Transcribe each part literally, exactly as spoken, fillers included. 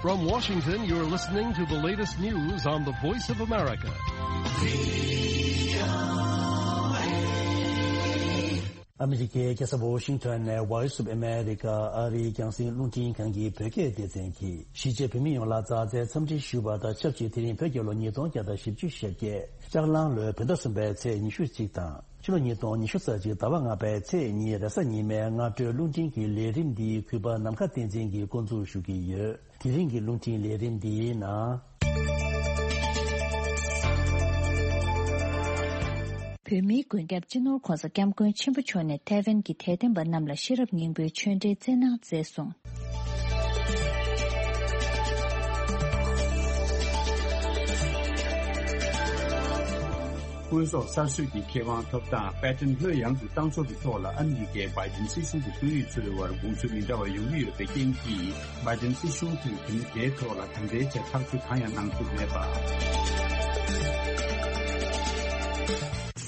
From Washington, you're listening to the latest news on the Voice of America. ཨ་མི་རི་ཀའི་རྒྱལ་ས་ཝོ་ཤིང་ཊོན་ནས་Voice of America ཨ་རིའི་རྒྱང་སྲིང་རླུང་འཕྲིན་ཁང་གི་བོད་སྐད་སྡེ་ཚན་གྱིས་གཞིས་བྱེས་བོད་མི་ཡོངས་ལ་མཛའ་བརྩེའི་འཚམས་འདྲི་ཞུ་བ་དང་ཆབས་ཅིག་དེ་རིང་བོད་རྒྱལ་ལོ་ཉིས་སྟོང་བརྒྱ་དང་བཞི་བཅུ་ཞེ་བརྒྱད་ལྕགས་གླང་ལོའི་བོད་ཟླ་གསུམ་པའི་ཚེས་ཉི་ཤུ་གཅིག་དང་ཕྱི་ལོ་ཉིས་སྟོང་ཉི་ཤུ་རྩ་གཅིག་ཟླ་བ་ལྔ་པའི་ཚེས་གཉིས་རེས་གཟའ་ཉི་མའི་སྔ་དྲོའི་རླུང་འཕྲིན་གྱི་ལས་རིམ་འདི་གུས་པ་ནམ་མཁའ་བསྟན་འཛིན་གྱིས་འགོ་འཛུགས་ཞུ་གི་ཡོད། དེ་རིང་གི་རླུང་འཕྲིན་ལས་རིམ་འདིའི་ནང་། བོད་མིའི་མགོན་སྐྱབས་སྤྱི་ནོར་༧གོང་ས་༧སྐྱབས་མགོན་ཆེན་པོ་མཆོག་ནས་ཐའེ་ཝན་གྱི་དད་ལྡན་པ་རྣམས་ལ་ཤེས་རབ་སྙིང་པོའི་ཆོས་འབྲེལ་སྩལ་གནང་མཛད་སོང་། དངོས་ཟོག་གསར་བཟོས་ཀྱི་ཁེ་དབང་ཐོབ་ཐང་པེ་ཊན་ལྷོད་ཡངས་སུ་བཏང་ཕྱོགས་ཀྱི་ཐོག་ལ་ཨ་མི་རི་ཀའི་བྷའི་ཌེན་སྲིད་གཞུང་གི་དཔོན་རིགས་ཚོའི་དབར་དགོངས་ཚུལ་མི་འདྲ་བ་ཡོང་གི་ཡོད་པའི་རྐྱེན་གྱིས། བྷའི་ཌེན་སྲིད་གཞུང་གིས་དེ་ནི་དེའི་ཐོག་ལ་ད་ལྟའི་ཆར་ཐག་གཅོད་གང་ཡང་གནང་ཐུབ་མེད་པ།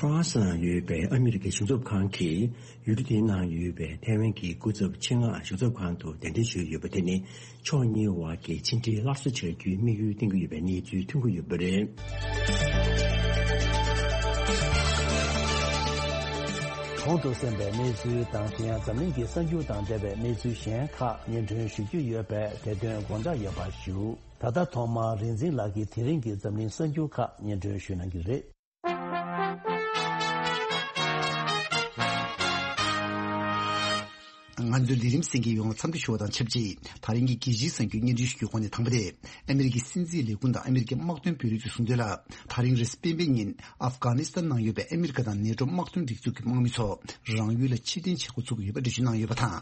ཧྥ་རན་སི་ནང་ཡོད་པའི་ཨ་མི་རི་ཀའི་གཞུང་ཚབ་ཁང་གིས་ཡུལ་གྲུ་དེའི་ནང་ཡོད་པའི་ཐའེ་ཝན་གྱི་སྐུ་ཚབ་ཆེད་མངགས་གཞུང་ཚབ་ཁང་དུ་གདན་འདྲེན་ཞུས་ཡོད་པ་དེ་ནི་ཕྱོགས་གཉིས་དབར་གྱི་ཕྱི་འབྲེལ་སླར་གསོ་བྱ་རྒྱུའི་དམིགས་ཡུལ་བཏིང་གི་ཡོད་པའི་གནས་ཚུལ་ཐོན་གྱི་ཡོད་པ་རེད། གོང་དུ་གསན་པའི་གནས་ཚུལ་དང་དེ་ཡང་འཛམ་གླིང་གི་གསར་འགྱུར་དང་འབྲེལ་བའི་གནས་ཚུལ་གཞན་ཁག་སྙན་སྒྲོན་ཞུ་རྒྱུ་ཡོད་པས་དེ་དོན་དགོངས་འཇགས་ཡོད་པ་ཞུ། ད་ལྟ་ཐོག་མར་རིག་འཛིན་ལགས་ཀྱིས་དེ་རིང་གི་འཛམ་གླིང་གསར་འགྱུར་ཁག་སྙན་སྒྲོན་ཞུ་གནང་གི་རེད། ང་ཚོའི་ལས་རིམ་གསན་མཁན་ཡོངས་ལ་འཚམས་འདྲི་ཞུ་བ་དང་ཆབས་ཅིག་ད་རིང་གི་རྒྱལ་སྤྱིའི་གསར་འགྱུར་སྙན་སྒྲོན་ཞུ་རྒྱུའི་སྒོ་ནས་དང་པོ་དེ། ཨ་མི་རི་ཀའི་སྲིད་འཛིན་ལས་ཁུངས་དང་ཨ་མི་རི་ཀའི་དམག་དོན་དཔོན་རིགས་ཚོས་གསུངས་དོན་ལ། ད་རིང་རེས་གཟའ་སྤེན་པའི་ཉིན་ཨབ་གྷ་ནི་སི་ཐན་ནང་ཡོད་པའི་ཨ་མི་རི་ཀ་དང་ནེ་ཊོ་དམག་དོན་སྒྲིག་འཛུགས་ཀྱི་དམག་མི་ཚོ་རང་ཡུལ་ལ་ཕྱིར་འཐེན་བྱེད་འགོ་བཙུགས་ཀྱི་ཡོད་པ་འགྲེལ་བརྗོད་གནང་ཡོད་པ་དང་།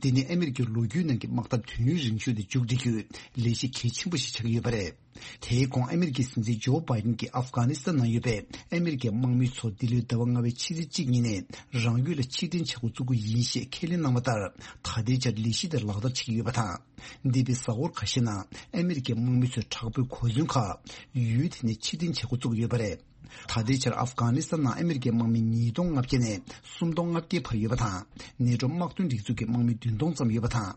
འདི་ནི་ཨ་མི་རི་ཀའི་ལོ་རྒྱུས་ནང་གི་དམག་འཐབ་དུས་ཡུན་རིང་ཤོས་དེ་མཇུག་སྒྲིལ་རྒྱུའི་ལས་གཞི་གལ་ཆེན་པོ་ཞིག་ཆགས་ཀྱི་ཡོད་པ་རེད། དེའི་གོང་ཨ་མི་རི་ཀའི་སྲིད་འཛིན་ཇོ་བྷའི་ཌེན་གྱིས་ཨབ་གྷ་ནི་སི་ཐན་ནང་ཡོད་པའི་ཨ་མི་རི་ཀའི་དམག་མི་ཚོ་འདི་ལོའི་ཟླ་བ་ལྔ་པའི་ཕྱི་ཚེས་གཅིག་ཉིན་ནས་རང་ཡུལ་ལ་ཕྱིར་འཐེན་བྱེད་འགོ་བཙུགས་ཀྱི་ཡིན་ཞེས་ཁས་ལེན་གནང་བ་ལྟར། ད་ལྟའི་ཆར་ལས་གཞི་དེ་ལག་བསྟར་བྱེད་ཀྱི་ཡོད་པ་དང་། འདས་པའི་གཟའ་འཁོར་ཁ་ཤས་ནང་ཨ་མི་རི་ཀའི་དམག་མི་ཚོས་དྲག་པོའི་གོ་མཚོན་ཁག་ཡུལ་དེ་ནས་ཕྱིར་འཐེན་བྱེད་འགོ་བཙུགས་ཀྱི་ཡོད་པ་རེད། ད་ལྟའི་ཆར་ཨབ་གྷ་ནི་སི་ཐན་ནང་ཨ་མི་རི་ཀའི་དམག་མི་ཉིས་སྟོང་ལྔ་བརྒྱ་ནས་སུམ་སྟོང་ལྔ་བརྒྱའི་བར་ཡོད་པ་དང་། ནེ་ཊོ་དམག་དོན་སྒྲིག་འཛུགས་ཀྱི་དམག་མི་བདུན་སྟོང་ཙམ་ཡོད་པ་དང་།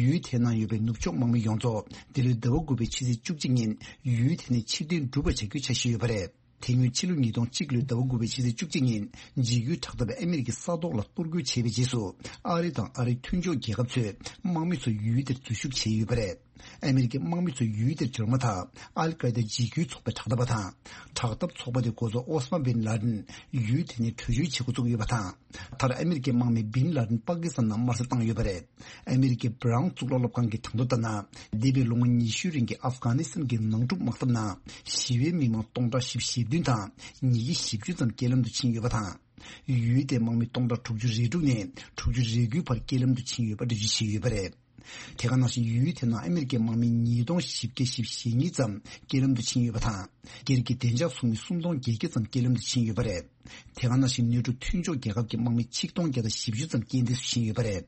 ཡུལ་དེའི་ནང་ཡོད་པའི་ནུབ་ཕྱོགས་དམག་མི་ཡོངས་རྫོགས་འདི་ལོའི་ཟླ་བ་དགུ་པའི་ཕྱི་ཚེས་བཅུ་གཅིག་ཉིན་ཡུལ་དེ་ནས་ཕྱིར་འཐེན་གྲུབ་པ་བྱ་རྒྱུའི་འཆར་གཞི་ཡོད་པ་རེད། དེ་སྔོན་ཕྱི་ལོ་ཉིས་སྟོང་གཅིག་ལོའི་ཟླ་བ་དགུ་པའི་ཕྱི་ཚེས་བཅུ་གཅིག་ཉིན་འཇིགས་སྐུལ་དྲག་འཐབ་པས་ཨ་མི་རི་ཀའི་ས་ཐོག་ལ་གཏོར་རྒོལ་བྱས་པའི་རྗེས་སུ་ཨ་རི་དང་ཨ་རིའི་མཐུན་ཕྱོགས་རྒྱལ་ཁབ་ཚོས་དམག་མི་ཚོ་ཡུལ་དེར་འཛུལ་ཞུགས་བྱས་ཡོད་པ་རེད། ཨ་མི་རི་ཀའི་དམག་མི་ཚོ་ཡུལ་དེར་འབྱོར་མ་ཐག་ཨལ་ཀའི་ད་འཇིགས་སྐུལ་ཚོགས་པའི་དྲག་འཐབ་པ་དང་། དྲག་འཐབ་ཚོགས་པ་དེ་འགོ་གཙོ་ཨོ་ས་མ་བིན་ལ་ཌིན་ཡུལ་དེ་ནས་བྲོས་བྱོལ་བྱེད་འགོ་བཙུགས་ཡོད་པ་དང་། མཐར་ཨ་མི་རི་ཀའི་དམག་མི་བིན་ལ་ཌིན་པ་ཀི་སི་ཐན་ནང་དམར་གསོད་བཏང་ཡོད་པ་རེད། ཨ་མི་རི་ཀའི་བྷ་རའུན་གཙུག་ལག་སློབ་ཁང་གི་གྲངས་ཐོ་ལྟར་ན། འདས་པའི་ལོ་ངོ་ཉི་ཤུའི་རིང་གི་ཨབ་གྷ་ནི་སི་ཐན་གྱི་ནང་འཁྲུག་དམག་འཐབ་ནང་ཞི་བའི་མི་མང་སྟོང་ཕྲག་བཞི་བཅུ་ཞེ་བདུན་དང་ཉིས་བརྒྱ་བཞི་བཅུ་ཙམ་རྐྱེན་ལམ་དུ་ཕྱིན་ཡོད་པ་དང་། ཡུལ་དེའི་དམག་མི་སྟོང་ཕྲག་དྲུག་ཅུ་རེ་དྲུག་ནས་དྲུག་ཅུ་རེ་དགུའི་བར་རྐྱེན་ལམ་དུ་ཕྱིན་ཡོད་པ་འགྲེལ་བརྗོད་བྱས་ཡོད་པ་རེད། དེ་ག་ནང་བཞིན་ཡུལ་དེ་ནང་ཨ་མི་རི་ཀའི་དམག་མི་ཉིས་སྟོང་བཞི་བརྒྱ་བཞི་བཅུ་ཞེ་གཉིས་ཙམ་རྐྱེན་ལམ་དུ་ཕྱིན་ཡོད་པ་དང་། སྒེར་གྱི་བདེ་འཇགས་ཚོགས་མི་སུམ་སྟོང་བརྒྱད་བརྒྱ་ཙམ་རྐྱེན་ལམ་དུ་ཕྱིན་ཡོད་པ་རེད། དེ་ག་ནང་བཞིན་ནེ་ཊོ་མཐུན་ཕྱོགས་རྒྱལ་ཁབ་ཀྱི་དམག་མི་ཆིག་སྟོང་བརྒྱ་དང་བཞི་བཅུ་ཙམ་རྐྱེན་འདས་སུ་ཕྱིན་ཡོད་པ་རེད།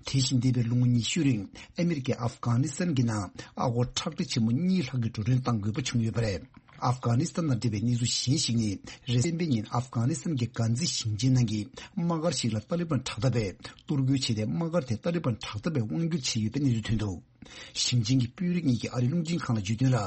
དེ་བཞིན་འདས་པའི་ལོ་ངོ་ཉི་ཤུའི་རིང་ཨ་མི་རི་ཀས་ཨབ་གྷ་ནི་སི་ཐན་གྱི་ནང་ཨ་སྒོར་ཁྲག་ཁྲིག་ཆེན་མོ་གཉིས་ལྷག་གི་འགྲོ་གྲོན་གཏང་དགོས་པ་བྱུང་ཡོད་པ་རེད། ཨབ་གྷ་ནི་སི་ཐན་དང་འབྲེལ་བའི་གནས་ཚུལ་གཞན་ཞིག་ནི། རེས་གཟའ་སྤེན་པའི་ཉིན་ཨབ་གྷ་ནི་སི་ཐན་གྱི་གྷན་ཛི་ཞིང་ཆེན་ནང་གི་དམག་སྒར་ཞིག་ལ་ཏཱ་ལི་བན་དྲག་འཐབ་པས་གཏོར་རྒོལ་བྱས་ཏེ། དམག་སྒར་དེ་ཏཱ་ལི་བན་དྲག་འཐབ་པས་དབང་བསྒྱུར་བྱས་ཡོད་པའི་གནས་ཚུལ་ཐོན་འདུག་ཞིང་ཆེན་གྱི་དཔོན་རིགས་གཉིས་ཀྱིས་ཨ་རིའི་རླུང་འཕྲིན་ཁང་ལ་བརྗོད་དོན་ལ།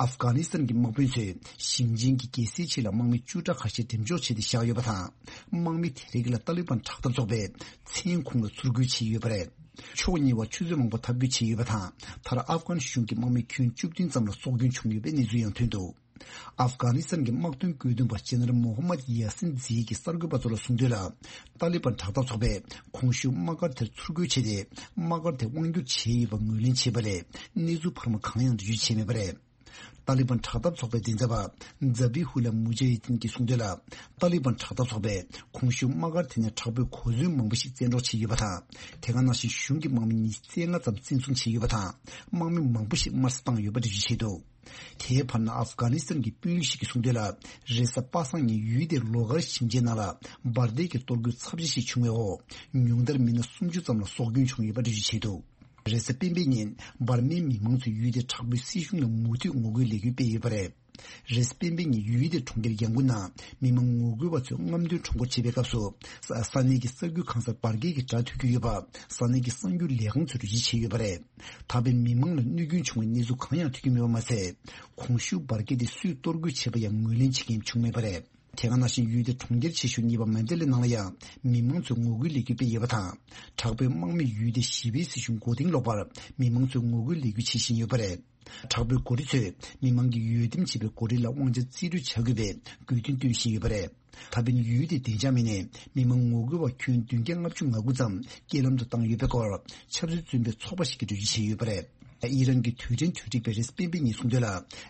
ཨབ་གྷ་ནི་སི་ཐན་གྱི་དམག་དཔོན་ཚོས་ཞིང་ཆེན་གྱི་རྒྱལ་སའི་ཆེད་ལ་དམག་མི་བཅུ་ཕྲག་ཁ་ཤས་འགྲེམས་འཇོག་བྱས་ཏེ་བཞག་ཡོད་པ་དང་། དམག་མི་དེ་རིགས་ལ་ཏཱ་ལི་བན་དྲག་འཐབ་ཚོགས་པས་མཚན་ཁུངས་ལ་ཚུར་རྒོལ་བྱས་ཡོད་པ་རེད། ཕྱོགས་གཉིས་བར་ཆུ་ཚོད་མང་པོ་འཐབ་རྒོལ་བྱས་ཡོད་པ་དང་། མཐར་ཨབ་གྷན་གཞུང་གི་དམག་མི་ཁྱོན་བཅུ་བདུན་ཙམ་ལ་སྲོག་སྐྱོན་བྱུང་ཡོད་པའི་གནས་ཚུལ་ཡང་ཐོན་འདུག་ཨབ་གྷ་ནི་སི་ཐན་གྱི་དམག་དོན་བཀོད་འདོམས་པ་ཇེ་ནེ་རལ་མོ་ཧམ་མད་ཡ་སིན་ཛི་ཡི་གིས་གསར་འགོད་པ་ཚོ་ལ་གསུངས་དོན་ལ། ཏཱ་ལི་བན་དྲག་འཐབ་ཚོགས་པས་གོང་ཞུས་དམག་སྒར་དེར་ཚུར་རྒོལ་བྱས་ཏེ། དམག་སྒར་དེ་དབང་བསྒྱུར་བྱས་ཡོད་པ་ངོས་ལེན་བྱས་པ་ལས། གནས་ཚུལ་འཕར་མ་གང་ཡང་འགྲེལ་བརྗོད་བྱས་མེད་པ་རེད། ཏཱ་ལི་བན་དྲག་འཐབ་ཚོགས་པའི་མགྲིན་ཚབ་པ་ཛ་བྷི་ཧུ་ལ་མུ་ཇ་ཧི་དིན་གྱིས་གསུངས་དོན་ལ། ཏཱ་ལི་བན་དྲག་འཐབ་ཚོགས་པས་གོང་ཞུས་དམག་སྒར་དེ་ནས་དྲག་པོའི་གོ་མཚོན་མང་པོ་ཞིག་བཙན་འཕྲོག་བྱས་ཡོད་པ་དང་། དེ་ག་ནང་བཞིན་གཞུང་གི་དམག་མི་ཉི་ཤུ་རྩ་ལྔ་ཙམ་བཙན་བཟུང་བྱས་ཡོད་པ་དང་། དམག་མི་མང་པོ་ཞིག་དམར་གསོད་བཏང་ཡོད་པ་འགྲེལ་བརྗོད་བྱས་འདུག་དེའི་བར་ན་ཨབ་གྷ་ནི་སི་ཐན་གྱི་དཔོན་རིགས་ཤིག་གིས་གསུངས་དོན་ལ། རེས་གཟའ་པ་སངས་ཉིན་ཡུལ་དེའི་ལོ་གྷར་ཞིང་ཆེན་ནང་ལ་འབར་མདེལ་གྱི་གཏོར་རྒོལ་ཚབས་ཆེ་ཞིག་བྱུང་བའི་འོག་ཉུང་མཐར་མི་སྣ་སུམ་ཅུ་ཙམ་ལ་སྲོག་སྐྱོན་བྱུང་ཡོད་པ་འགྲེལ་བརྗོད་བྱས་འདུག་རེས་གཟའ་སྤེན་པའི་ཉིན་འབར་མའི་མི་མང་ཚོས་ཡུལ་དེའི་དྲག་པོའི་སྲིད་གཞུང་ལ་མུ་མཐུད་ངོ་རྒོལ་ལས་འགུལ་སྤེལ་ཡོད་པ་རེད། རེས་གཟའ་སྤེན་པའི་ཉིན་ཡུལ་དེའི་གྲོང་ཁྱེར་ཡང་ཀུན་ནང་མི་མང་ངོ་རྒོལ་བ་ཚོས་རྔམ་སྟོན་ཁྲོམ་སྐོར་བྱེད་པའི་སྐབས་སུ། ས་ས་གནས་ཀྱི་ས་རྒྱུ་གང་སར་འབར་གས་ཀྱི་སྒྲ་ཐོས་རྒྱུ་ཡོད་པ་ས་གནས་ཀྱི་གསར་འགྱུར་ལས་ཁང་ཚོས་འགྲེལ་བརྗོད་བྱས་ཡོད་པ་རེད། ད་ཕན་མི་མང་ལ་གནོད་སྐྱོན་བྱུང་བའི་གནས་ཚུལ་གང་ཡང་ཐོན་གྱི་མེད་པ་མ་ཟད། གོང་ཞུས་འབར་གས་དེ་སུས་གཏོར་རྒོལ་བྱས་པ་ཡང་ངོས་ལེན་བྱེད་མཁན་བྱུང་མེད་པ་རེད། དེ་ག་ནང་བཞིན་ཡུལ་དེའི་གྲོང་ཁྱེར་ཆེ་ཤོས་གཉིས་པ་མན་ཌེ་ལེ་ནང་ལ་ཡང་མི་མང་ཚོས་ངོ་རྒོལ་ལས་འགུལ་སྤེལ་ཡོད་པ་དང་། དྲག་པོའི་དམག་མིས་ཡུལ་དེའི་ཞི་བའི་སྲིད་གཞུང་མགོ་རྟིང་སློག་པར་མི་མང་ཚོས་ངོ་རྒོལ་ལས་འགུལ་བྱེད་བཞིན་ཡོད་པ་རེད། དྲག་པོའི་འགོ་ཁྲིད་ཚོས་མི་མང་གིས་འོས་འདེམས་བྱས་པའི་འགོ་ཁྲིད་ལ་དབང་ཆ་རྩིས་སྤྲོད་བྱ་དགོས་པའི་དགོས་འདུན་བཏོན་བཞིན་ཡོད་པ་རེད། ད་ཕན་ཡུལ་དེའི་བདེ་འཇགས་མི་སྣས་མི་མང་ངོ་རྒོལ་བ་ཁྱོན་བདུན་བརྒྱ་ལྔ་བཅུ་ང་དགུ་ཙམ་རྐྱེན་ལམ་དུ་བཏང་ཡོད་པའི་སྐོར་ཆབ་སྲིད་བཙོན་པའི་ཚོགས་པ་ཞིག་གིས་འགྲེལ་བརྗོད་བྱས་ཡོད་པ་རེད། ཨི་རན་གྱི་དུས་དྲན་གྲ་སྒྲིག་པས་རེས་གཟའ་སྤེན་པའི་ཉིན་གསུངས་དོན་ལ།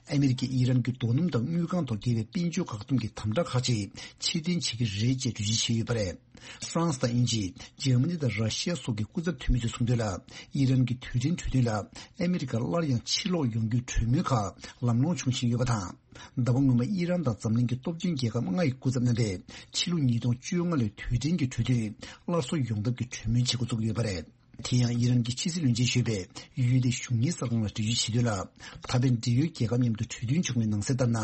ཨ་མི་རི་ཀས་ཨི་རན་གྱི་རྡོ་སྣུམ་དང་དངུལ་ཁང་ཐོག་འགེལ་བའི་དཔལ་འབྱོར་བཀག་སྡོམ་གྱི་དམ་དྲག་ཁག་ཅིག་ཕྱིར་འཐེན་བྱེད་ཀྱི་རེད་ཅེས་འགྲེལ་བརྗོད་བྱས་ཡོད་པ་རེད། ཧྥ་རན་སི་དང་དབྱིན་ཇི། འཇར་མ་ནི་དང་ར་ཤི་ཡ་སོགས་ཀྱི་སྐུ་ཚབ་འཐུས་མི་ཚོས་གསུངས་དོན་ལ། ཨི་རན་གྱི་དུས་དྲན་གྲོས་མཐུན་ལ་ཨ་མི་རི་ཀར་སླར་ཡང་ཕྱིར་ལོག་ཡོང་རྒྱུའི་གྲོས་མོལ་ཁག་ལམ་ལྷོང་བྱུང་བཞིན་ཡོད་པ་དང་། ཟླ་བ་སྔོན་མ་ཨི་རན་དང་འཛམ་གླིང་གི་སྟོབས་ཆེན་རྒྱལ་ཁབ་ལྔ་ཡི་སྐུ་ཚབ་རྣམ་པས་ཕྱི་ལོ་ཉིས་སྟོང་བཅོ་ལྔ་ལོའི་དུས་དྲན་གྱི་གྲོས་མཐུན་སླར་གསོ་ཡོང་ཐབས་ཀྱི་གྲོས་མོལ་བྱེད་འགོ་བཙུགས་ཡོད་པ་རེད། དེ་ཡང་ཨི་རན་གྱི་ཕྱི་སྲིད་བློན་ཆེན་གཞོན་པས་ཡུལ་དེའི་གཞུང་གཉེར་གསར་ཁང་ལ་འགྲེལ་བརྗོད་བྱས་དོན་ལ། ད་ཕན་འབྲེལ་ཡོད་རྒྱལ་ཁབ་མཉམ་དུ་གྲོས་མཐུན་བྱུང་བའི་ནང་གསལ་ལྟར་ན།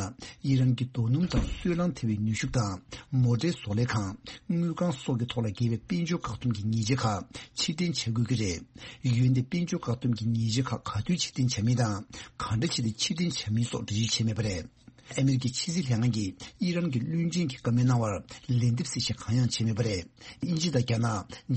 ཨི་རན་གྱི་རྡོ་སྣུམ་དང་སོལ་རླངས་ཐེ་བའི་ནུས་ཤུགས་དང་། མོ་ཊའི་བཟོ་ལས་ཁང་། དངུལ་ཁང་སོགས་ཀྱི་ཐོག་ལ་འགེལ་བའི་དཔལ་འབྱོར་བཀག་སྡོམ་གྱི་ཉེས་ཆད་ཁག་ཕྱིར་འཐེན་བྱ་དགོས་ཀྱི་རེད། འོན་ཏེ་དཔལ་འབྱོར་བཀག་སྡོམ་གྱི་ཉེས་ཆད་ཁག་ག་དུས་ཕྱིར་འཐེན་བྱ་མིན་དང་། ག་འདྲ་བྱས་ཏེ་ཕྱིར་འཐེན་བྱ་མིན་སོགས་འགྲེལ་བརྗོད་བྱས་མེད་པ་རེད། ཨ་མི་རི་ཀའི་ཕྱི་སྲིད་ལྷན་ཁང་གིས་ཨི་རན་གྱི་བློན་ཆེན་གྱི་བཀའ་མོལ་གནང་བར་ལན་འདེབས་གསལ་བཤད་གང་ཡང་བྱས་མེད་པ་རེད། དབྱིན་ཇི་དང་རྒྱ་ནག་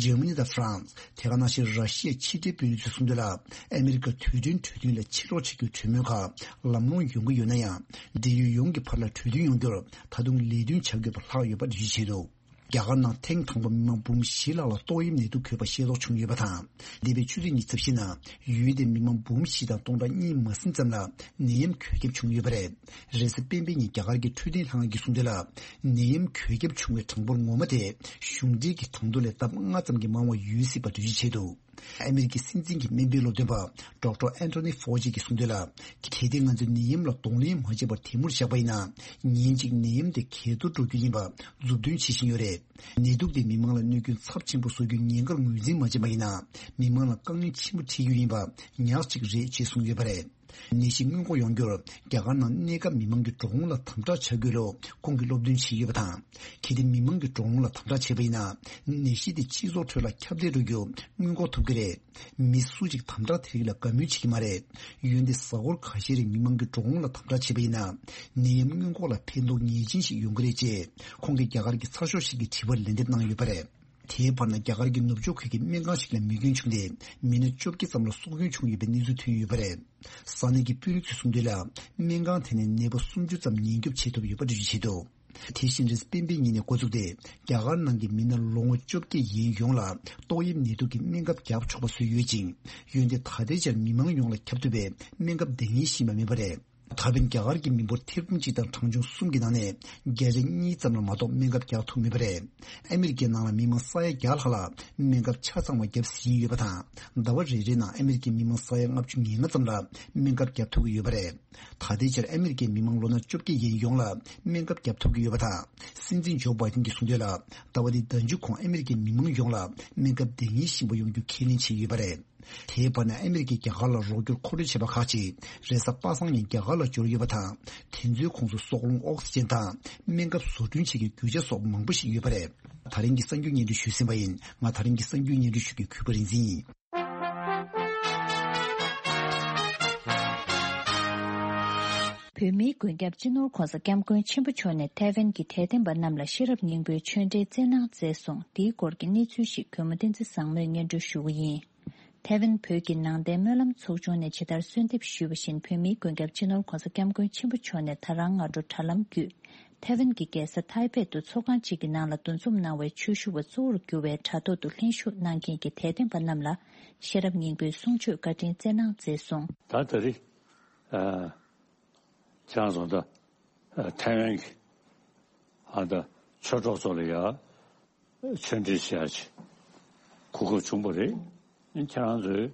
འཇར་མ་ནི་དང་ཧྥ་རན་སི། དེ་ག་ནང་བཞིན་ར་ཤི་ཡའི་ཕྱི་འབྲེལ་དཔོན་རིགས་ཚོས་གསུངས་དོན་ལ། ཨ་མི་རི་ཀ་དུས་དྲན་གྲོས་མཐུན་ལ་ཕྱིར་ལོག་བྱེད་རྒྱུའི་གྲོས་མོལ་ཁག་ལམ་ལྷོང་ཡོང་གི་ཡོད་ན་ཡང་། འབྲེལ་ཡོད་ཡོངས་ཀྱི་བར་ལ་གྲོས་མཐུན་ཡོང་རྒྱུར་ད་དུང་ལས་དོན་བྱ་དགོས་པ་ལྷག་ཡོད་པ་འགྲེལ་བརྗོད་བྱས་འདུག་རྒྱ་གར་ནང་ཐེངས་དང་པོ་མི་མང་འབུམ་བཞི་ལྷག་ལ་ཏོག་དབྱིབས་ནད་དུག་འགོས་པ་ཤེས་རྟོགས་བྱུང་ཡོད་པ་དང་། འདས་པའི་ཆུ་ཚོད་ཉི་ཤུ་རྩ་བཞི་ནང་ཡུལ་དེའི་མི་མང་འབུམ་བཞི་དང་སྟོང་ཕྲག་གཉིས་མ་ཟིན་ཙམ་ལ་ནད་ཡམས་འགོས་ཁྱབ་བྱུང་ཡོད་པ་རེད། རེས་གཟའ་སྤེན་པའི་ཉིན་རྒྱ་གར་གྱི་འཕྲོད་བསྟེན་ལྷན་ཁང་གིས་གསུངས་དོན་ལ། ནད་ཡམས་འགོས་ཁྱབ་བྱུང་བའི་གྲངས་འབོར་ངོ་མ་དེ་གཞུང་འབྲེལ་གྱི་གྲངས་ཐོ་ལས་ལྡབ་ལྔ་ཙམ་གྱིས་མང་བ་ཡོད་སྲིད་པ་འགྲེལ་བརྗོད་བྱས་འདུག་ཨ་མི་རི་ཀའི་སྲིད་འཛིན་གྱི་སྨན་པའི་སློབ་སྟོན་པ་ཌོག་ཊར་ཨན་ཐོ་ནི་ཕོ་ཇི་གིས་གསུངས་དོན་ལ། གལ་ཏེ་ང་ཚོས་ནད་ཡམས་ལ་གདོང་ལེན་མ་བྱས་པར་དེ་མུར་བཞག་པ་ཡིན་ན། ཉིན་གཅིག་ནད་ཡམས་དེ་གས་གཏོར་འགྲོ་རྒྱུ་ཡིན་པ་མཛུབ་སྟོན་བྱེད་བཞིན་ཡོད་རེད། ནད་དུག་དེས་མི་མང་ལ་གནོད་སྐྱོན་ཚབས་ཆེན་པོ་བཟོ་རྒྱུའི་ཉེན་ཁར་ངོས་འཛིན་མ་བྱས་པ་ཡིན་ན། མི་མང་ལ་དཀའ་ངལ་ཆེན་པོ་འཕྲད་རྒྱུ་ཡིན་པ་ཉག་གཅིག་རེད་ཅེས་གསུངས་ཡོད་པ་རེད། ནད་གཞི་སྔོན་འགོག་ཡོང་རྒྱུར་རྒྱ་གར་ནང་གནས་སྐབས་མི་མང་གི་འགྲོ་འོང་ལ་དམ་དྲག་བྱ་དགོས་ལུགས་ཁོང་གིས་སློབ་སྟོན་བྱས་ཡོད་པ་དང་། གལ་ཏེ་མི་མང་གི་འགྲོ་འོང་ལ་དམ་དྲག་བྱས་པ་ཡིན་ན། ནད་གཞི་དེ་སྤྱི་ཚོགས་ཁྲོད་ལ་ཁྱབ་གདལ་འགྲོ་རྒྱུ་སྔོན་འགོག་ཐུབ་ཀྱི་རེད། མི་སུ་གཅིག་དམ་དྲག་དེ་རིགས་ལ་དགའ་མོས་བྱེད་ཀྱི་མ་རེད། འོན་ཏེ་གཟའ་འཁོར་ཁ་ཤས་རིང་མི་མང་གི་འགྲོ་འོང་ལ་དམ་དྲག་བྱས་པ་ཡིན་ན། ནད་ཡམས་སྔོན་འགོག་ལ་ཕན་ཐོགས་ངེས་ཅན་ཞིག་ཡོང་གི་རེད་ཅེས་ཁོང་གིས་རྒྱ་གར་གྱི་ཚགས་ཤོག་ཞིག་གི་དྲི་བར་ལན་འདེབས་གནང་ཡོད་པ་རེད། དེའི་བར་ན་རྒྱ་གར་གྱི་ནུབ་ཕྱོགས་ཁུལ་གྱི་སྨན་ཁང་ཞིག་ལ་མེ་སྐྱོན་བྱུང་སྟེ་མི་སྣ་བཅོ་བརྒྱད་ཙམ་ལ་སྲོག་སྐྱོན་བྱུང་ཡོད་པའི་གནས་ཚུལ་ཐོན་ཡོད་པ་རེད། ས་གནས་ཀྱི་དཔོན་རིགས་ཚོས་གསུངས་དོན་ལ། སྨན་ཁང་དེ་ནས་ནད་པ་སུམ་ཅུ་ཙམ་ཉེན་སྐྱོབ་བྱེད་ཐུབ་ཡོད་པ་འགྲེལ་བརྗོད་བྱས་འདུག་དེ་བཞིན་རེས་གཟའ་སྤེན་པའི་ཉིན་ནས་འགོ་བཙུགས་ཏེ། རྒྱ་གར་ནང་གི་མི་སྣ་ལོ་ངོ་བཅོ་བརྒྱད་ཡན་ཡོངས་ལ་ཏོག་དབྱིབས་ནད་དུག་གི་སྨན་ཁབ་བརྒྱབ་ཆོག་པ་བཟོས་ཡོད་ཅིང་། འོན་ཏེ་ད་ལྟའི་ཆར་མི་མང་ཡོངས་ལ་ཁྱབ་ཐུབ་པའི་སྨན་ཁབ་འདང་ངེས་ཤིག་ཡིན་པ་མིན་པ་རེད། ད་ཕན་རྒྱ་གར་གྱི་མི་འབོར་ཐེར་འབུམ་གཅིག་དང་གྲངས་ཆུང་གསུམ་གྱི་ནང་ནས་བརྒྱ་ཆ་གཉིས་ཙམ་ལ་མ་གཏོགས་སྨན་ཁབ་རྒྱག་ཐུབ་མེད་པ་རེད། ཨ་མི་རི་ཀའི་ནང་ལ་མི་མང་ས་ཡ་བརྒྱ་ལྷག་ལ་སྨན་ཁབ་ཆ་ཚང་བ་བརྒྱབ་ཟིན་ཡོད་པ་དང་། ཟླ་བ་རེ་རེའི་ནང་ཨ་མི་རི་ཀའི་མི་མང་ས་ཡ་ལྔ་བཅུ་ང་ལྔ་ཙམ་ལ་སྨན་ཁབ་བརྒྱབ་ཐུབ་ཀྱི་ཡོད་པ་རེད། ད་ལྟའི་ཆར་ཨ་མི་རི་ཀའི་མི་མང་ལོ་ན་བཅོ་བརྒྱད་ཡན་ཡོངས་ལ་སྨན་ཁབ་བརྒྱབ་ཐུབ་ཀྱི་ཡོད་པ་དང་། སྲིད་འཛིན་ཇོ་བྷའི་ཏིན་གྱིས་གསུངས་དོན་ལ། ཟླ་བ་འདིའི་ཟླ་མཇུག་གོང་ཨ་མི་རི་ཀའི་མི་མང་ཡོངས་ལ་སྨན་ཁབ་འདང་ངེས་ཤིག་ཡིན་པ་ཡོང་རྒྱུ་ཁས་ལེན་བྱས་ཡོད་པ་རེད། དེའི་བར་ན་ཨ་མི་རི་ཀས་རྒྱ་གར་ལ་རོགས་སྐྱོར་མཁོ་སྤྲོད་བྱས་པ་ཁག་ཅིག་རེས་གཟའ་པ་སངས་ཉིན་རྒྱ་གར་ལ་འབྱོར་ཡོད་པ་དང་། དེ་ཚོའི་ཁོངས་སུ་སྲོག་རླུང་ཨོག་སི་ཅན་དང་སྨན་ཁབ་བཟོ་སྐྲུན་བྱེད་ཀྱི་རྒྱུ་ཆ་སོགས་མང་པོ་ཞིག་ཡོད་པ་རེད། ད་རིང་གི་གསར་འགྱུར་སྙན་སྒྲོན་ཞུས་ཟིན་པ་ཡིན། ང་ད་རིང་གི་གསར་འགྱུར་སྙན་སྒྲོན་ཞུ་མཁན་གུས་པ་རིག་འཛིན་ཡིན། བོད་མིའི་མགོན་སྐྱབས་སྤྱི་ནོར་༧གོང་ས་༧སྐྱབས་མགོན་ཆེན་པོ་མཆོག་ནས་ཐའེ་ཝན་གྱི་དད་ལྡན་པ་རྣམས་ལ་ཤེས་རབ་སྙིང་པོའི་ཆོས་འབྲེལ་སྩལ་གནང་མཛད་སོང་། འདིའི་སྐོར་གྱི་གནས་ཚུལ་ཞིག་གུས་མོ་བསྟན་འཛིན་བཟང་མོས་སྙན་སྒྲོན་ཞུ་གི་ཡིན། ཐའེ་ཝན་བོད་ཀྱི་ནང་བསྟན་སྨོན་ལམ་ཚོགས་ཆུང་ནས་ཇི་ལྟར་གསོལ་འདེབས་ཞུས་པ་བཞིན། བོད་མིའི་མགོན་སྐྱབས་སྤྱི་ནོར་༧གོང་ས་༧སྐྱབས་མགོན་ཆེན་པོ་མཆོག་ནས་ད་རང་སྔ་དྲོ་དྲ་ལམ་བརྒྱུད། ཐའེ་ཝན་གྱི་རྒྱལ་ས་ཐའེ་པེ་དུ་ཚོགས་ཁང་གཅིག་གི་ནང་ལ་འདུ་འཛོམས་གནང་བའི་ཆོས་ཞུ་བ་གཙོ་བོར་གྱུར་བའི་དྲ་ཐོག་ཏུ་ལྷན་ཞུགས་གནང་མཁན་གྱི་དད་ལྡན་པ་རྣམས་ལ་ཤེས་རབ་སྙིང་པོའི་གསུང་ཆོས་བཀའ་དྲིན་སྩལ་གནང་མཛད་སོང་། ད་ད་རེས་ཨ་ཁྱེད་རང་ཚོ་ད་ཨ་ཐའེ་ཝན་གྱི་ཨ་ད་ཆོས་གྲོགས་ཚོ་ལ་ཡ། ཆོས་འབྲེལ་བྱེད་ཡ་ཆེད་གོ་སྐབས་བྱུང་བ་རེད། ཁྱེད་རང་ཚོས་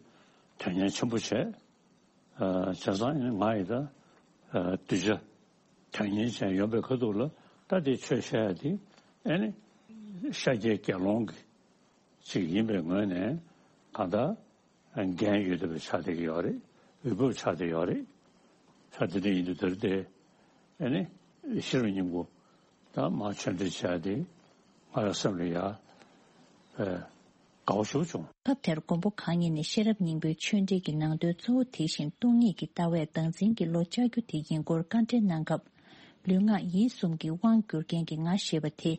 དོན་གཉེར་ཆེན་པོ་བྱས། ཨ་བྱས་ཙང་ང་ཡི་ད་ཨ་གདུལ་བྱ་དོན་གཉེར་བྱས་ཡོང་པའི་ཁ་ཐུག་ལ་ད་དེ་ཆོས་བཤད་ཡ་དེ་ཨ་ནི་ཤཱཀྱའི་དགེ་སློང་གི་ཅིག་ཡིན་པའི་ངོས་ནས་གང་ལྟར་ འགན་ཡོད་བསྡད་པ་ཆགས་བསྡད་ཀྱི་ཡོད་རེད། འོས་བབ་ཆགས་བསྡད་ཡོད་རེད། ཆགས་བསྡད་དེ་ཡིན་དུས་དེར་དེ་ཨ་ནི་ཤེས་རབ་སྙིང་པོ་ད་མར་ཆོས་འབྲེལ་བྱས་ཏེ་ང་རང་སེམས་ལ་ཡ་ཨ་དགའ་བོ་ཞེ་པོ་བྱུང་། སྐབས་དེར་མགོན་པོ་གང་ཉིད་ནས་ཤེས་རབ་སྙིང་པོའི་ཆོས་འབྲེལ་གྱི་ནང་དོན་གཙོ་བོ་དེ་བཞིན་སྟོང་ཉིད་ཀྱི་ལྟ་བས་བདག་འཛིན་གྱི་བློ་བཅའ་རྒྱུ་དེ་ཡིན་སྐོར་བཀའ་འགྲེལ་གནང་སྐབས། ལུས་ངག་ཡིད་གསུམ་གྱི་དབང་བསྒྱུར་མཁན་གྱི་ང་ཞེས་པ་དེ་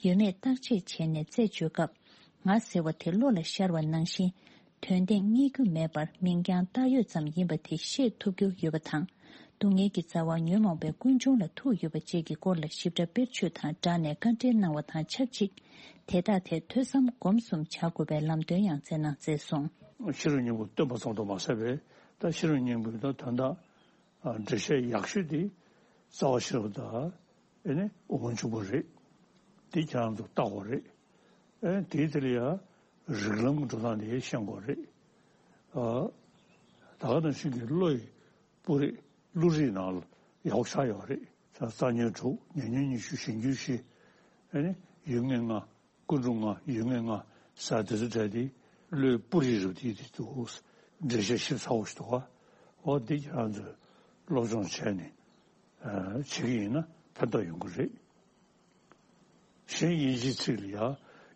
ཡོད་མེད་བརྟག་དཔྱད་བྱས་ནས་རྩད་གཅོད་སྐབས། ང་ཟེར་བ་དེ་བློ་ལ་ཤར་བ་ནང་བཞིན། དོན་སྟེང་རྙེད་རྒྱུ་མེད་པར་མིང་རྐྱང་བཏགས་ཡོད་ཙམ་ཡིན་པ་དེ་ཤེས་ཐུབ་རྒྱུ་ཡོད་པ་དང་། སྡུག་བསྔལ་གྱི་རྩ་བ་ཉོན་མོངས་པའི་ཀུན་འབྱུང་ལ་ཐུག་ཡོད་པ་བཅས་ཀྱི་སྐོར་ལ་ཞིབ་ཕྲ་དཔེར་བརྗོད་དང་སྦྲགས་ནས་བཀའ་འགྲེལ་གནང་བ་དང་ཆབས་ཅིག་དེ་དག་ཐད་ཐོས་བསམ་སྒོམ་གསུམ་བྱ་དགོས་པའི་ལམ་སྟོན་ཡང་སྩལ་གནང་མཛད་སོང་། ཤེས་རབ་སྙིང་པོ་སྟོན་པ་ཙམ་དུ་མ་ཟད་པའི་ད་ཤེས་རབ་སྙིང་པོའི་ད་དོན་དག་འགྲེལ་བཤད་ཡག་ཤོས་དེ་རྩ་བ་ཤེས་རབ་དང་ཨེ་ནི་དབུ་མ་འཇུག་པ་རེད། དེ་ཁྱེད་རང་ཚོ་བལྟ་དགོས་རེད། ཨེ་དེའི་དེ་ལ་ཡང་རིགས་ལམ་གྱི་འགྲོ་སྟངས་དེ་ཤེས་དགོས་རེད། ཨ་ད་ག་ནང་བཞིན་གྱི་བློ་ཡི་སྤུ་རིས་བློ་རིགས་ནང་ལ་ཡག་པོ་ཆགས་ཡོད་རེད། ས་རྩ་ཉོན་དྲུག་ཉེ་ཉོན་ཉི་ཤུ་གཞན་འགྱུར་བཞི། ཨེ་ནི་ཡུལ་ངེས་ལྔ། ཀུན་འབྱུང་ལྔ་ཡུལ་ངེས་ལྔ་ཟེར་དེ་ཚོ་གྲས་དེ་བློའི་སྤུ་རིས་རུ་དེ་དེ་འདུག་འགྲེལ་བཤད་ཞིབ་ཚགས་པོ་ཞིག་འདུག་ག་འོ་འདི་ཁྱེད་རང་ཚོས་སློབ་སྦྱོང་བྱས་ནས་བྱེད་ཀྱི་ཡིན་ན་ཕན་ཐོགས་ཡོང་གི་རེད། གཞན་དབྱིན་ཇིའི་ཚིག་ལ་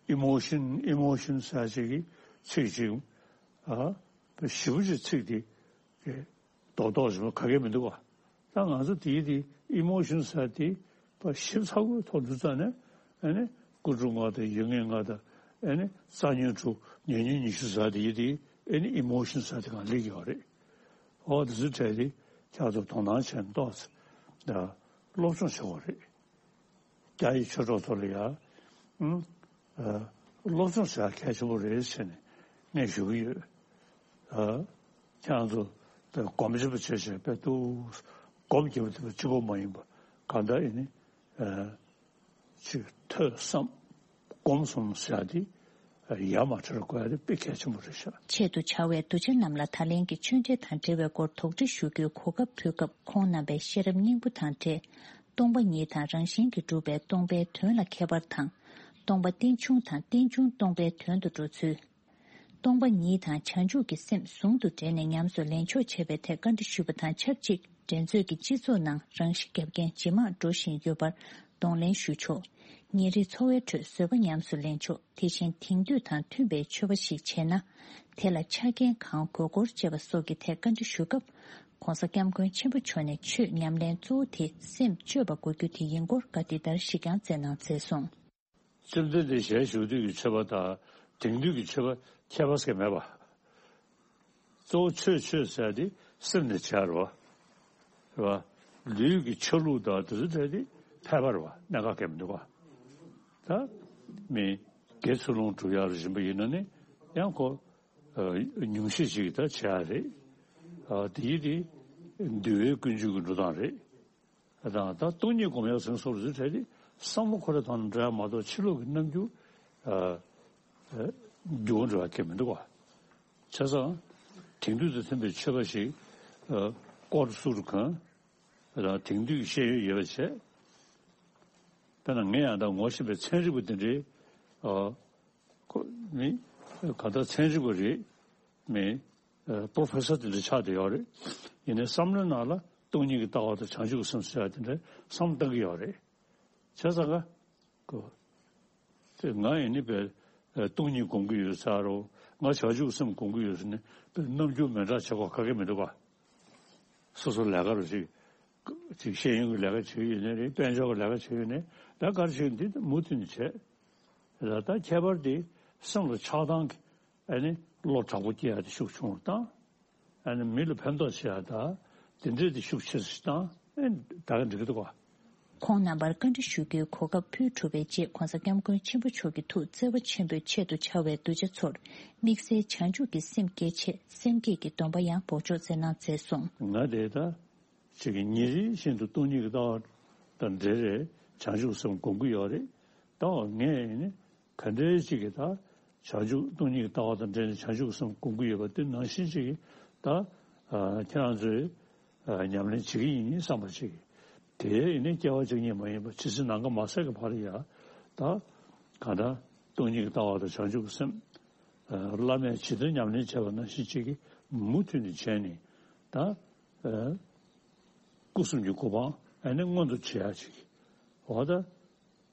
ཡ་emotion emotion ཟེར་ཅིག་གི་ཚིག་ཅིག་ཞིབ་པོ་ཅིག་ཚིག་དེ། རྡོག་རྡོག་རེད་མ་ག་གེ་མི་འདུག་བ། ད་ང་ཚོ་དེའི་དེ་ཨི་མོ་ཤན་ཟེར་དེ་ཞིབ་ཚགས་པོའི་ཐོག་འདུག་ཙང་ནས་ཨ་ནི་ཀུན་འབྱུང་ལྔ་དང་ཡུལ་ངེས་ལྔ་དང་ཨ་ནི་རྩ་ཉོན་དྲུག་ཉེ་ཉོན་ཉི་ཤུ་ཟེར་དེ་ཡི་དེ་ཨ་ནི་ཨི་མོ་ཤན་ཟེར་དེ་གང་སླེབས་ཡོད་རེད། འོ་དེ་ཚོ་གྲས་དེ་ཁྱེད་ཚོ་དོ་སྣང་བྱས་ནས་ཏོག་ཙམ་སློབ་སྦྱོང་བྱེད་དགོས་རེད། རྒྱ་ཡི་ཆོས་གྲོགས་ཚོ་ལ་ཡང་། ཨ། སློབ་སྦྱོང་བྱ་གལ་ཆེན་པོ་རེད་ཟེར་ནས་ངས་ཞུ་གི་ཡོད། ཨ། ཁྱེད་རང་ཚོ་དཔེ་སྒོམ་བྱེད་པ་བྱས་བྱས་དཔེ་འདུག་སྒོམ་བརྒྱབ་པ་དེ་གཅིག་པོ་མ་ཡིན་པ་གང་ལྟར་ཨེ་ནི། ཨ། ཅིག་ཐོས་བསམ་སྒོམ་གསུམ་ཟེར་ཡ་དེ་ཡར་མར་ཁྲིད་དགོས་ཡ་དེ་དཔེ་གལ་ཆེན་པོ་རེད་ཤག་ཆེད་དུ་བྱ་བའི་གདུལ་བྱ་རྣམས་ལ་ད་ལན་གྱི་ཆོས་འབྲེལ་དང་འབྲེལ་བའི་སྐོར་དོགས་འདྲི་ཞུ་རྒྱུའི་གོ་སྐབས་ཕུལ་སྐབས་ཁོང་རྣམ་པས་ཤེས་རབ་སྙིང་པོ་དང་འབྲེལ། སྟོང་པ་ཉིད་དང་རང་བཞིན་གྱིས་གྲུབ་པའི་སྟོང་པའི་དོན་ལ་ཁྱད་པར་དང་། སྟོང་པ་རྟེན་འབྱུང་དང་རྟེན་འབྱུང་སྟོང་པའི་དོན་དུ་འགྲོ་ཚུལ། སྟོང་པ་ཉིད་དང་བྱང་ཆུབ་ཀྱི་སེམས་ཟུང་དུ་འབྲེལ་ནས་ཉམས་སུ་ལེན་ཕྱོགས་འཆད་པའི་ཐད་བཀའ་འདྲི་ཞུས་པ་དང་ཆབས་ཅིག་འགྲན་རྩོད་ཀྱི་སྤྱི་ཚོགས་ནང་རང་ཤི་བརྒྱབ་མཁན་ཇེ་མང་འགྲོ་བཞིན་ཡོད་པར་གདོང་ལེན་ཞུ་ཕྱོགས། ཉིན་རེའི་འཚོ་བའི་ཁྲོད་བཟོད་པ་ཉམས་སུ་ལེན་ཕྱོགས་དེ་བཞིན་དེང་དུས་དང་མཐུན་པའི་ཆོས་པ་ཞིག་བྱས་ན། དེ་ལ་ཆ་རྐྱེན་གང་དགོས་སྐོར་བཅས་པ་སོགས་ཀྱི་ཐད་བཀའ་འདྲི་ཞུ་སྐབས། ྋགོང་ས་ྋསྐྱབས་མགོན་ཆེན་པོ་མཆོག་ནས་ཆོས་ཉམས་ལེན་གཙོ་བོ་དེ་སེམས་བཅོས་པ་དགོས་རྒྱུ་དེ་ཡིན་སྐོར་བཀའ་འདི་ལྟར་ཞིག་ཀྱང་སྩལ་གནང་མཛད་སོང་། བཅོམ་ལྡན་འདས་ཞལ་བཞུགས་དུས་ཀྱི་ཆོས་པ་དང་དེང་དུས་ཀྱི་ཆོས་པ་ཁྱད་པར་ཟེར་མེད་པ། གཙོ་བོ་ཆོས་ཆོས་ཟེར་དེ་སེམས་ནས་བྱས་རོ། རེད་བ། ལུས་ཀྱི་ཆ་ལུགས་དང་དེ་ཚོ་དེ་དེ་ཕལ་པ་རེད་བ། གནད་འགག་གང་མི་འདུག་བ། ད་མི་དགེ་ཚུལ་སློང་སྒྲུབ་ཡག་རེ་བཞིན་པ་ཡིན་ན་ནི་ཡང་ཁོ་ཉུང་ཤས་ཤིག་ད་བྱེད་ཡག་རེད། དེ་ཡི་དེ་འདུལ་བའི་ཀུན་སྤྱོད་ཀྱི་འགྲོ་སྟངས་རེད། དང་ད་སྟོང་ཉིད་སྒོམ་ཡག་ཟེར་སོགས་ལ་ཚུལ་ཁྲིད་དེ་བསམ་བློ་ཁོ་རང་དང་འདྲ་མ་གཏོགས་ཕྱི་ལོགས་ཀྱི་རྣམ་འགྱུར་འགྱུར་བ་འགྲོ་ཡག་གང་མི་འདུག་བ། བྱས་ཙང་དེང་དུས་དང་མཐུན་པའི་ཆོས་པ་ཞིག་ཀོར་སུ་རུ་གང་དང་དེང་དུས་ཀྱི་ཤེས་ཡོན་ཡོད་པ་བྱས། དཔེར་ན་ངས་ཡང་ད་ངོ་ཤེས་པའི་ཚན་རིག་པ་དེ་འདྲའི་ཁོ་མི་གང་ལྟར་ཚན་རིག་པ་རེད། མི་པོ་རོ་ཕེ་སར་དེ་འདྲ་ཆགས་བསྡད་ཡོད་རེད། ཡིན་ནའི་བསམ་བློའི་ནང་ལ་སྟོང་ཉིད་ཀྱི་ལྟ་བ་དང་བྱང་ཆུབ་ཀྱི་སེམས་ཟེར་ཡ་དེ་འདྲ་བསམ་བློ་བཏང་གི་ཡོད་རེད། བྱས་ཙང་ཀ་ཀོ། དེ་ང་ཡིན་ནི་པས་སྟོང་ཉིད་སྒོམ་གྱི་ཡོད་ཟེར་རོ། ང་བྱང་ཆུབ་སེམས་སྒོམ་གྱི་ཡོད་ཟེར་ནས་པས་རྣམ་འགྱུར་མི་འདྲ་བྱེད་དགོས་ག་གེ་མི་འདུག་ག་སོ་སོ་ལས་ཀ་རུ་ཞིག་ཅིག་ཤེས་ཡོན་གྱི་ལས་ཀ་བྱེད་ཀྱི་ཡོད་ནའི་རེད། དཔལ་འབྱོར་གྱི་ལས་ཀ་བྱེད་ཀྱི་ཡོད་ནའི་ད་ག་རེ་བྱེད་ཀྱི་འདི་མུ་མཐུད་ནས་བྱེད། ད་ལྟ་ཁྱད་པར་དེ་སེམས་ལ་ཆགས་སྡང་གི་ཨ་ནི་བློ་དྲག་པོ་སྐྱེ་ཡ་དེ་ཤུགས་ཆུང་བ་དང་། ཨ་ནི་མི་ལ་ཕན་ཐོགས་བྱེད་ཡ་དང་དེ་འདྲས་དེ་ཤུགས་ཆེ་སུ་བཏང་ཨེ་ད་ག་འགྲིག་གི་འདུག་ག་ཁོང་རྣམ་པར་བཀའ་འདྲི་ཞུ་རྒྱུའི་གོ་སྐབས་ཕུལ་གྲུབ་པའི་རྗེས་ྋགོང་ས་ྋསྐྱབས་མགོན་ཆེན་པོ་མཆོག་གི་ཐུགས་བརྩེ་བ་ཆེན་པོས་ཆེད་དུ་བཅར་བའི་གདུལ་བྱ་ཚོར་དམིགས་བསལ་བྱང་ཆུབ་ཀྱི་སེམས་བསྐྱེད་ཆེད་སེམས་བསྐྱེད་ཀྱི་སྡོམ་པ་ཡང་འབོགས་ཆོག་སྩལ་གནང་མཛད་སོང་། ང་དེ་ད་ཅིག་གི་ཉིན་རེ་བཞིན་དུ་སྟོང་ཉིད་ཀྱི་ལྟ་བ་དང་འབྲེལ་རེད། བྱང་ཆུབ་སེམས་སྒོམ་གྱི་ཡོད་རེད། ད་ངས་ནི་ག་འདྲའི་ཅིག་གི་ད་བྱང་ཆུབ་སྟོང་ཉིད་ཀྱི་ལྟ་བ་དང་འབྲེལ་ནས་བྱང་ཆུབ་སེམས་སྒོམ་གྱི་ཡོད་པ་དེ་ནང་བཞིན་ཅིག་གི་ད་ཁྱེད་རང་ཚོས་ཉམས་ལེན་བྱེད་ཀྱི་ཡིན་བསམ་པ་ཅིག་གི་དེ་ཡིན་ནི་སྐྱེ་བ་གཅིག་ཉིད་མ་ཡིན་པ་ཇི་སྲིད་ནམ་མཁའ་མ་ཟད་ཀྱི་བར་ཡ་ད་གང་ལྟར་སྟོང་ཉིད་ཀྱི་ལྟ་བ་དང་བྱང་ཆུབ་ཀྱི་སེམས། བླ་མས་ཇི་ལྟར་ཉམས་ལེན་བྱས་པ་ནང་བཞིན་ཅིག་གིས་མུ་མཐུད་ནས་བྱས་ནས་ད། སྐུ་གསུམ་གྱི་གོ་འཕང་ཨ་ནི་མངོན་དུ་བྱེད་ཡ་ཅིག་འོ་ད།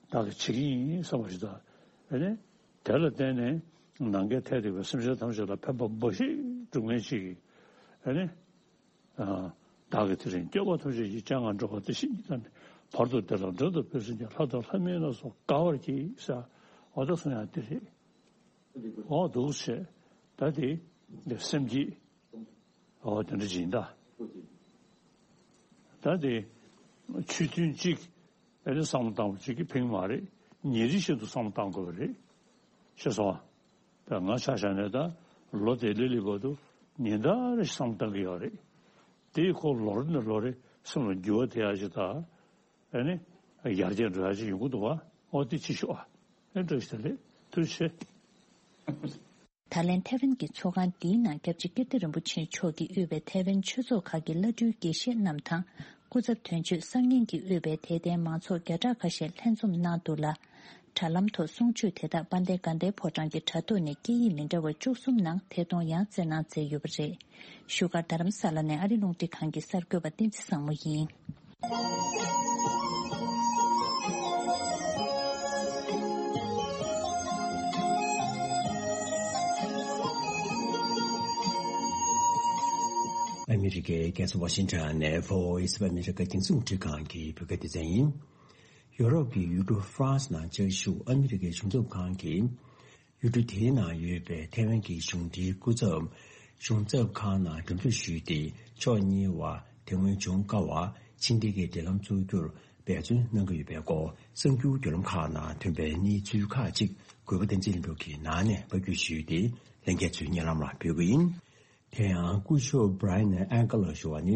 བདག་གིས་བྱེད་ཀྱི་ཡིན་བསམ་པ་ཞིག་དང་། ཨ་ནི། དེ་ལ་བརྟེན་ནས་ནམ་མཁའི་མཐས་གཏུགས་པའི་སེམས་ཅན་ཐམས་ཅད་ལ་ཕན་པ་འབའ་ཞིག་སྒྲུབ་མཁན་ཅིག་ཨ་ནི། བདག་གིས་དེ་རིང་སྐྱེ་བ་ཐམས་ཅད་ཀྱི་སྤྱན་སྔར་འགྲོ་བ་འདི་ཞིག་ཉིད་དང་ནི། བར་དུ་བདེ་ལ་འགྲོ་དང་ཕན་ཕྱིར་ཀྱང་། ལྷ་དང་ལྷ་མིན་ལ་སོགས་དགའ་བར་གྱིས་ཟེར། འོ་ད་གསུང་ཡ་དེ་རེད། འོ་འདུག་བྱས། ད་དེ་སེམས་བསྐྱེད། འོ་དེ་འདྲ་ཅིག་ཡིན་ད། ད་དེ་ཆོས་མཐུན་གཅིག་ཨ་ནི་བསམ་བློ་བཏང་བ་གཅིག་གིས་ཕན་གྱི་མ་རེད། ཉིན་རེ་བཞིན་དུ་བསམ་བློ་བཏང་དགོས་པ་རེད། ཤེས་སོང་ཨ། ད་ང་ཆ་བཞག་ནས་ད་ལོ་དེ་ལི་ལི་བར་དུ་ཉིན་ལྟར་རེ་བསམ་བློ་བཏང་གི་ཡོད་རེད། དེའི་ཁོ་ལོ་རེ་ནས་ལོ་རེ་སེམས་ལ་འགྱུར་བ་དེ་ཡག་ཅིག་དང་། ཨ་ནི། ཡར་རྒྱས་འགྲོ་ཡག་ཅིག་ཡོང་གི་འདུག་བ། འོ་དེ་ཅིག་ཤོག་ཨ། ཨེ་འགྲོ་ཞིག་ད་ལེ། ཐུགས་རྗེ་ཆེ། ད་ལན་ཐེ་ཝན་གྱི་ཚོགས་ཁང་འདིའི་ནང་སྐྱབས་རྗེ་ཀིརྟི་རིན་པོ་ཆེ་མཆོག་གིས་དབུས་པའི་ཐེ་ཝན་ཆོས་ཚོགས་ཁག་གི་བླ་སྤྲུལ་དགེ་བཤེས་རྣམས་དང་། སྐུ་ཚབ་དོན་གཅོད་གསར་རྙིང་གིས་དབུས་པའི་དད་ལྡན་མང་ཚོགས་བརྒྱ་ཕྲག་ཁ་ཤས་ལྷན་འཛོམས་གནང་འདུག་ལ། དྲ་ལམ་ཐོག་གསུང་ཆོས་དེ་དག་དཔལ་ལྡན་དགའ་ལྡན་ཕོ་བྲང་གི་དྲ་ཐོག་ནས་སྐད་ཡིག་མི་འདྲ་བ་བཅུ་གསུམ་ནང་ཐད་གཏོང་ཡང་བསྩལ་གནང་མཛད་ཡོད་པ་རེད། བཞུགས་སྒར་རྡ་རམ་ས་ལ་ནས་ཨ་རི་རླུང་འཕྲིན་ཁང་གི་གསར་འགོད་པ་བསྟན་འཛིན་བཟང་མོ་ཡིན། ཨ་མི་རི་ཀའི་རྒྱལ་ས་ཝ་ཤིང་ཊོན་ནས་Voice of America་རྒྱང་སྲིང་རླུང་འཕྲིན་ཁང་གི་བོད་སྐད་སྡེ་ཚན་ཡིན། ཡོ་རོབ་ཀྱི་ཡུལ་གྲུ་ཧྥ་རན་སི་ནང་བཅའ་བཞུགས་ཨ་མི་རི་ཀའི་གཞུང་ཚབ་ཁང་གིས། ཡུལ་གྲུ་དེའི་ནང་ཡོད་པའི་ཐའེ་ཝན་གྱི་གཞུང་འབྲེལ་སྐུ་ཚབ་གཞུང་ཚབ་ཁང་ནང་འགྲེམས་འཇོག་ཞུས་ཏེ། ཕྱོགས་གཉིས་བར་དེ་སྔོན་བྱུང་དཀའ་བ་ཕྱི་འབྲེལ་གྱི་འབྲེལ་ལམ་བཙུགས་རྒྱུར་འབད་བརྩོན་གནང་གི་ཡོད་པའི་སྐོར་གསར་འགྱུར་བརྒྱུད་ལམ་ཁག་ནང་ཐོན་པའི་གནས་ཚུལ་ཁག་ཅིག་གུས་པ་བསྟན་འཛིན་ལྷུན་གྲུབ་ཀྱིས་ནང་ནས་ཕབ་སྒྱུར་ཞུས་ཏེ། ལྷན་རྒྱས་ཚོའི་སྙན་ལམ་ལ་ཕུལ་གྱི་ཡིན། དེ་ཡང་སྐུ་ཞབས་Brian Agler་ཞུ་བ་ནི།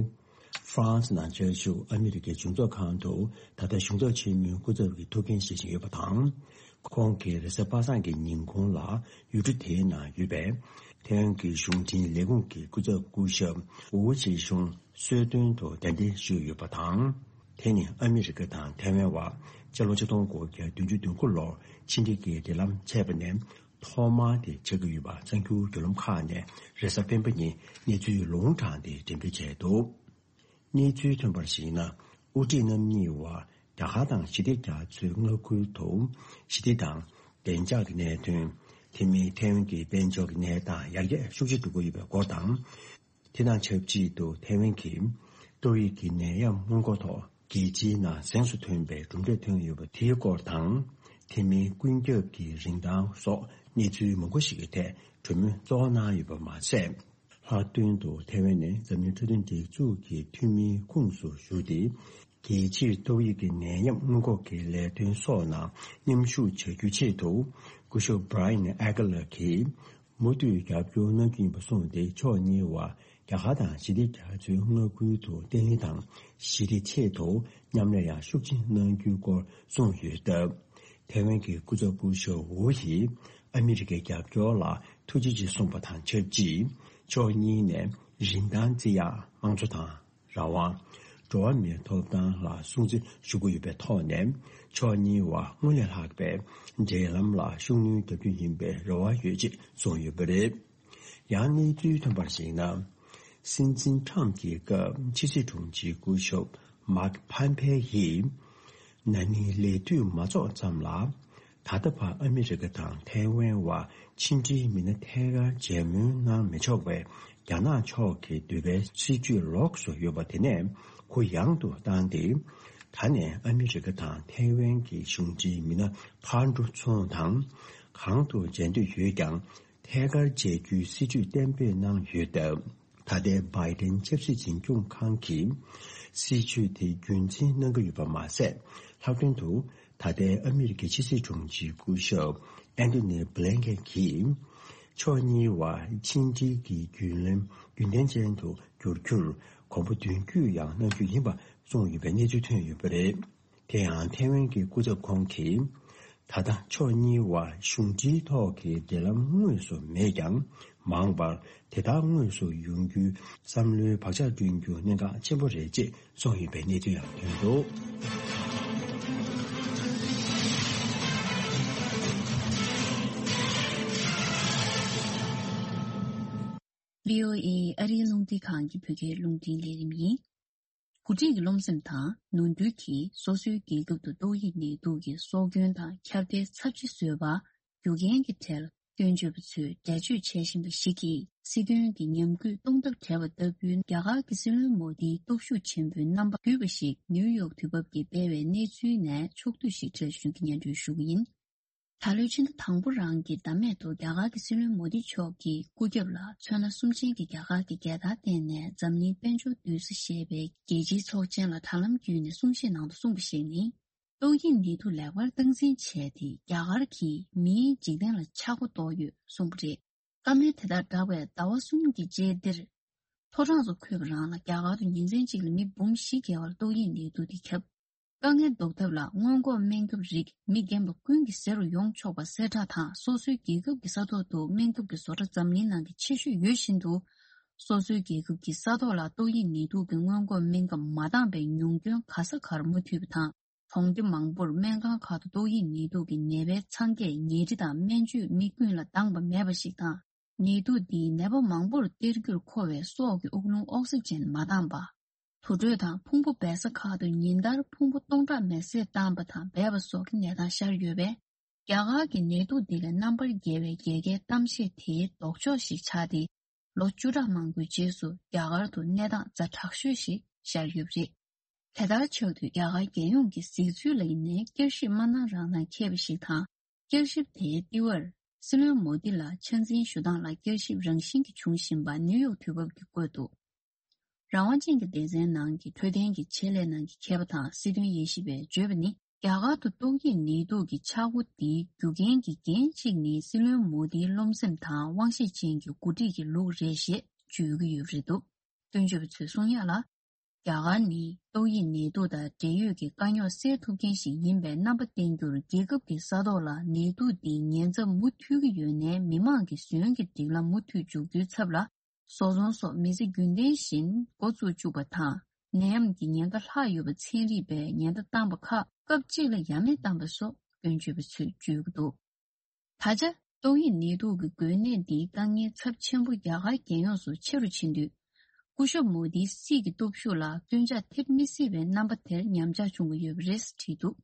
ཧྥ་རན་སི་ནང་བཅའ་བཞུགས་ཨ་མི་རི་ཀའི་གཞུང་ཚབ་ཁང་དུ་ད་ལྟ་གཞུང་ཚབ་ཆེན་མོའི་སྐུ་ཚབ་ཀྱི་ཐུགས་འགན་བཞེས་བཞིན་ཡོད་པ་དང་། ཁོང་གིས་རེས་གཟའ་པ་སངས་ཀྱི་ཉིན་གུང་ལ་ཡུལ་གྲུ་དེའི་ནང་ཡོད་པའི་ཐའེ་ཝན་གྱི་གཞུང་འབྲེལ་ལས་ཁུངས་ཀྱི་སྐུ་ཚབ་སྐུ་ཞབས་ཝུའུ་ཅི་ཞུང་གསོལ་སྟོན་དུ་གདན་འདྲེན་ཞུས་ཡོད་པ་དང་། དེ་ནི་ཨ་མི་རི་ཀ་དང་ཐའེ་ཝན་བར་སྤྱི་ལོ་ཆིག་སྟོང་དགུ་བརྒྱ་བདུན་ཅུ་དོན་དགུ་ལོར་ཕྱི་འབྲེལ་གྱི་འབྲེལ་ལམ་ཆད་པ་ནས་ཐོག་མ་དེ་ཆགས་ཀྱི་ཡོད་པ་གསར་འགྱུར་བརྒྱུད་ལམ་ཁག་ནས་རེས་གཟའ་སྤེན་པ་ཉིན་གནས་ཚུལ་ལུང་དྲངས་ཏེ་འགྲེམས་སྤེལ་བྱས་འདུག་གནས་ཚུལ་ཐོན་པར་གཞིགས་ན། དབུ་ཁྲིད་རྣམ་གཉིས་བར་རྒྱ་གར་དང་ཞི་བདེ་རྒྱ་མཚོའི་མངའ་ཁུལ་དུ་ཞི་བདེ་དང་བདེ་འཇགས་ཀྱི་གནད་དོན། དེ་མིན་ཐའེ་ཝན་གྱི་དཔལ་འབྱོར་གྱི་གནས་སྟངས་ཡར་རྒྱས་ཤུགས་ཆེ་འགྲོ་གི་ཡོད་པའི་སྐོར་དང་། དེ་དང་ཆབས་ཅིག་ཏུ་ཐའེ་ཝན་གྱི་ཏོག་དབྱིབས་ཀྱི་ནད་ཡམས་སྔོན་འགོག་ཐོག་རྒྱལ་སྤྱིའི་ནང་གཟེངས་སུ་ཐོན་པའི་གྲུབ་འབྲས་ཐོན་ཡོད་པ་དེའི་སྐོར་དང་། དེ་མིན་ཀུན་ཁྱབ་ཀྱི་རིན་ཐང་སོགས་གནས་ཚུལ་མང་པོ་ཞིག་གི་ཐད་གྲོས་མོལ་གཙོ་བོ་གནང་ཡོད་པ་མ་ཟད། ལྷག་དོན་དུ་ཐའེ་ཝན་ནས་འཛམ་གླིང་འཕྲོད་བསྟེན་སྒྲིག་འཛུགས་ཀྱི་འཐུས་མིའི་ཁོངས་སུ་ཞུགས་ཏེ། རྒྱལ་སྤྱིའི་ཏོག་དབྱིབས་ཀྱི་ནད་ཡམས་སྔོན་འགོག་གི་ལས་དོན་སོགས་ནང་མཉམ་ཞུགས་བྱ་རྒྱུའི་ཆེད་དུ། སྐུ་ཞབས་Brian Agler་གྱིས། མུ་མཐུད་རྒྱབ་སྐྱོར་གནང་རྒྱུ་ཡིན་པ་གསུངས་ཏེ། ཕྱོགས་གཉིས་བར་རྒྱ་གར་དང་ཞི་བདེ་རྒྱ་མཚོའི་མངའ་ཁུལ་དུ་བརྟན་ལྷིང་དང་ཞི་བདེའི་ཆེད་དུ་མཉམ་ལས་ཡང་ཤུགས་ཆེ་གནང་རྒྱུའི་སྐོར་གསུངས་ཡོད་སྟབས། ཐའེ་ཝན་གྱི་སྐུ་ཚབ་སྐུ་ཞབས་ཝུ་ཡིས་ཨ་མི་རི་ཀའི་རྒྱབ་སྐྱོར་ལ་ཐུགས་རྗེ་ཆེ་གསུངས་པ་དང་ཆབས་ཅིག་ཕྱོགས་གཉིས་ནས་རིན་ཐང་རྩི་ཡག་དམངས་གཙོ་དང་། རང་དབང་། འགྲོ་བ་མིའི་ཐོབ་ཐང་ལ་སྲུང་བརྩི་ཞུ་གི་ཡོད་པའི་ཐོག་ནས། ཕྱོགས་གཉིས་བར་སྔར་ལས་ལྷག་པའི་འབྲེལ་ལམ་ལ་ཤུགས་སྣོན་བརྒྱབ་རྒྱུ་ཡིན་པའི་རེ་བ་ཡོད་ཅེས་གསུངས་ཡོད་པ་རེད། ཡང་གནས་ཚུལ་ཐོན་པར་གཞིགས་ན། སྲིད་འཛིན་ཁྲམ་གྱི་སྐབས་ཕྱི་སྲིད་དྲུང་ཆེ་སྐུ་ཞབས་མཱག་ཕམ་ཕེ་ཡིས། ན་ནིང་ལས་དུས་མ་རྫོགས་ཙམ་ལ། ད་ལྟ་བར་ཨ་མི་རི་ཀ་དང་ཐའེ་ཝན་བར་ཕྱི་འབྲེལ་མི་སྣ་ཐད་ཀར་མཇལ་མོལ་གནང་མི་ཆོག་པའི་རྒྱ་ནག་ཕྱོགས་ཀྱི་འདོད་པའི་སྲིད་ཇུས་ལོགས་སུ་ཡོད་པ་དེ་ནས་གུ་ཡངས་དུ་བཏང་སྟེ། ད་ནས་ཨ་མི་རི་ཀ་དང་ཐའེ་ཝན་གྱི་གཞུང་འབྲེལ་མི་སྣ་ཕར་འགྲོ་ཚུར་འོང་དང་། གང་དུ་མཇལ་འདོད་ཡོད་ཀྱང་ཐད་ཀར་མཇལ་རྒྱུའི་སྲིད་ཇུས་གཏན་འབེབས་གནང་ཡོད་སྟབས། ད་ལྟའི་བྷའི་ཏན་ཆབ་སྲིད་འཛིན་སྐྱོང་ཁང་གིས་སྲིད་ཇུས་དེ་རྒྱུན་འཛིན་གནང་གི་ཡོད་པ་མ་ཟད། ལྷག་དོན་དུ་ད་ལྟའི་ཨ་མི་རི་ཀའི་ཕྱི་སྲིད་དྲུང་ཆེ་སྐུ་ཞབས་ཨན་ཐོ་ནི་བྷི་ལན་ཀེན་གྱིས། ཕྱོགས་གཉིས་བར་ཕྱི་འབྲེལ་གྱི་བརྒྱུད་ལམ་རྒྱུན་ལྡན་ཅན་དུ་འགྱུར་རྒྱུར་གོམ་པ་མདུན་སྐྱོད་ཡང་གནང་རྒྱུ་ཡིན་པ་གསུངས་ཡོད་པའི་གནས་ཚུལ་ཐོན་ཡོད་པ་རེད། དེ་ཡང་ཐའེ་ཝན་གྱི་སྐུ་ཚབ་ཁོང་གིས། ད་ལྟ་ཕྱོགས་གཉིས་བར་གཞུང་འབྲེལ་ཐོག་གི་འབྲེལ་ལམ་དངོས་སུ་མེད་ཀྱང་། མང་བར་དེ་ལྟར་དངོས་སུ་ཡོང་རྒྱུའི་བསམ་བློའི་བག་ཆགས་བསྐྲུན་རྒྱུ་གནད་འགག་ཆེན་པོ་རེད་ཅེས་གསུངས་ཡོད་པའི་གནས་ཚུལ་ཡང་ཐོན་འདུག་བྷི་ཨོ་ཨེ་ཨ་རིའི་རླུང་འཕྲིན་ཁང་གི་བོད་སྐད་རླུང་འཕྲིན་ལས་རིམ་ཡིན། འགོ་ཁྲིད་ཀྱི་རློམ་སེམས་དང་ནོར་འཁྲུལ་གྱིས་སོ་སོའི་རྒྱལ་ཁབ་ཏུ་ཏོག་དབྱིབས་ནད་དུག་གི་སྲོག་སྐྱོན་དང་ཁྱབ་གདལ་ཚབས་ཆེ་བཟོས་པར་རྒྱུ་རྐྱེན་གྱི་གྲས་ལ་སྐྱོན་བརྗོད་པ་ཚོས་འགྲེལ་བརྗོད་བྱེད་བཞིན་པ་ཞིག་གིས། སྲིད་དོན་གྱི་ཉམས་རྒུད་གཏོང་ཐབས་བྲལ་བ་ལྟ་བུའི་རྒྱ་གར་གྱི་སྲིད་བློན་མོ་དིའི་སྟོབས་ཤུགས་ཆེན་པོའི་རྣམ་པ་བསྡུས་པ་ཞིག་ནིའུ་ཡོག་དུས་བབ་ཀྱིས་སྤེལ་བའི་གནས་ཚུལ་ནས་ཕྱོགས་བསྡུས་ཤིག་འགྲེལ་བརྗོད་ཀྱི་སྙན་སྒྲོན་ཞུ་གི་ཡིན། ད་ལོའི་ཕྱི་ཟླ་དང་པོ་རང་གི་ཟླ་སྨད་དུ་རྒྱ་གར་གྱི་སྲིད་བློན་མོ་དི་མཆོག་གིས་སྐུ་རྒྱབ་ལ་ཚོན་སྣ་གསུམ་ཅན་གྱི་རྒྱ་གར་གྱི་རྒྱལ་དར་བསྟན་ནས་འཛམ་གླིང་དཔལ་འབྱོར་འདུས་ས་ཞེས་པའི་རྒྱལ་སྤྱིའི་ཚོགས་ཆེན་ལ་དྲ་ལམ་བརྒྱུད་ནས་གསུང་བཤད་ནང་དུ་གསུངས་པ་ཞིག་ནི། ཏོག་དབྱིབས་ནད་དུག་ལེགས་པར་སྟངས་འཛིན་བྱས་ཏེ་རྒྱ་གར་གྱིས་མིའི་འཇིག་རྟེན་ལ་ཆག་སྒོ་གཏོར་ཡོད་གསུངས་པ་རེད། བཀའ་མོལ་དེ་དང་སྦྲགས་པའི་ཟླ་བ་གསུམ་གྱི་རྗེས་འདིར། མཐོ་གྲངས་སུ་འཁོད་པ་རང་ལ་རྒྱ་གར་དུ་ཉིན་མཚན་གཅིག་ལ་མི་འབུམ་བཞི་བརྒལ་བར་ཏོག་དབྱིབས་ནད་དུག་འདི་ཁྱབ། དཀའ་ངལ་ཟློག་ཐབས་ལ་སྔོན་འགོག་སྨན་ཁབ་རིགས་མི་རྒན་པ་ཀུན་གྱི་ཟས་རུ་ཡོང་ཆོག་པ་གསལ་བསྒྲགས་དང་། སོ་སོའི་རྒྱལ་ཁབ་ཀྱི་ས་ཐོག་ཏུ་སྨན་ཁབ་ཀྱི་བཟོ་གྲྭ་འཛམ་གླིང་ནང་གི་ཆེ་ཤོས་ཡོད་བཞིན་དུ། སོ་སོའི་རྒྱལ་ཁབ་ཀྱི་ས་ཐོག་ལ་ཏོག་དབྱིབས་ནད་དུག་གི་སྔོན་འགོག་སྨན་ཁབ་མ་འདང་པའི་ཉུང་སྐྱོན་ག་ས་གར་མུ་མཐུད་པ་དང་། གྲོང་སྡེ་མང་པོར་སྨན་ཁང་ཁག་ཏུ་ཏོག་དབྱིབས་ནད་དུག་གི་ནད་པའི་ཚང་ཁས་ཉལ་ཁྲི་དང་སྨན་བཅོས་མི་ཀུན་ལ་འདང་པ་མེད་པ་ཞིག་དང་། ནད་དུག་འདིས་ནད་པ་མང་པོར་སྟེར་རྒྱུར་མཁོ་བའི་སྲོག་གི་དབུགས་རླུང་ཨོག་སི་ཇན་མ་འདང་པ། དུར་ཁྲོད་དང་ཕུང་པོ་སྦས་ས་ཁག་ཏུ་ཉིན་ལྟར་ཕུང་པོ་སྟོང་ཕྲག་མེར་སྲེག་བཏང་པ་དང་སྦས་པ་སོགས་ཀྱི་གནས་སྟངས་ཤར་ཡོད་པས། རྒྱ་གར་གྱི་ནད་དུག་འདི་ལས་རྣམ་པར་རྒྱལ་བའི་རྒྱལ་ཁའི་གཏམ་བཤད་དེའི་ལྡོག་ཕྱོགས་ཤིག་ཆགས་ཏེ། ལོ་བཅུ་ཕྲག་མང་པོའི་རྗེས་སུ་རྒྱ་གར་དུ་གནས་སྟངས་ཛ་དྲག་ཤོས་ཤིག་ཤར་ཡོད་པ་རེད། དེ་ལྟར་ཆགས་དུས་རྒྱ་གར་རྒྱལ་ཡོངས་ཀྱི་གཟིགས་ཚུལ་ལ་ཡིན་ནའི་བསྐྱར་ཞིབ་མ་གནང་རང་དང་འཁེལ་བ་ཞིག་དང་། བསྐྱར་ཞིབ་དེའི་ལྟེ་བར་སྲིད་བློན་མོ་དི་ལ་ཆ་འཛིན་ཞུ་སྟངས་ལ་བསྐྱར་ཞིབ་རང་བཞིན་གྱིས་འབྱུང་བཞིན་པ་ནིའུ་ཡོག་དུས་བབ་ཀྱིས་བཀོད་འདུག་རང་དབང་ཅན་གྱི་སྡེ་ཚན་ནང་གི་འཕྲོད་བསྟེན་གྱི་ཆེད་ལས་ནང་གི་མཁས་པ་དང་སྲིད་དོན་དབྱེ་ཞིབ་པས་བརྗོད་པ་ནི། རྒྱ་གར་དུ་ཏོག་དབྱིབས་ནད་དུག་གི་ཆག་སྒོ་འདིའི་རྒྱུ་རྐྱེན་གྱི་འགན་གཅིག་ནི་སྲིད་བློན་མོ་དིའི་རློམ་སེམས་དང་དབང་ཤེད་ཅན་གྱི་འགོ་ཁྲིད་ཀྱི་ལུགས་རེད་ཞེས་བརྗོད་ཀྱི་ཡོད་པ་རེད་འདུག་སྐྱོན་བརྗོད་པ་ཚོས་གསུང་ཡག་ལ། རྒྱ་གར་ནི་ཏོག་དབྱིབས་ནད་དུག་དང་འབྲེལ་ཡོད་ཀྱི་དཀའ་རྙོག་སེལ་ཐུབ་མཁན་ཞིག་ཡིན་པའི་རྣམ་པ་བསྟན་རྒྱུར། རྒྱལ་ཁབ་ཀྱི་ས་ཐོག་ལ་ནད་དུག་འདིའི་ཉེན་ཚབས་མུ་མཐུད་ཀྱི་ཡོད་ནའི། མི་མང་གི་ཟོན་གྱི་སྒྲིག་ལམ་མུ་མཐུད་འཇུག་རྒྱུའི་ཚབ་ལ། བཟོ་ཚོང་སོགས་མི་ཚེ་རྒྱུན་ལྡན་བཞིན་འགོ་བཙུགས་བཅུག་པ་དང་། ནད་ཡམས་ཀྱི་ཉེན་ཁ་ལྷག་ཡོད་པ་ཚན་རིག་པས་ཉེན་བརྡ་བཏང་པ་ཁག་སྐབས་གཅིག་ལ་ཡ་མེད་བཏང་པ་སོགས་སྐྱོན་བརྗོད་པ་ཚོས་བརྗོད་ཀྱི་འདུག་ད་ཆ་ཏོག་དབྱིབས་ནད་དུག་གི་འགོས་ནད་འདིའི་དཀའ་ངལ་ཚབས་ཆེན་པོ་རྒྱ་གར་རྒྱལ་ཡོངས་སུ་ཆེ་རུ་ཕྱིན་དུས། སྐུ་ཞབས་མོ་དིའི་སྲིད་ཀྱི་སྟོབས་ཤུགས་ལ་སྐྱོན་ཆག་ཐེབས་མི་སྲིད་པའི་རྣམ་པ་དེར་ཉམས་ཆག་བྱུང་གི་ཡོད་པ་རེད་བྲིས་འདུག་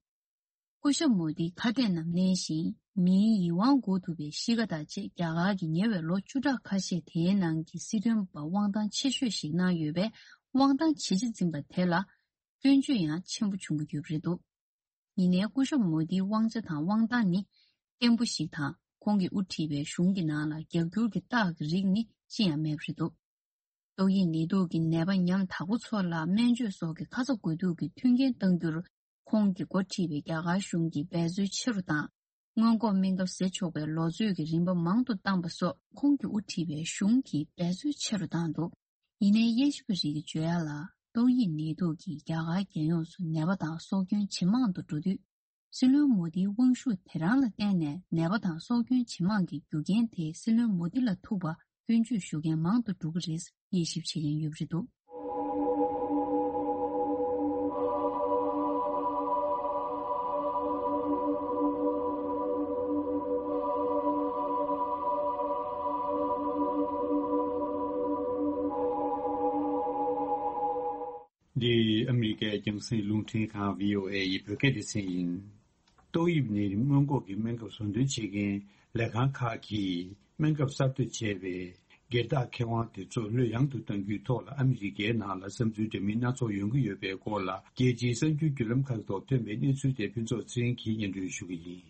སྐུ་ཞབས་མོ་དིས་ཁ་གཏད་ནང་གནས་ཤིང་། མིའི་ཡིད་དབང་འགུག་ཐུབ་པའི་གཤིས་ཀ་དང་བཅས། རྒྱ་གར་གྱི་ཉེ་བའི་ལོ་བཅུ་ཕྲག་ཁ་ཤས་དེའི་ནང་གི་སྲིད་དོན་པ་དབང་ཐང་ཆེ་ཤོས་ཤིག་གནང་ཡོད་པས། དབང་ཐང་ཇེ་ཆེ་འཛིན་པ་དེ་ལ་སྐྱོན་བརྗོད་ཡང་ཆེན་པོ་བྱུང་གི་ཡོད་པ་རེད་འདུག་ཡིན་ནའི་སྐུ་ཞབས་མོ་དིའི་དབང་ཆ་དང་དབང་ཐང་ནི་བརྟན་པོ་ཞིག་དང་། ཁོང་གིས་དབུ་ཁྲིད་པའི་གཞུང་གི་ནང་ལ་རྒྱབ་སྐྱོར་གྱི་རྟགས་ཀྱི་རིགས་ནི་ཅི་ཡང་མེད་པ་རེད་འདུག་ཏོག་དབྱིབས་ནད་དུག་གི་ནད་པ་ཉམ་ཐག་པ་ཚོ་ལ་སྨན་བཅོས་སོགས་ཀྱི་ཁ་ཚ་དགོས་གཏུགས་ཀྱི་མཐུན་རྐྱེན་གཏང་རྒྱུར། ཁོང་གིས་འགོ་ཁྲིད་པའི་རྒྱ་གར་གཞུང་གིས་འབད་རྩོལ་ཆེ་རུ་བཏང་། སྔོན་འགོག་སྨན་ཁབ་བཟས་ཆོག་པའི་ལོ་ཚོད་ཀྱི་རིམ་པ་མང་དུ་བཏང་པ་སོགས། ཁོང་གིས་དབུ་ཁྲིད་པའི་གཞུང་གིས་འབད་རྩོལ་ཆེ་རུ་བཏང་འདུག་ཡིན་ནའི་དབྱེ་ཞིབ་པ་རིགས་ཀྱིས་བརྗོད་ཡག་ལ། ཏོག་དབྱིབས་ནད་དུག་གིས་རྒྱ་གར་རྒྱལ་ཡོངས་སུ་ནད་པ་དང་སྲོག་སྐྱོན་ཇེ་མང་དུ་འགྲོ་དུས། སྲིད་བློན་མོ་དིའི་དབང་ཤུགས་དེ་རང་ལ་བརྟེན་ནས་ནད་པ་དང་སྲོག་སྐྱོན་ཇེ་མང་གི་རྒྱུ་རྐྱེན་དེ་སྲིད་བློན་མོ་དི་ལ་ཐུག་པ་སྐྱོན་བརྗོད་ཞུ་མཁན་མང་དུ་འགྲོ་གི་རེད། དབྱེ་ཞིབ་བྱེད་མཁན་ཡོད་པ་རེད་འདུག་འདི་ཨ་མི་རི་ཀའི་རྒྱང་སྲིང་རླུང་འཕྲིན་ཁང་བྷི་ཨོ་ཨེ་ཡི་བོད་སྐད་སྡེ་ཚན་ཡིན། ཏོག་དབྱིབས་ནད་རིམས་སྔོན་འགོག་གི་སྨན་ཁབ་བཟོ་འདོན་བྱེད་མཁན་ལས་ཁང་ཁག་གིས་སྨན་ཁབ་གསར་གཏོད་བྱས་པའི་སྒེར་བདག་ཁེ་དབང་དེ་ཚོ་ལྷོད་ཡངས་དུ་གཏང་རྒྱུའི་ཐོག་ལ་ཨ་མི་རི་ཀའི་ནང་ལ་བསམ་ཚུལ་འདྲ་མིན་སྣ་ཚོགས་ཡོང་གི་ཡོད་པའི་སྐོར་ལ། རྒྱལ་སྤྱིའི་གསར་འགྱུར་བརྒྱུད་ལམ་ཁག་ཐོག་ཐོན་པའི་གནས་ཚུལ་དེ་ཕུན་ཚོགས་ཚེ་རིང་གིས་སྙན་སྒྲོན་ཞུ་གི་ཡིན།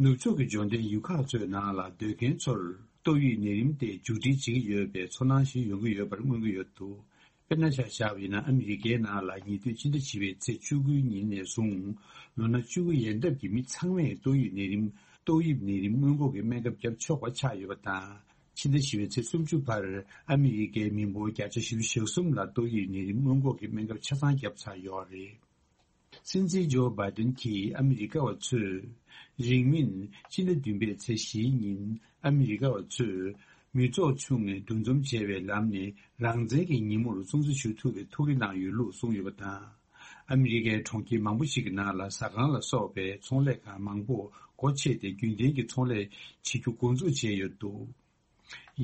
ནུབ་ཕྱོགས་ཀྱི་འབྱོར་ལྡན་ཡུལ་ཁག་ཚོའི་ནང་ལ་སྡོད་མཁན་ཚོར་ཏོག་དབྱིབས་ནད་རིམས་དེ་མཇུག་སྒྲིལ་བྱེད་ཀྱི་ཡོད་པའི་ཚོར་སྣང་ཞིག་ཡོང་གི་ཡོད་པར་མངོན་གྱི་ཡོད་འདུག་དཔེར་ན་ཆ་བཞག་པ་ཡིན་ན། ཨ་མི་རི་ཀའི་ནང་ལ་ཉེ་དུས་ཕྱི་ཟླ་བཞི་པའི་ཚེས་བཅུ་དགུའི་ཉིན་ནས་བཟུང་ལོ་ན་བཅུ་དགུ་ཡན་འདབ་ཀྱི་མི་ཚང་མས་ཏོག་དབྱིབས་ནད་རིམས་ཏོག་དབྱིབས་ནད་རིམས་སྔོན་འགོག་གི་སྨན་ཁབ་བརྒྱབ་ཆོག་པ་ཆགས་ཡོད་པ་དང་། ཕྱི་ཟླ་བཞི་པའི་ཚེས་སུམ་ཅུ་བར་ཨ་མི་རི་ཀའི་མི་འབོར་བརྒྱ་ཆ་བཞི་བཅུ་ཞེ་གསུམ་ལ་ཏོག་དབྱིབས་ནད་རིམས་སྔོན་འགོག་གི་སྨན་ཁབ་ཆ་ཚང་བརྒྱབ་ཚར་ཡོད་རེད། སྲིད་འཛིན་ཇོ་བྷའི་ཏིན་གྱིས་ཨ་མི་རི་ཀ་བ་ཚོས་རིང་མིན་ཕྱི་ཟླ་བདུན་པའི་ཚེས་བཞིའི་ཉིན་ཨ་མི་རི་ཀ་བ་ཚོས་མི་ཚོགས་ཆུང་ངུས་འདུ་འཛོམས་བྱས་པའི་ལམ་ནས་རང་བཙན་གྱི་ཉིན་མོར་སྲུང་བརྩི་ཞུ་ཐུབ་པའི་ཐུགས་རེ་གནང་ཡོད་ལུགས་གསུངས་ཡོད་པ་དང་། ཨ་མི་རི་ཀའི་གྲོང་ཁྱེར་མང་པོ་ཞིག་གི་ནང་ལ་ཟ་ཁང་ལ་སོགས་པའི་ཚོང་ལས་ཁང་མང་པོ་སྒོ་ཕྱེ་སྟེ་རྒྱུན་ལྡན་གྱི་ཚོང་ལས་བྱེད་རྒྱུ་འགོ་འཛུགས་བྱས་ཡོད་འདུག་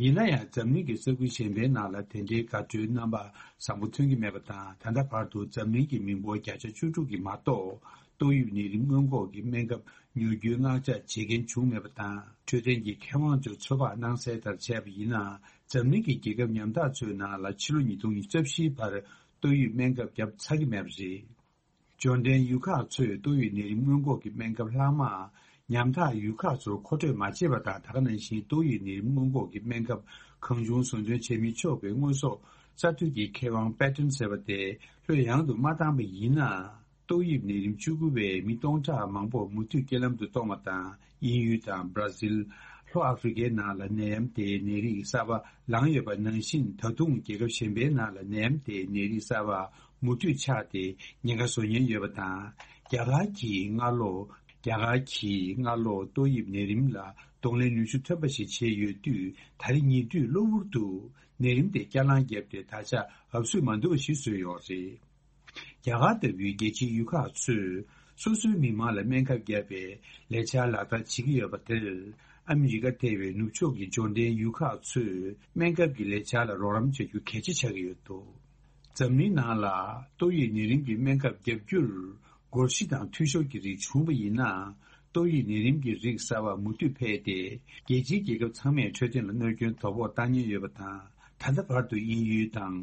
ཡིན་ན་ཡང་འཛམ་གླིང་གི་ས་ཁུལ་གཞན་པའི་ནང་ལ་དེ་འདྲའི་དགའ་སྤྲོའི་རྣམ་པ་བཟང་པོ་ཐོན་གྱི་མེད་པ་དང་། ད་ལྟ་བར་དུ་འཛམ་གླིང་གི་མི་འབོར་བརྒྱ་ཆ་བཅུ་དྲུག་གིས་མ་གཏོགས་ཏོག་དབྱིབས་ནད་རིམས་སྔོན་འགོག་གི་སྨན་ཁབ་ཉོ་རྒྱུའི་མངགས་ཆ་བྱེད་མཁན་བྱུང་མེད་པ་དང་། འཕྲོད་བསྟེན་གྱི་མཁས་དབང་ཚོས་ཚོད་དཔག་གནང་གསལ་ལྟར་བྱས་པ་ཡིན་ན། འཛམ་གླིང་གི་རྒྱལ་ཁབ་ཉམ་ཐག་ཚོའི་ནང་ལ་ཕྱི་ལོ་ཉིས་སྟོང་ཉི་ཤུ་རྩ་བཞིའི་བར་ཏོག་དབྱིབས་སྨན་ཁབ་བརྒྱབ་ཚར་གྱི་མེད་པ་རེད། འབྱོར་ལྡན་ཡུལ་ཁག་ཚོས་ཏོག་དབྱིབས་ནད་རིམས་སྔོན་འགོག་གི་སྨན་ཁབ་ལྷག་མ་ཉམ་ཐག་ཡུལ་ཁག་ཚོར་མཁོ་སྤྲོད་མ་བྱས་པ་དང་། ད་ག་ནང་བཞིན་ཏོག་དབྱིབས་ནད་རིམས་སྔོན་འགོག་གི་སྨན་ཁབ་གང་བྱུང་བཟོ་འདོན་བྱེད་མི་ཆོག་པའི་དངོས་ཟོག་གསར་གཏོད་ཀྱི་མཁས་དབང་པེ་ཏན་ཟེར་བ་དེ་ལྷོད་ཡངས་དུ་མ་བཏང་པ་ཡིན་ན། ཏོག་དབྱིབས་ནད་རིམས་བཅུ་དགུ་པས་མི་སྟོང་ཕྲག་མང་པོ་མུ་མཐུད་རྐྱེན་ལམ་དུ་གཏོང་བ་དང་། དབྱིན་ཡུལ་དང་བར་ཛིལ། ལྷོ་ཨ་ཧྥེ་རི་ཁའི་ནང་ལ་ནད་ཡམས་དེའི་ནད་རིགས་གསར་པ་ལངས་ཡོད་པ་ནང་བཞིན། ད་དུང་རྒྱལ་ཁབ་གཞན་པའི་ནང་ལ་ནད་ཡམས་དེའི་ནད་རིགས་གསར་པ་མུ་མཐུད་ཆགས་ཏེ་ཉེན་ཁ་བཟོ་ཉེན་ཡོད་པ་དང་། རྒྱ་གར་གྱིས་སྔ་ལོ། རྒྱ་གར་གྱིས་སྔ་ལོ་ཏོག་དབྱིབས་ནད་རིམས་ལ་གདོང་ལེན་ནུས་ཤུགས་ཐོན་པ་ཞིག་བྱས་ཡོད་དུས། ད་རེས་ཉེ་དུས་གློ་བུར་དུ་ནད་རིམས་དེ་བསྐྱར་ལངས་བརྒྱབ་སྟེ། ད་ཆ་འབབ་ཚུགས་མ་འདུག་པ་ཞིག་བཟོས་ཡོད་རེད། རྒྱ་གར་ལྟ་བུའི་རྒྱལ་སྤྱིའི་ཡུལ་ཁག་ཚོས་སོ་སོའི་མི་མང་ལ་སྨན་ཁབ་བརྒྱབ་པའི་ལས་འཆར་ལག་བསྟར་བྱེད་ཀྱི་ཡོད་པ་དེར། ཨ་མི་རི་ཀ་ཐེ་བའི་ནུབ་ཕྱོགས་ཀྱི་འབྱོར་ལྡན་ཡུལ་ཁག་ཚོས་སྨན་ཁབ་ཀྱི་ལས་འཆར་ལ་རོགས་རམ་བྱ་རྒྱུ་གལ་ཆེ་ཆགས་ཀྱི་ཡོད་འདུག། འཛམ་གླིང་ནང་ལ་ཏོག་དབྱིབས་ནད་རིམས་ཀྱི་སྨན་ཁབ་བརྒྱབ་རྒྱུར་སྒོར་གཞི་དང་འཐུས་ཤོར་གྱི་རིགས་བྱུང་བ་ཡིན་ན། ཏོག་དབྱིབས་ནད་རིམས་ཀྱི་རིགས་གསར་པ་མུ་མཐུད་འཕེལ་ཏེ། རྒྱལ་སྤྱིའི་རྒྱལ་ཁབ་ཚང་མའི་འཕྲོད་བསྟེན་ལ་གནོད་སྐྱོན་དོ་ཕོག་བཏང་ཉེན་ཡོད་པ་དང་། ད་ལྟ་བར་དུ་དབྱིན་ཡུལ་དང་།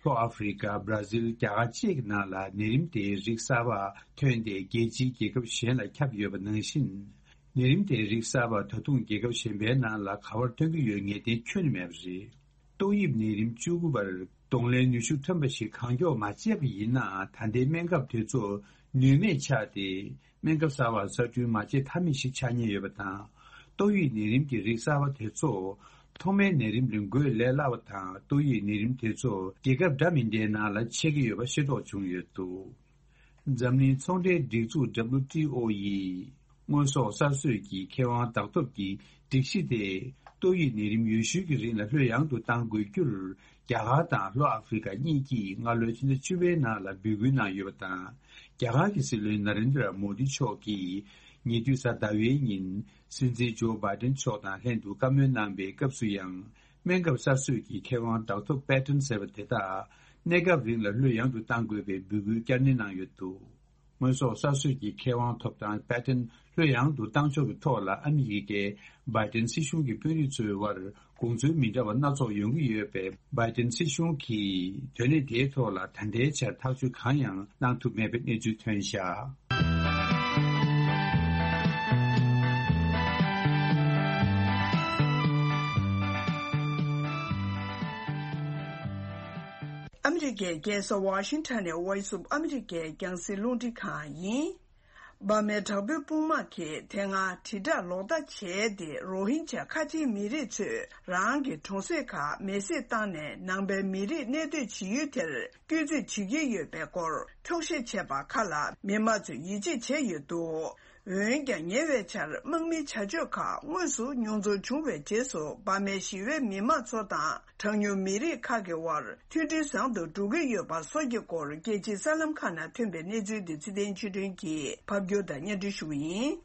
ལྷོ་ཨ་ཧྥེ་རི་ཀ། བར་ཛིལ། རྒྱ་གར་བཅས་ཀྱི་ནང་ལ་ནད་རིམས་དེའི་རིགས་གསར་པ་ཐོན་ཏེ། རྒྱལ་སྤྱིའི་རྒྱལ་ཁབ་གཞན་ལ་ཁྱབ་ཡོད་པ་ནང་བཞིན། ནད་རིམས་དེའི་རིགས་གསར་པ་ད་དུང་རྒྱལ་ཁབ་གཞན་པའི་ནང་ལ་ག་པར་ཐོན་གྱི་ཡོད་ངེས་གཏན་ཁྱོན་ནས་མེད་པ་རེད། ཏོག་དབྱིབས་ནད་རིམས་བཅུ་དགུ་པར་གདོང་ལེན་ནུས་ཤུགས་ཐོན་པ་ཞིག་གང་མགྱོགས་མ་བྱས་པ་ཡིན་ན། ད་ལྟའི་སྨན་ཁབ་དེ་ཚོ་ནུས་མེད་ཆགས་ཏེ། སྨན་ཁབ་གསར་པ་གསར་སྐྲུན་མ་བྱེད་ཐབས་མེད་ཞིག་ཆགས་ཉེན་ཡོད་པ་དང་། ཏོག་དབྱིབས་ནད་རིམས་ཀྱི་རིགས་གསར་པ་དེ་ཚོ་ཐོག་མའི་ནད་རིམས་ལས་འགོས་ལས་སླ་བ་དང་། ཏོག་དབྱིབས་ནད་རིམས་དེ་ཚོ་རྒྱལ་ཁབ་འདྲ་མིན་འདྲའི་ནང་ལ་མཆེད་ཀྱི་ཡོད་པ་ཤེས་རྟོགས་བྱུང་ཡོད་འདུག། འཛམ་གླིང་ཚོང་འབྲེལ་སྒྲིག་འཛུགས་W T O ཡིས་དངོས་ཟོག་གསར་བཟོས་ཀྱི་ཁེ་དབང་བདག་ཐོབ་ཀྱི་སྒྲིག་གཞི་དེ་ཏོག་དབྱིབས་ནད་རིམས་ཡོད་ཤུལ་གྱི་རིང་ལ་ལྷོད་ཡངས་དུ་གཏང་དགོས་རྒྱུར། རྒྱ་གར་དང་ལྷོ་ཨ་ཧྥེ་རི་ཀ་གཉིས་ཀྱིས་སྔ་ལོའི་ཕྱི་ཟླ་བཅུ་པའི་ནང་ལ་འབོད་སྐུལ་གནང་ཡོད་པ་དང་། རྒྱ་གར་གྱི་སྲིད་བློན་ན་རེན་དྲ་མོ་དི་མཆོག་གིས་ཉེ་དུས་གཟའ་ཟླ་བའི་ཉིན་སྲིད་འཛིན་ཇོ་བྷའི་ཏན་མཆོག་དང་ལྷན་དུ་བཀའ་མོལ་གནང་པའི་སྐབས་སུ་ཡང་། སྨན་ཁབ་གསར་བཟོས་ཀྱི་ཁེ་དབང་བདག་ཐོབ་པེ་ཏན་ཟེར་བ་དེ་དག་གནས་སྐབས་རིང་ལ་ལྷོད་ཡངས་དུ་གཏང་དགོས་པའི་འབོད་སྐུལ་བསྐྱར་ནན་གནང་ཡོད་འདུག། དངོས་ཟོག་གསར་བཟོས་ཀྱི་ཁེ་དབང་ཐོབ་ཐང་པེ་ཏན་ལྷོད་ཡངས་དུ་གཏང་ཕྱོགས་ཀྱི་ཐོག་ལ་ཨ་མི་རི་ཀའི་བྷའི་ཏན་སྲིད་གཞུང་གི་དཔོན་རིགས་ཚོའི་དབར་དགོངས་ཚུལ་མི་འདྲ་བ་སྣ་ཚོགས་ཡོང་གི་ཡོད་པས། བྷའི་ཏན་སྲིད་གཞུང་གིས་དོན་གནད་དེའི་ཐོག་ལ་ད་ལྟའི་ཆར་ཐག་གཅོད་གང་ཡང་གནང་ཐུབ་མེད་པའི་གནས་ཚུལ་ཐོན་བཞག། ཨ་མི་རི་ཀའི་རྒྱལ་ས་ཝ་ཤིང་ཊོན་ནས་Voice of America རྒྱང་སྲིང་རླུང་འཕྲིན་ཁང་ཡིན། འབར་མའི་དྲག་པོའི་དཔུང་དམག་གིས་དེ་སྔ་དྲིལ་བསྒྲགས་ལོག་ལྟ་བྱས་ཏེ། རོ་ཧིན་ཇཱ་ཁ་ཆེའི་མི་རིགས་ཚོས་རང་གི་གྲོང་གསེབ་ཁག་མེ་བསྲེགས་བཏང་ནས། ནང་པའི་མི་རིགས་གནས་སྡོད་བྱེད་ཡུལ་དེར་བསྐྱོད་རྩིས་བྱེད་ཀྱི་ཡོད་པའི་སྐོར་འཁྱོག་བཤད་བྱས་པ་ཁག་ལ་མི་མང་ཚོས་ཡིད་ཆེས་བྱས་ཡོད་འདུག། འོན་ཀྱང་ཉེ་བའི་ཆར་དམག་མིའི་བྱ་སྤྱོད་ཁག་དངོས་སུ་མྱོང་ཚོར་བྱུང་བའི་རྗེས་སུ། འབར་མའི་ཞི་བའི་མི་མང་ཚོ་དང་གྲངས་ཉུང་མི་རིགས་ཁག་གི་དབར་མཐུན་སྒྲིལ་བཟང་དུ་འགྲོ་གི་ཡོད་པ་སོགས་ཀྱི་སྐོར། རྒྱལ་སྤྱིའི་གསར་ལམ་ཁག་ནང་ཐོན་པའི་གནས་ཚུལ་འདི་ཚེ་བརྟན་ཆོས་སྒྲོན་གྱིས་ཕབ་སྒྱུར་དང་སྙན་སྒྲོན་ཞུ་གི་ཡིན།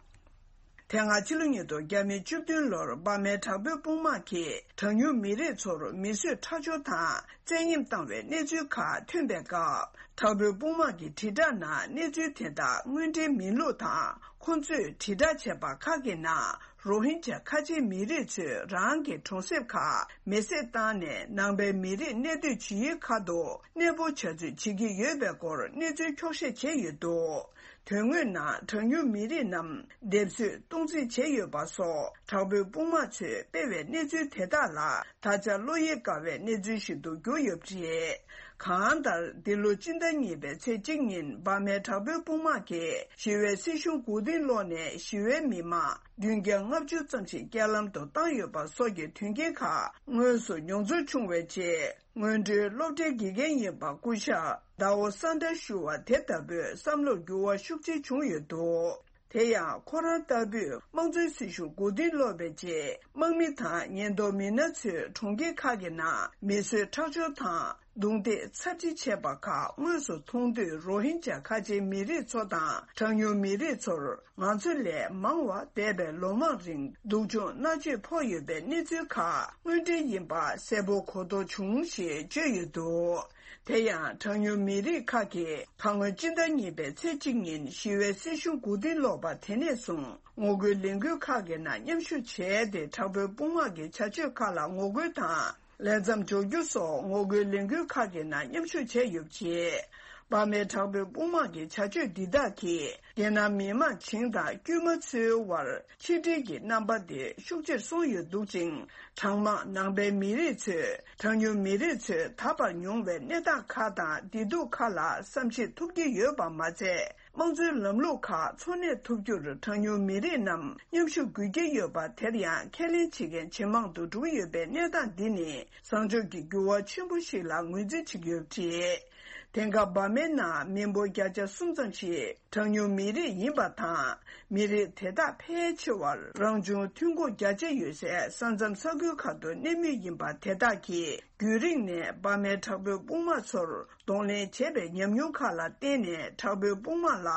དེ་སྔ་ཕྱི་ལོ་ཉིས་སྟོང་བརྒྱ་མེད་བཅུ་བདུན་ལོར་འབར་མའི་དྲག་པོའི་དཔུང་དམག་གིས་གྲངས་ཉུང་མི་རིགས་ཚོར་མི་གསོད་ཁྲག་སྦྱོར་དང་བཙན་གཡེམ་བཏང་བའི་གནས་ཚུལ་ཁག་ཐོན་པའི་སྐབས། དྲག་པོའི་དཔུང་དམག་གི་དྲིལ་བསྒྲགས་ནང་གནས་ཚུལ་དེ་དག་དངོས་འབྲེལ་མིན་ལུགས་དང་། ཁོང་ཚོས་དྲིལ་བསྒྲགས་བྱས་པ་ཁག་གི་ནང་རོ་ཧིན་ཇཱ་ཁ་ཆེའི་མི་རིགས་ཚོས་རང་གི་གྲོང་གསེབ་ཁག་མེ་བསྲེགས་བཏང་ནས། ནང་པའི་མི་རིགས་གནས་སྡོད་བྱེད་ཡུལ་ཁག་ཏུ་གནས་སྤོ་བྱ་རྩིས་བྱེད་ཀྱི་ཡོད་པའི་སྐོར་གནས་ཚུལ་འཁྱོག་བཤད་བྱས་ཡོད་འདུག། དོན་དངོས་ནང་གྲངས་ཉུང་མི་རིགས་རྣམས་སྡེབ་གསོད་གཏོང་རྩིས་བྱས་ཡོད་པ་སོགས། དྲག་པོའི་དཔུང་དམག་ཚོས་སྤེལ་བའི་གནས་ཚུལ་དེ་དག་ལ་ད་ཆ་བློ་གཡེང་དཀའ་བའི་གནས་ཚུལ་ཞིག་ཏུ་གྱུར་ཡོད་པ་རེད། གང་ལྟར། འདི་ལོ་སྤྱི་ཟླ་གཉིས་པའི་ཚེས་གཅིག་ཉིན་འབར་མའི་དྲག་པོའི་དཔུང་དམག་གིས་ཞི་བའི་སྲིད་གཞུང་མགོ་རྟིང་སློག་ནས། ཞི་བའི་མི་མང་བདུན་བརྒྱ་ལྔ་བཅུ་ཙམ་ཞིག་རྐྱེན་ལམ་དུ་བཏང་ཡོད་པ་སོགས་ཀྱི་དོན་རྐྱེན་ཁག་དངོས་སུ་མྱོང་ཚོར་བྱུང་བའི་རྗེས། སྔོན་འགྲོའི་སློབ་གྲྭའི་དགེ་རྒན་ཡིན་པ་སྐུ་ཞབས་ཟླ་བོ་ས་འདྲ་ཞུ་བ་དེ་ལྟ་བུས་བསམ་བློར་འགྱུར་བ་ཤུགས་ཆེ་བྱུང་ཡོད་འདུག། དེ་ཡང་ཁོ་རང་ལྟ་བུས་དམངས་གཙོའི་སྲིད་གཞུང་མགོ་རྟིང་སློག་པའི་རྗེས། དམག་མི་དང་ཉེན་རྟོག་མི་སྣ་ཚོས་གྲོང་ཁྱེར་ཁག་གི་ནང་མི་གསོད་ཁྲག་སྦྱོར་དང་ རྡུང་རྡེག་ཚབས་ཆེ་བྱས་པ་ཁག་དངོས་སུ་མཐོང་དུས། རོ་ཧིན་ཇཱ་ཁ་ཆེའི་མི་རིགས་ཚོ་དང་གྲངས་ཉུང་མི་རིགས་ཚོར་ང་ཚོ་ལས་མང་བ་འདས་པའི་ལོ་མང་རིང་སྡུག་སྦྱོང་མནར་གཅོད་ཕོག་ཡོད་པའི་གནས་ཚུལ་ཁག་དངོས་འབྲེལ་ཡིན་པ་གསལ་པོ་གོ་རྟོགས་བྱུང་ཞེས་བརྗོད་ཡོད་འདུག་དེ་ཡང་གྲངས་ཉུང་མི་རིགས་ཁག་གིས་ཁ་སྔོན་སྤྱི་ཟླ་གཉིས་པའི་ཚེས་གཅིག་ཉིན་ཞི་བའི་སྲིད་གཞུང་མགོ་རྟིང་སློག་པ་དེ་ནས་བཟུང་ངོ་རྒོལ་ལས་འགུལ་ཁག་གི་ནང་མཉམ་ཞུགས་བྱས་ཏེ། དྲག་པོའི་དཔུང་དམག་གི་བྱ་སྤྱོད་ཁག་ལ་ངོ་རྒོལ་དང་ལས་མཚམས་འཇོག་རྒྱུ་སོགས་ངོ་རྒོལ་ལས་འགུལ་ཁག་གི་ནང་མཉམ་ཞུགས་བྱས་ཡོད་པ་རེད། འབར་མའི་དྲག་པོའི་དཔུང་དམག་གི་བྱ་སྤྱོད་འདི་དག་གིས་རྒྱལ་ནང་མི་དམངས་བྱིངས་དང་དཀྱུས་མ་ཚོའི་དབར་ཆིག་སྒྲིལ་གྱི་རྣམ་པ་དེ་ཤུགས་ཆེར་སོང་ཡོད་འདུག་ཅིང་། གྲངས་མང་ནང་པའི་མི་རིགས་ཚོས་གྲངས་ཉུང་མི་རིགས་ཚོས་ད་བར་མྱོང་བའི་གནས་སྟངས་ཁག་དང་བདེ་སྡུག་ཁག་ལ་བསམ་ཤེས་ཐུབ་ཀྱི་ཡོད་པ་མ་ཚད། དམངས་གཙོའི་ལམ་ལུགས་ཁག་འཚོ་གནས་ཐུབ་རྒྱུར་གྲངས་ཉུང་མི་རིགས་རྣམས་མཉམ་ཞུགས་དགོས་ཀྱི་ཡོད་པ། དེར་ཡང་ཁས་ལེན་བྱེད་མཁན་ཇེ་མང་དུ་འགྲོ་གི་ཡོད་པའི་གནས་སྟངས་འདི་ནི་བཟང་ཕྱོགས་ཀྱི་འགྱུར་བ་ཆེན་པོ་ཞིག་ལ་ངོས་འཛིན་བྱེད་ཀྱི་ཡོད་པ་རེད། དེང་སྐབས་འབར་མའི་ནང་མི་འབོར་བརྒྱ་ཆ་གསུམ་ཙམ་ཞིག་གྲངས་ཉུང་མི་རིགས་ཡིན་པ་དང་། མི་རིགས་དེ་དག་ཕལ་ཆེ་བར་རང་བྱུང་ཐོན་ཁུངས་རྒྱ་ཆེ་ཡོད་སའི་ས་མཚམས་ས་ཁུལ་ཁག་ཏུ་གནས་མུས་ཡིན་པ། དེ་དག་གིས་རྒྱུན་རིང་ནས་འབར་མའི་དྲག་པོའི་དཔུང་དམག་ཚོར་གདོང་ལེན་བྱས་པའི་ཉམས་མྱོང་ཁག་ལ་བརྟེན་ནས། དྲག་པོའི་དཔུང་དམག་ལ་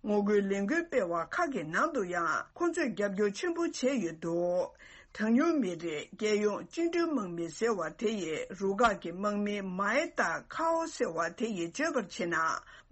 ངོ་རྒོལ་ལས་འགུལ་སྤེལ་བ་ཁག་གི་ནང་དུ་ཡང་ཁོ་ཚོས་རྒྱབ་སྐྱོར་ཆེན་པོ་བྱས་ཡོད་འདུག་གྲངས་ཉུང་མི་རིགས་རྒྱལ་ཡོངས་བཅིངས་འགྲོལ་དམག་མི་ཟེར་བ་དེ་ཡི་རུ་ཁག་གི་དམག་མི་མའེ་ཏཱ་ཁའོ་ཟེར་བ་དེ་ཡིས་བརྗོད་པར་བྱས་ན།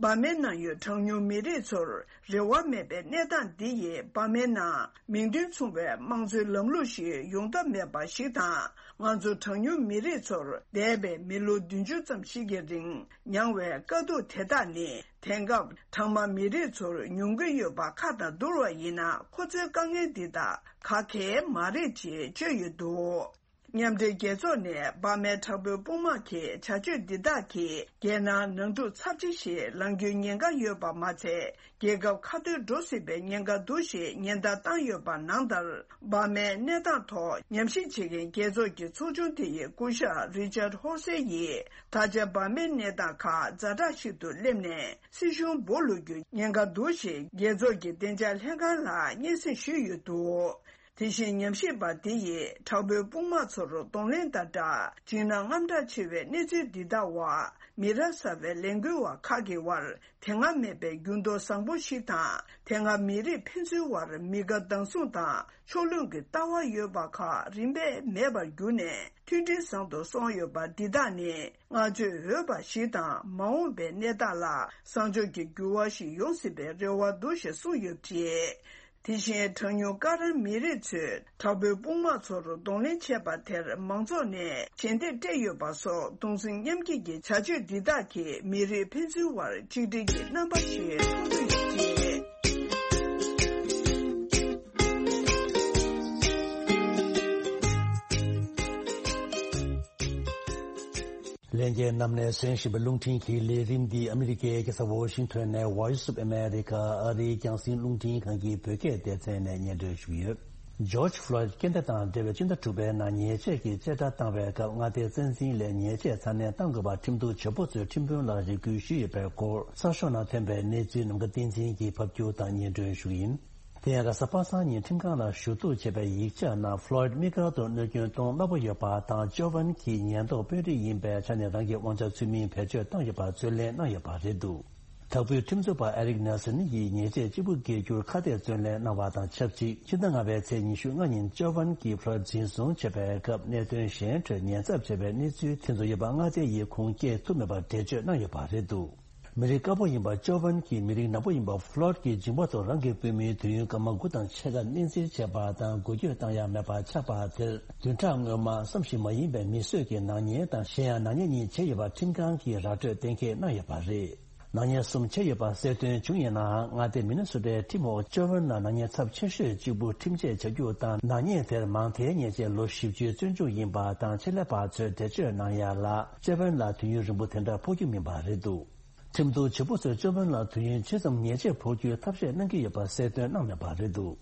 འབར་མའི་ནང་ཡོད་གྲངས་ཉུང་མི་རིགས་ཚོར་རེ་བ་མེད་པའི་གནས་སྟངས་འདི་ཡིས་འབར་མའི་ནང་མིང་དོན་མཚུངས་པའི་དམངས་གཙོའི་ལམ་ལུགས་ཤིག་ཡོང་ཐབས་མེད་པ་ཞིག་དང་། ང་ཚོ་གྲངས་ཉུང་མི་རིགས་ཚོར་འདས་པའི་མི་ལོ་བདུན་ཅུ་ཙམ་ཞིག་གི་རིང་མྱངས་བའི་དཀའ་སྡུག་དེ་དག་ནི། དེང་སྐབས་གྲངས་མང་མི་རིགས་ཚོར་མྱོང་གི་ཡོད་པ་ཁག་དང་བསྡུར་བ་ཡིན་ན། ཁོ་ཚོའི་དཀའ་ངལ་འདི་དག་ག་གེ་མ་རེད་ཅེས་བརྗོད་ཡོད་འདུག་མཉམ་འབྲེལ་རྒྱལ་ཚོགས་ནས་འབར་མའི་དྲག་པོའི་དཔུང་དམག་གི་བྱ་སྤྱོད་འདི་དག་གིས་རྒྱལ་ནང་ནང་འཁྲུག་ཚབས་ཆེ་ཞིག་ལངས་རྒྱུའི་ཉེན་ཁ་ཡོད་པ་མ་ཚད། རྒྱལ་ཁབ་ཁ་ཐོར་འགྲོ་སྲིད་པའི་ཉེན་ཁ་འདུག་ཞེས་ཉེན་བརྡ་བཏང་ཡོད་པ་ནང་ལྟར། འབར་མའི་གནས་སྟངས་ཐོག་ཉམས་ཞིབ་བྱེད་མཁན་རྒྱལ་ཚོགས་ཀྱི་ཚོགས་ཆུང་དེ་ཡི་སྐུ་ཞབས་རི་ཅར་ཧོར་སེ་ཡིས། ད་ཆ་འབར་མའི་གནས་སྟངས་ཁག་ཛ་དྲག་ཞིག་ཏུ་སླེབས་ནས། སྲིད་གཞུང་སྦོ་ལུག་རྒྱུའི་ཉེན་ཁ་འདུག་ཞེས་རྒྱལ་ཚོགས་ཀྱི་བདེ་འཇགས་ལྷན་ཁང་ལ་སྙན་སེང་ཞུས་ཡོད་འདུག་དེ་བཞིན་ཉམས་ཞིབ་པ་དེ་ཡིས་དྲག་པོའི་དཔུང་དམག་ཚོར་གདོང་ལེན་དང་སྦྲགས། འཇིགས་སྣང་དངངས་སྐྲག་ཆེ་བའི་གནས་ཚུལ་འདི་དག་འོག་མི་རབས་གསར་བའི་ལས་འགུལ་བ་ཁག་གི་དབར་དེ་སྔ་མེད་པའི་འགྱུར་ལྡོག་བཟང་པོ་ཞིག་དང་། དེ་སྔ་མི་རིགས་ཕན་ཚུན་དབར་མི་དགའ་སྡང་ཟུང་དང་ཕྱོགས་ལྷུང་གི་ལྟ་བ་ཡོད་པ་ཁག་རིམ་པས་མེད་པར་གྱུར་ནས། མཐུན་སྒྲིལ་བཟང་དུ་སོང་ཡོད་པ་འདི་དག་ནི་བསྔགས་བརྗོད་འོས་པ་ཞིག་དང་། མ་འོངས་པའི་གནས་སྟངས་ལ་བཟང་ཕྱོགས་ཀྱི་འགྱུར་བ་ཞིག་ཡོང་སྲིད་པའི་རེ་བ་འདུག་ཞེས་གསུངས་ཡོད་པ་རེད། དེ་བཞིན་གྲངས་ཉུང་ཀ་ར་མི་རིགས་ཚོས་དྲག་པོའི་དཔུང་དམག་ཚོར་གདོང་ལེན་བྱས་པ་དེར་མང་ཚོགས་ནས་ཞལ་འདེབས་སྤྲད་ཡོད་པ་སོགས། གདུང་སེམས་མཉམ་སྐྱེད་ཀྱི་བྱ་སྤྱོད་འདི་དག་གིས་མི་རིགས་ཕན་ཚུན་དབར་ཆིག་སྒྲིལ་གྱི་རྣམ་པ་ཞིག་མཐོང་གི་ཡོད་པ་རེད། ལྷན་རྒྱས་རྣམས་ནས་གསན་བཞིན་པའི་རླུང་འཕྲིན་གྱི་ལས་རིམ་འདི་ཨ་མི་རི་ཀའི་རྒྱལ་ས་ཝོ་ཤིང་ཐོན་ནས་Voice of America ཨ་རིའི་རྒྱང་སྲིང་རླུང་འཕྲིན་ཁང་གི་བོད་སྐད་སྡེ་ཚན་ནས་སྙན་སྒྲོན་ཞུས་ཡོད། ཇོརྗ་ཕློའིད་སྐྱེ་ཟླ་དང་འབྲེལ་བའི་སྤྱི་ཟླ་དྲུག་པའི་ནང་ཉེས་ཆད་ཀྱི་བཅད་ཁྲ་བཏང་བའི་སྐབས། མངའ་སྡེའི་བཙན་འཛིན་ལས་ཉེས་ཆད་ཚ་ནན་གཏང་དགོས་པར་ཁྲིམས་གཏུག་བྱེད་པོ་ཚོས་ཁྲིམས་དཔོན་ལ་རེ་སྐུལ་ཞུས་ཡོད་པའི་སྐོར་གསར་ཤོག་ནང་ཐོན་པའི་གནས་ཚུལ་ནམ་མཁའ་བསྟན་འཛིན་གྱིས་ཕབ་སྒྱུར་དང་སྙན་སྒྲོན་ཞུ་གི་ཡིན། དེ་ཡང་གཟའ་པ་སངས་ཉིན་ཁྲིམས་ཁང་ལ་ཞུ་གཏུག་བྱས་པའི་ཡིག་ཆ་ནང་ཕློའིད་དམིགས་བཀར་དུ་གནོད་སྐྱོན་གཏོང་སླ་པོ་ཡོད་པ་དང་། ཅོ་ཝན་གྱིས་ཉེན་རྟོག་དཔོན་རིགས་ཡིན་པའི་ཆ་ནས་རང་གི་དབང་ཆ་ཚུལ་མིན་བེད་སྤྱོད་བཏང་ཡོད་པར་རྩོད་ལེན་གནང་ཡོད་པ་རེད་འདུག་དྭགས་པོའི་ཁྲིམས་རྩོད་པ་ཨེ་རིག་ནེལ་སན་ཡིས་ཉེས་ཆད་གཅིག་པུ་འགེལ་རྒྱུར་ཁ་གཏད་བརྩོན་ལེན་གནང་བ་དང་ཆབས་ཅིག་ཕྱི་ཟླ་ལྔ་པའི་ཚེས་ཉི་ཤུ་ལྔ་ཉིན་ཅོ་ཝན་གྱིས་ཕློའིད་འཛིན་བཟུང་བྱས་པའི་སྐབས། གནད་དོན་གཞན་ཁྲོད་ཉེན་ཚབས་ཆེ་བའི་གནས་ཚུལ་དེ་ཚོ་ཡོད་པ་མངའ་སྡེ་ཡི་ཁུངས་སྐྱེལ་ཐུབ་མེད་པར་འགྲེལ་བརྗོད་གནང་ཡོད་པ་རེད་འདུག་མི་རིགས་དཀར་པོ་ཡིན་པ་ཅོ་ཝན་གྱིས་མི་རིགས་ནག་པོ་ཡིན་པ་ཕློའིད་ཀྱི་འཇིགས་པ་ཐོག་རང་གི་བུད་མེད་དུས་ཡུན་སྐར་མ་དགུ་དང་ཕྱེད་ཀ་གནས་འཛིན་བྱས་པ་དང་། འགུལ་སྐྱོད་བཏང་ཡ་མེད་པ་ཆགས་པ་དེར། བདུན་ཕྲག་སྔོན་མ་བསམ་ཤེས་མ་ཡིན་པའི་མི་གསོད་ཀྱི་ནག་ཉེས་དང་། གཞན་ཡང་ནག་ཉེས་གཉིས་བྱས་ཡོད་པ་ཁྲིམས་ཁང་གིས་ར་སྤྲོད་གཏན་འཁེལ་གནང་ཡོད་པ་རེད། ནག་ཉེས་གསུམ་བྱས་ཡོད་པ་གསལ་སྟོན་བྱུང་ཡོད་ནའང་། མངའ་སྡེ་མི་ནི་སོ་ཊའི་ཁྲིམས་འོག་ཅོ་ཝན་ལ་ནག་ཉེས་ཚབས་ཆེ་ཤོས་གཅིག་པུ་ཁྲིམས་ཆད་བཅད་རྒྱུ་དང་། ནག་ཉེས་དེར་མང་མཐའི་ཉེས་ཆད་ལོ་བཞི་བཅུའི་བཙོན་འཇུག་ཡིན་པ་དང་། ཆེད་ལས་པ་ཚོས་འགྲེལ་བརྗོད་གནང་ཡ་ལ། ཅོ་ཝན་ལ་དུས་ཡུན་རིང་པོ་དེ་འདྲ་ཕོག་རྒྱུ་མིན་པ་རེད་འདུག་ཁྲིམས་གཏུག་བྱེད་པོ་ཚོས་ཅོ་ཝན་ལ་དུས་ཡུན་ཇི་ཙམ་ཉེས་ཆད་ཕོག་རྒྱུའི་ཐབས་ཤེས་གནང་གི་ཡོད་པ་གསལ་སྟོན་གནང་མེད་པ་རེད་འདུག་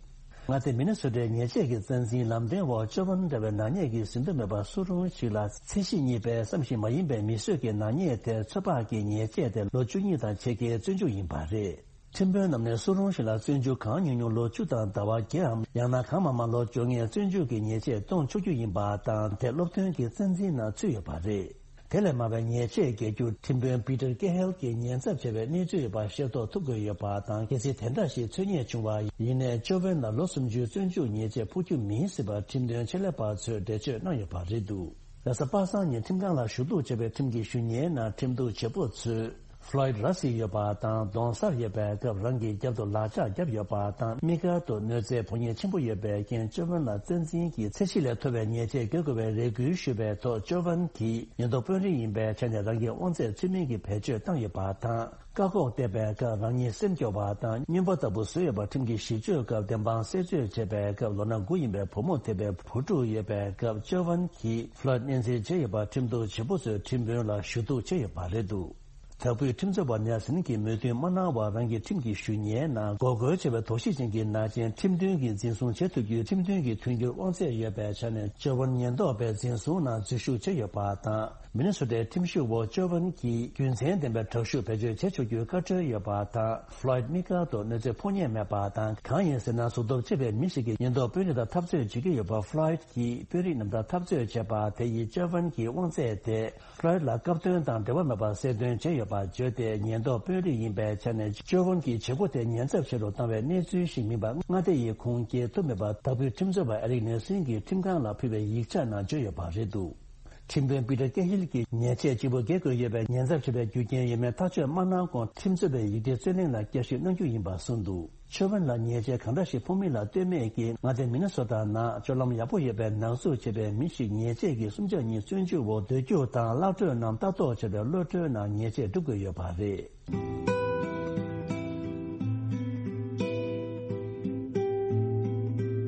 མངའ་སྡེ་མི་ནི་སོ་ཊའི་ཉེས་ཆད་ཀྱི་རྩ་འཛིན་ལམ་སྟོན་འོག་ཅོ་ཝན་འདྲ་བའི་ནག་ཉེས་ཀྱིས་ཟིན་ཐོ་མེད་པ་སུ་རུང་ཞིག་ལ། ཚད་གཞི་གཉིས་པའི་བསམ་ཤེས་མ་ཡིན་པའི་མི་གསོད་ཀྱི་ནག་ཉེས་དེར་ཚོད་དཔག་གི་ཉེས་ཆད་དེ་ལོ་བཅུ་གཉིས་དང་ཕྱེད་ཀའི་བཙོན་འཇུག་ཡིན་པ་རེད། ཁྲིམས་དཔོན་རྣམས་ནས་སུ་རུང་ཞིག་ལ་བཙོན་འཇུག་གང་ཉུང་ཉུང་ལོ་བཅུ་དང་ཟླ་བ་བརྒྱའམ། ཡང་ན་གང་མང་མང་ལོ་བཅོ་ལྔའི་བཙོན་འཇུག་གི་ཉེས་ཆད་གཏོང་ཆོག་རྒྱུ་ཡིན་པ་དང་། དེ་སློབ་སྟོན་གྱི་རྩ་འཛིན་ནང་ཚུད་ཡོད་པ་རེད། དེ་ལས་མང་བའི་ཉེས་ཆད་འགེལ་རྒྱུར་ཁྲིམས་དཔོན་པི་ཏར་ཀེ་ཧེལ་གྱིས་ཉེན་ཚབས་ཆེ་བའི་གནས་ཚུལ་ཡོད་པ་ཤེས་རྟོགས་ཐུབ་དགོས་ཡོད་པ་དང་། གལ་སྲིད་དེ་འདྲ་ཞིག་འཚོལ་རྙེད་བྱུང་བ་ཡིན་ནའི་ཅོ་ཝན་ལ་ལོ་སུམ་ཅུའི་བཙོན་འཇུག་ཉེས་ཆད་ཕོག་རྒྱུ་མིན་སྲིད་པར་ཁྲིམས་དོན་ཆེད་ལས་པ་ཚོས་འགྲེལ་བརྗོད་གནང་ཡོད་པ་རེད་འདུག་རེས་གཟའ་པ་སངས་ཉིན་ཁྲིམས་ཁང་ལ་ཞུ་གཏུག་བྱས་པའི་ཁྲིམས་ཀྱི་ཞུ་སྙན་ནང་ཁྲིམས་གཏུག་བྱེད་པོ་ཚོས། ཕློའིད་ར་བཟི་ཡོད་པ་དང་གདོང་གསལ་ཡོད་པའི་སྐབས་རང་གི་རྒྱབ་ཏུ་ལག་ལྕགས་བརྒྱབ་ཡོད་པ་དང་། དམིགས་བཀར་དུ་གནོད་འཚེའི་ཕོག་ཉེན་ཆེན་པོ་ཡོད་པའི་རྐྱེན་ཅོ་ཝན་ལ་བཙན་འཛིན་གྱིས་ཚད་གཞི་ལས་མཐོ་བའི་ཉེས་ཆད་འགེལ་དགོས་པའི་རེ་སྐུལ་ཞུས་པའི་ཐོག་ཅོ་ཝན་གྱིས་ཉེན་རྟོག་དཔོན་རིགས་ཡིན་པའི་ཆ་ནས་རང་གི་དབང་ཚད་ཚུལ་མིན་གྱིས་བེད་སྤྱོད་བཏང་ཡོད་པ་དང་། བཀག་འགོག་བལྟས་པའི་སྐབས་རང་ཉིད་སེམས་སྐྱོ་བ་དང་རྔོན་པ་ལྟ་བུ་བཟོས་ཡོད་པ། ཁྲིམས་ཀྱི་གཞི་བཅོལ་སྐབས་བདེན་དཔང་གསལ་བརྗོད་བྱས་པའི་སྐབས་ལོ་ན་དགུ་ཡིན་པའི་བུ་མོ་ཐེ་བའི་བུ་ཕྲུག་ཡོད་པའི་སྐབས་ཅོ་ཝན་གྱིས་ཕློའིད་གནས་འཛིན་བྱས་ཡོད་པ་ཁྲིམས་གཏུག་བྱེད་པོ་ཚོས་ཁྲིམས་དཔོན་ལ་ཞུ་གཏུག་བྱས་ཡོད་པ་རེད་འདུག་དྭགས་པོའི་ཁྲིམས་རྩོད་པ་ནེལ་སན་གྱིས་མོས་མཐུན་མ་གནང་བར་རང་གི་ཁྲིམས་ཀྱི་ཞུ་སྙན་ནང་འགོག་རྒོལ་བྱས་པའི་དོགས་གཞི་ཅན་གྱི་ནང་རྐྱེན་ཁྲིམས་མཐུན་གྱིས་འཛིན་བཟུང་བྱེད་ཐུབ་རྒྱུའི་ཁྲིམས་མཐུན་གྱི་མཐུན་འགྱུར་དབང་ཚད་ཡོད་པའི་ཆ་ནས་ཅོ་ཝན་ཉེན་རྟོག་པས་འཛིན་བཟུང་ནང་འཛུལ་ཞུགས་བྱས་ཡོད་པ་དང་། མི་ནི་སོ་ཊའི་ཁྲིམས་ཞིབ་འོག་ཅོ་ཝན་གྱིས་རྒྱུ་མཚན་ལྡན་པའི་དྲག་ཤུགས་བེད་སྤྱོད་བྱེད་ཆོག་རྒྱུའི་བཀའ་འཁྲོལ་ཡོད་པ་དང་། ཕློའིད་དམིགས་བཀར་དུ་གནོད་འཚེ་ཕོག་ཉེན་མེད་པ་དང་། གང་ཡིན་ཟེར་ན་གཟུགས་སྟོབས་ཆེ་བའི་མི་ཞིག་གིས་ཉེན་རྟོག་དཔོན་རིགས་དང་འཐབ་རྩོད་བྱེད་ཀྱི་ཡོད་པ། ཕློའིད་ཀྱིས་དཔོན་རིགས་རྣམས་དང་འཐབ་རྩོད་བྱས་པ་དེ་ཡིས་ཅོ་ཝན་གྱི་དབང་ཚད་དེ། ཕློའིད་ལ་སྐབས་དོན་དང་འབྲེལ་བ་མེད་པར་གསལ་སྟོན་བྱས་ཡོད་པ་བརྗོད་དེ། ཉེན་རྟོག་དཔོན་རིགས་ཡིན་པའི་ཆ་ནས་ཅོ་ཝན་གྱི་བྱེད་སྒོ་དེ་ཉེན་ཚབས་ཆེ་རུ་བཏང་བའི་གནས་ཚུལ་ཞིག་མིན་པ་མངའ་སྡེ་ཡིས་ཁུངས་སྐྱེལ་ཐུབ་མེད་པ། དྭགས་པོའི་ཁྲིམས་རྩོད་པ་ཨེ་རིག་ནེལ་སན་གྱིས་ཁྲིམས་ཁང་ལ་ཕུལ་བའི་ཡིག་ཆ་ནང་བརྗོད་ཡོད་པ་རེད་འདུག་ཁྲིམས་དཔོན་པི་ཏར་ཀེ་ཧིལ་གྱིས་ཉེས་ཆད་གཅིག་པུ་འགེལ་དགོས་ཡོད་པའི་ཉེན་ཚབས་ཆེ་བའི་རྒྱུ་རྐྱེན་ཡོད་མེད་ཐག་གཅོད་མ་གནང་གོང་ཁྲིམས་རྩོད་པའི་ཡིག་ཆའི་རྩོད་གླེང་ལ་བསྐྱར་ཞིབ་གནང་རྒྱུ་ཡིན་པ་གསུངས་འདུག་ཅོ་ཝན་ལ་ཉེས་ཆད་གང་འདྲ་ཞིག་ཕོག་མིན་ལ་ལྟོས་མེད་ཀྱིས་མངའ་སྡེ་མི་ནི་སོ་ཊ་ནང་སྤྱོད་ལམ་ཡག་པོ་ཡོད་པའི་ནག་འཛུགས་བྱས་པའི་མི་ཞིག་ཉེས་ཆད་ཀྱི་སུམ་ཆ་གཉིས་བཙོན་འཇུག་འོག་སྡོད་རྒྱུ་དང་། གློད་གྲོལ་ནམ་ལྟ་རྟོག་བྱས་པའི་གློད་གྲོལ་ནང་ཉེས་ཆད་སྒྲུབ་དགོས་ཡོད་པ་རེད།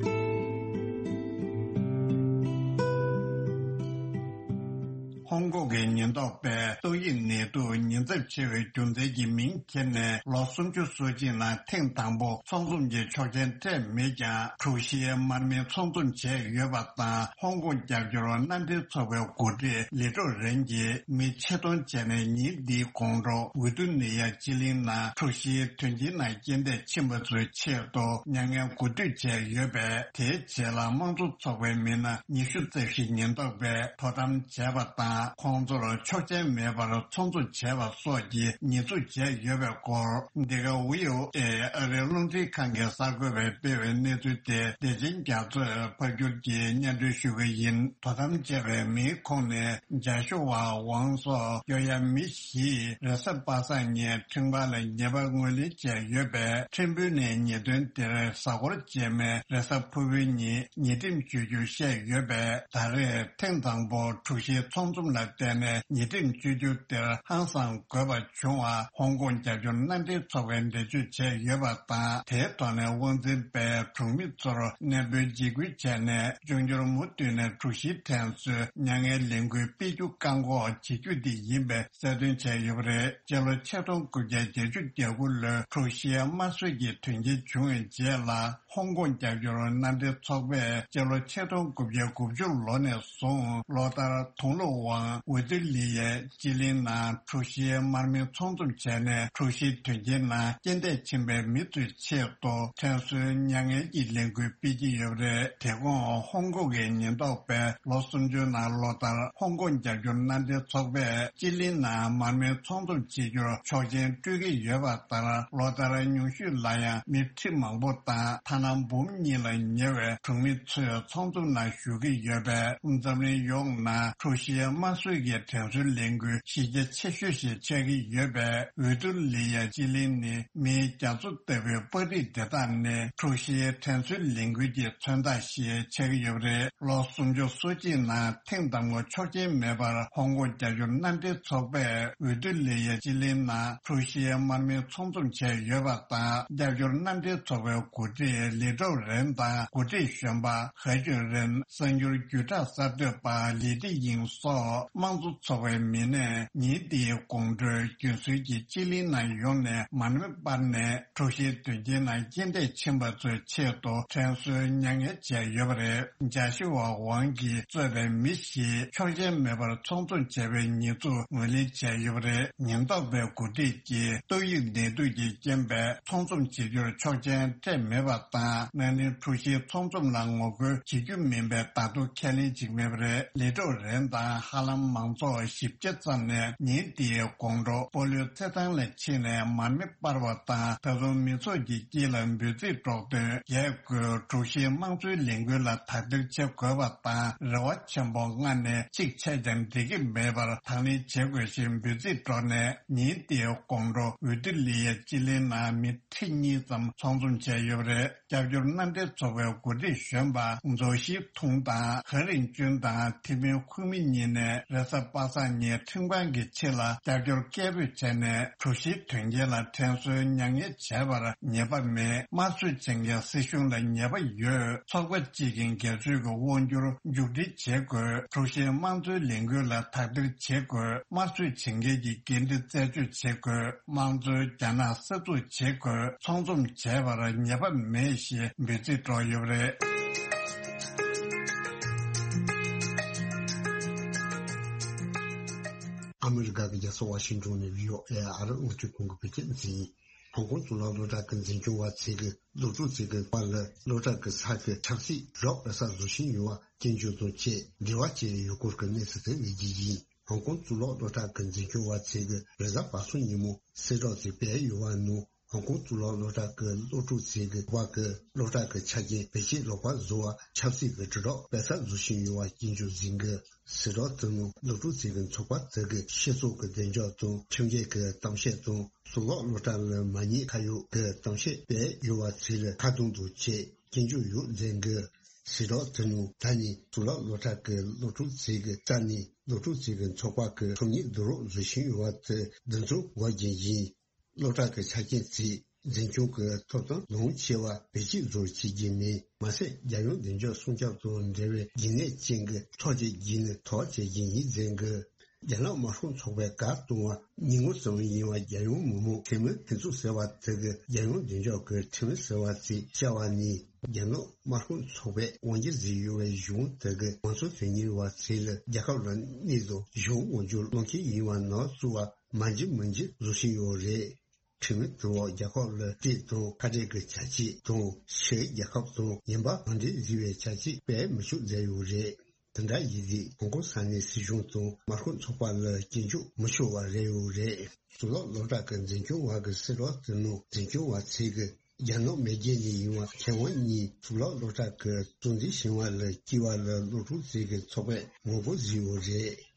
ཧོང་ཀོང་གི་ཉེན་རྟོག་པས་ཏོག་དབྱིབས་ནད་དུག་ཉེན་ཚབས་ཆེ་བའི་རྒྱུ་མཚན་གྱི་མིང་འཁྱེར་ནས་ལོ་སུམ་ཅུ་སོ་གཅིག་ནང་ཐེངས་དང་པོ་ཚོགས་འཛོམས་ཀྱི་ཆོག་མཆན་སྤྲད་མེད་ཀྱང་། དྲུག་བཞིའི་མར་མེ་ཚོགས་འཛོམས་བྱས་ཡོད་པ་དང་། ཧོང་ཀོང་རྒྱབ་སྐྱོར་མནའ་འབྲེལ་ཚོགས་པའི་འགོ་ཁྲིད་ལི་ཀྲོའུ་རེན་གྱིས་མི་ཆེད་གཏོང་བྱས་ནས་ཉིན་འདིའི་དགོང་དྲོ་ཝི་ཏུ་ནི་ཡ་སྤྱི་གླིང་ནང་དྲུག་བཞིའི་དོན་རྐྱེན་ནང་རྐྱེན་འདས་ཕྱིན་པ་ཚོའི་ཆེད་དུ་མྱ་ངན་གུས་འདུད་བྱས་ཡོད་པས། དེའི་རྗེས་ལ་དམངས་གཙོ་ཚོགས་པའི་མི་སྣ་ཉི་ཤུ་རྩ་བཞི་ཉེན་རྟོག་པས་དོ་དམ་བྱས་པ་དང་། ཁོང་ཚོར་ཆོག་མཆན་མེད་པར་ཚོགས་འཛོམས་བྱས་པ་སོགས་ཀྱི་ཉེས་འཛུགས་བྱས་ཡོད་པའི་སྐོར། འདི་ག་ཝི་ཨོ་ཨེ་ཨ་རིའི་རླུང་འཕྲིན་ཁང་གི་གསར་འགོད་པས་སྤེལ་བའི་གནས་ཚུལ་དེ་བདེ་ཆེན་རྒྱ་མཚོས་ཕབ་སྒྱུར་གྱིས་སྙན་སྒྲོན་ཞུ་གི་ཡིན། དོ་དམ་བྱས་པའི་མིའི་ཁོངས་ནས་ཇཱ་ཤུ་ཝ་ཝང་སོགས་སྐྱོ་ཡ་མི་བཞིས་རེས་གཟའ་པ་སངས་ཉིན་ཁྲིན་པ་ལ་ཉེས་པ་ངོས་ལེན་བྱས་ཡོད་པས། ཁྲིམས་དཔོན་ནས་ཉེས་དོན་དེར་གཟའ་འཁོར་རྗེས་མའི་རེས་གཟའ་ཕུར་བུའི་ཉིན་ཉེས་ཁྲིམས་གཅོད་རྒྱུ་བཤད་ཡོད་པས། ད་རེས་ཐེངས་དང་པོ་དྲུག་བཞིའི་ཚོགས་འཛོམས་ལ་བརྟེན་ནས་ཉེས་ཁྲིམས་གཅོད་རྒྱུ་དེར་ཧང་སང་དགོས་པ་བྱུང་བ་ཧོང་ཀོང་རྒྱབ་སྐྱོར་མནའ་འབྲེལ་ཚོགས་པས་འགྲེལ་བརྗོད་བྱས་ཡོད་པ་དང་། དེའི་ཐོག་ནས་དབང་འཛིན་པས་གྲོང་མི་ཚོར་གནས་སྤོའི་འཇིགས་སྐུལ་བྱས་ནས། འབྱུང་འགྱུར་མུ་མཐུད་ནས་དྲུག་བཞིའི་ཐེངས་སུ་མྱ་ངན་ལས་འགུལ་སྤེལ་རྒྱུ་བཀག་འགོག་བྱེད་རྒྱུ་དེ་ཡིན་པའི་གསལ་སྟོན་བྱས་ཡོད་པ་རེད། སྤྱི་ལོ་ཆིག་སྟོང་དགུ་བརྒྱ་བརྒྱད་ཅུ་གྱ་དགུ་ལོའི་དྲུག་བཞིའི་དམར་གསོད་ཀྱི་དོན་རྐྱེན་བྱུང་བའི་རྗེས་ལ། ཧོང་ཀོང་རྒྱབ་སྐྱོར་མནའ་འབྲེལ་ཚོགས་པས་སྤྱི་ལོ་ཆིག་སྟོང་དགུ་བརྒྱ་དགུ་བཅུ་ལོ་ནས་བཟུང་ལོ་ལྟར་དུང་ལོ་ཝང་ཝེ་ཏི་ལི་ཡའི་སྤྱི་གླིང་ནང་དྲུག་བཞིའི་མར་མེ་ཚོགས་འཛོམས་བྱས་ནས། དྲུག་བཞིའི་དོན་རྐྱེན་ནང་རྐྱེན་འདས་ཕྱིན་པའི་མི་ཚོའི་ཆེད་དུ་དྲན་གསོའི་མྱ་ངན་གྱི་ལས་འགུལ་སྤེལ་གྱི་ཡོད་པ་རེད། དེ་གོང་ཧོང་ཀོང་གི་ཉེན་རྟོག་པས་ལོ་སུམ་ཅུའི་ནང་ལོ་ལྟར་ཧོང་ཀོང་རྒྱབ་སྐྱོར་མནའ་འབྲེལ་ཚོགས་པས་སྤྱི་གླིང་ནང་མར་མེ་ཚོགས་འཛོམས་བྱེད་རྒྱུར་ཆོག་མཆན་སྤྲོད་ཀྱི་ཡོད་པ་ལྟར། ལོ་ལྟར་ཉུང་ཤོས་ལ་ཡང་མི་ཁྲི་མང་པོ་དང་ཐ་ན་འབུམ་གཉིས་ལ་ཉེ་བའི་གྲོང་མི་ཚོས་ཚོགས་འཛོམས་ནང་ཞུགས་ཀྱི་ཡོད་པས། འཛམ་གླིང་ཡོངས་ནང་དྲུག་བཞིའི་དམར་གསོད་ཀྱི་དྲན་གསོའི་ལས་འགུལ་གཞི་རྒྱ་ཆེ་ཤོས་ཤིག་ཆགས་ཀྱི་ཡོད་པས། ཝི་ཏུ་ལི་ཡ་སྤྱི་གླིང་ནི་མིའི་རྒྱ་མཚོ་ལྟ་བུའི་པར་རིས་དེ་དག་ནས་དྲུག་བཞིའི་དྲན་གསོའི་ལས་འགུལ་གྱི་མཚོན་རྟགས་ཤིག་ཆགས་ཀྱི་ཡོད་པ་རེད། ལོ་སུམ་ཅུ་སོ་གཅིག་ནང་ཐེངས་དང་པོ་ཆོག་མཆན་མེད་པར་ཧོང་ཀོང་རྒྱབ་སྐྱོར་མནའ་འབྲེལ་ཚོགས་པས་ཝི་ཏུ་ལི་ཡའི་སྤྱི་གླིང་ནང་དྲུག་བཞིའི་མར་མེ་ཚོགས་འཛོམས་བྱས་ཡོད་པ་དང་། རྒྱབ་སྐྱོར་མནའ་འབྲེལ་ཚོགས་པའི་འགོ་ཁྲིད་ལི་ཀྲོའུ་རེན་དང་འགོ་ཁྲིད་གཞོན་པ་ཧེ་ཅུན་རེན། གསར་འགྱུར་བརྒྱུད་བསྒྲགས་གསར་གཏོད་པ་ལི་ཏི་ཡིང་སོགས་དམངས་གཙོ་ཚོགས་པའི་མི་སྣས་ཉིན་འདིའི་དགོང་དྲོའི་རྒྱུན་སྲོལ་གྱི་སྤྱི་གླིང་ནང་ཡོང་ནས་མར་མེ་སྤར་ནས། དྲུག་བཞིའི་དོན་རྐྱེན་ནང་རྐྱེན་འདས་ཕྱིན་པ་ཚོའི་ཆེད་དུ་དྲན་གསོའི་མྱ་ངན་བྱས་ཡོད་པ་རེད། ཇཱ་ཤུ་ཝ་ཝང་གིས་གཙོས་པའི་མི་བཞིས་ཆོག་མཆན་མེད་པར་ཚོགས་འཛོམས་བྱས་པའི་ཉེས་འཛུགས་ངོས་ལེན་བྱས་ཡོད་པ་རེད། ཉེན་རྟོག་པའི་འགོ་ཁྲིད་ཀྱིས་ཏོག་དབྱིབས་ནད་དུག་གི་རྐྱེན་པས་ཚོགས་འཛོམས་བྱེད་རྒྱུར་ཆོག་མཆན་སྤྲད་མེད་པ་དང་། ན་ནིང་དྲུག་བཞིའི་ཚོགས་འཛོམས་ལ་ངོ་རྒོལ་བྱེད་རྒྱུ་མིན་པའི་བརྡ་ཐོ་ཁས་ལེན་བྱེད་ཀྱི་མེད་པ་རེད། ལི་ཀྲོའུ་རེན་དང་ཧ། ཧ་ལམ་མང་ཚོགས་བཞི་བརྒྱ་ཙམ་ནས་ཉིན་དེའི་དགོང་དྲོ་སྤོ་ལོའི་རྩེད་ཐང་ལ་ཕྱིན་ནས་མར་མེ་སྤར་བ་དང་། ད་དུང་མི་ཚོགས་ཀྱི་དཀྱིལ་ལ་འབོད་ཚིག་སྒྲོག་འདོན་རྒྱག་དགོས། དྲུག་བཞིའི་དམངས་གཙོའི་ལས་འགུལ་ལ་དག་ཐེར་བྱེད་དགོས་པ་དང་། རེ་བ་ཆེན་པོ་མངགས་ནས་གཅིག་ཆད་ཀྱང་འགྲིག་གི་མེད་པར་དང་ལེན་བྱེད་དགོས་ཞེས་འབོད་ཚིག་སྒྲོག་ནས། ཉིན་དེའི་དགོང་དྲོ་ཝི་ཏི་ལི་ཡ་སྤྱི་གླིང་ནང་མི་ཁྲི་གཉིས་ཙམ་ཚོགས་འཛོམས་བྱས་ཡོད་པ་རེད། སྐྱབས་བཅོལ་མནའ་འབྲེལ་ཚོགས་པའི་འགོ་ཁྲིད་གཞོན་པ་མཛོ་ཞི་ཐུང་དང་། ཧན་རིན་ཅུན་དང་ཐི་མིན་ཁུང་མི་གཉིས་ནས་རེས་གཟའ་པ་སངས་ཉིན་ཁྲིམས་ཁང་གི་ཕྱི་ལ་སྐྱབས་བཅོལ་སྐད་འབོད་བྱས་ནས། གྲོ་ཞིབ་དོན་རྐྱེན་ལ་དྲན་གསོའི་མྱ་ངན་བྱས་པར་ཉེས་པ་མེད། དམར་གསོད་བྱེད་མཁན་སྲིད་གཞུང་ལ་ཉེས་པ་ཡོད། ཚོགས་པ་གཅིག་གིས་སྒེར་གཅོད་ཀྱི་དབང་སྒྱུར་མཇུག་སྒྲིལ་བྱེད་དགོས། དྲུག་བཞིའི་དམངས་གཙོའི་ལས་འགུལ་ལ་དག་ཐེར་བྱེད་དགོས། དམར་གསོད་བྱེད་མཁན་གྱི་འགན་འཁྲི་རྩད་གཅོད་བྱེད་དགོས། དམངས་གཙོའི་རྒྱ་ནག་གསར་འཛུགས་བྱེད་དགོས། ཚོགས་འཛོམས་བྱས་པར་ཉེས་པ་མེད་ཞེས་འབོད་ཚིག་སྒྲོག་ཡོད་པ་རེད། ཨ་མི་རི་ཀ་གི་རྒྱལ་ས་ཝ་ཤིང་ཏོན་ནས་བྷི་ཨོ་ཨེ་ཨ་རི་རླུང་འཕྲིན་ཁང་གི་བོད་སྐད་སྡེ་ཚན་ཡིན། ཧོང་ཀོང་གཙུག་ལག་སློབ་གྲྭ་གི་འཛིན་སྐྱོང་བ་ཚོས་ཀྱི་སློབ་ཕྲུག་ཚོས་ཀྱི་པར་ལ་སློབ་གྲྭ་གི་ས་ཁུལ་ཆབ་སྲིད་རོགས་པ་ས་བཟོ་བཞིན་ཡོད་པ་སྐྱོན་བརྗོད་དང་བཅས་འབྲེལ་བ་བཅས་ཡོད་སྐོར་གྱི་གནས་ཚུལ་དེ་སླེབས་རྒྱུ་ཡིན། ཧོང་ཀོང་གཙུག་ལག་སློབ་གྲྭ་གི་འཛིན་སྐྱོང་བ་ཚོས་ཀྱི་རེས་གཟའ་པ་སངས་ཉིན་མོ་གསལ་བསྒྲགས་ཚོས་སྤེལ་ཡོད་པ་ནང་། ཧོང་ཀོང་གཙུག་ལག་སློབ་གྲྭ་གི་སློབ་ཕྲུག་ཚོས་ཀྱི་བ་གི་སློབ་གྲྭ་གི་ཆ་རྐྱེན་བེད་སྤྱོད་ལོག་པར་བཟོ་བ་ཆབ་སྲིད་ཀྱི་དྲིལ་སྒྲོག་སྤེལ་ས་བཟོ་བཞིན་ཡོད་པ་སྐྱོན་བརྗོད་ཟིན་གི། གསལ་བསྒྲགས་དེ་ནང་སློབ་ཕྲུག་ཚོས་ཀྱི་ཚོགས་པ་དེ་གི་སྤྱི་ཚོགས་ཀྱི་བདེ་འཇགས་དང་ཁྲིམས་འགལ་གྱི་གཏམ་བཤད་དང་གཙུག་ལག་སློབ་གྲྭ་ལ་མ་ཉེས་ཁ་གཡོག་གི་གཏམ་བཤད་སྤེལ་ཡོད་པ་ཚོ་ལ་ཁ་རྡུང་དང་བཅས་སྐྱོན་བརྗོད་ཡོད་ཟིན་གི། གསལ་བསྒྲགས་དེ་ནང་ད་ནི་གཙུག་ལག་སློབ་གྲྭ་གི་སློབ་ཕྲུག་ཚོས་ཀྱི་རྩ་ནས་སློབ་ཕྲུག་ཚོས་ཀྱི་ཚོགས་པ་གི་ཁྲོམ་ཉིད་བསྡུ་རུབ་བཟོ་བཞིན་ཡོད་པ་དེ་འདི་ཚོ་འགོག་རྒྱུ་ཡིན། སློབ་གྲྭ་གི་ཆ་རྐྱེན་ཚོས་འཛིན་སྐྱོང་གི་ཐོབ་ཐང་ལོངས་ཆེ་བ་བེད་སྤྱོད་བཟོ་བྱེད་ཀྱི་མིན། མ་ཟད་རྒྱལ་ཡོངས་བདེ་འཇགས་སྲུང་སྐྱོབ་དང་འབྲེལ་བའི་རྒྱུན་གནས་ཅན་གྱི་ཐག་བཅད་རྒྱུ་ནི་ཐག་བཅད་རྒྱུ་ཡིན་ཟེར་གི། རྒྱ་ནག་དམར་ཤོག་ཚོགས་པའི་བཀའ་གཏོང་བ་ཉིན་ངོ་གསུམ་ཡིན་པ་རྒྱལ་ཡོངས་མི་དམངས་འཐུས་མི་འཐུས་ཚོགས་ཟེར་བ་དེ་གི་རྒྱལ་ཡོངས་བདེ་འཇགས་ཀྱི་འཐུས་མི་ཟེར་བ་ཚོས་བཅར་བ་ནི། རྒྱ་ནག་དམར་ཤོག་ཚོགས་པས་དབང་སྒྱུར་བཟོས་ཡོད་པའི་གཞུང་དེ་གི་མང་གཙོ་དོན་གཉེར་བ་ཚོས་ལ་རྒྱལ་ཁབ་ལ་གནོད་དང་གཞུང་དབང་སྒྱུར་བློས་འཁེལ་ཡིན་པ་ནང་བཙུགས་པ་མ་འཇིགས་མི་འཇིགས་བཟོ་བཞིན་ཡོད་རེད། ཁྲིམས་མི་དུ་བ་རྒྱལ་ཁབ་ལ་སྤྲད་དང་ཁ་བྲལ་གྱི་བྱ་སྤྱོད་དང་ཕྱི་རྒྱལ་ཁབ་དང་ཡིན་པ་གང་འདྲའི་བཟི་བའི་བྱ་སྤྱོད་སྤེལ་མི་ཆོག་མཛད་ཡོད་རེད། དེ་འདྲ་ཡིན་དུས་ཧོང་ཀོང་ས་གནས་སྲིད་གཞུང་དང་དམར་ཤོག་ཚོགས་པ་ལ་སྐྱོན་བརྗོད་མི་ཆོག་པ་རེད་ཡོད་རེད། གཙུག་ལག་སློབ་གྲྭ་གི་འཛིན་སྐྱོང་བ་གི་གསལ་བསྒྲགས་དེ་ནང་འཛིན་སྐྱོང་བ་ཚོས་གི་རྒྱ་ནག་མེས་རྒྱལ་ནས་ཡིན་པ་མཁས་དབང་གཉིས་གཙུག་ལག་སློབ་གྲྭ་གི་གཙོ་འཛིན་ཞིང་བ་ལ་སྐྱེས་པ་ལ་སློབ་ཕྲུག་ཚོས་གི་ཚོགས་པས་ངོ་རྒོལ་བཟོས་ཡོད་རེད།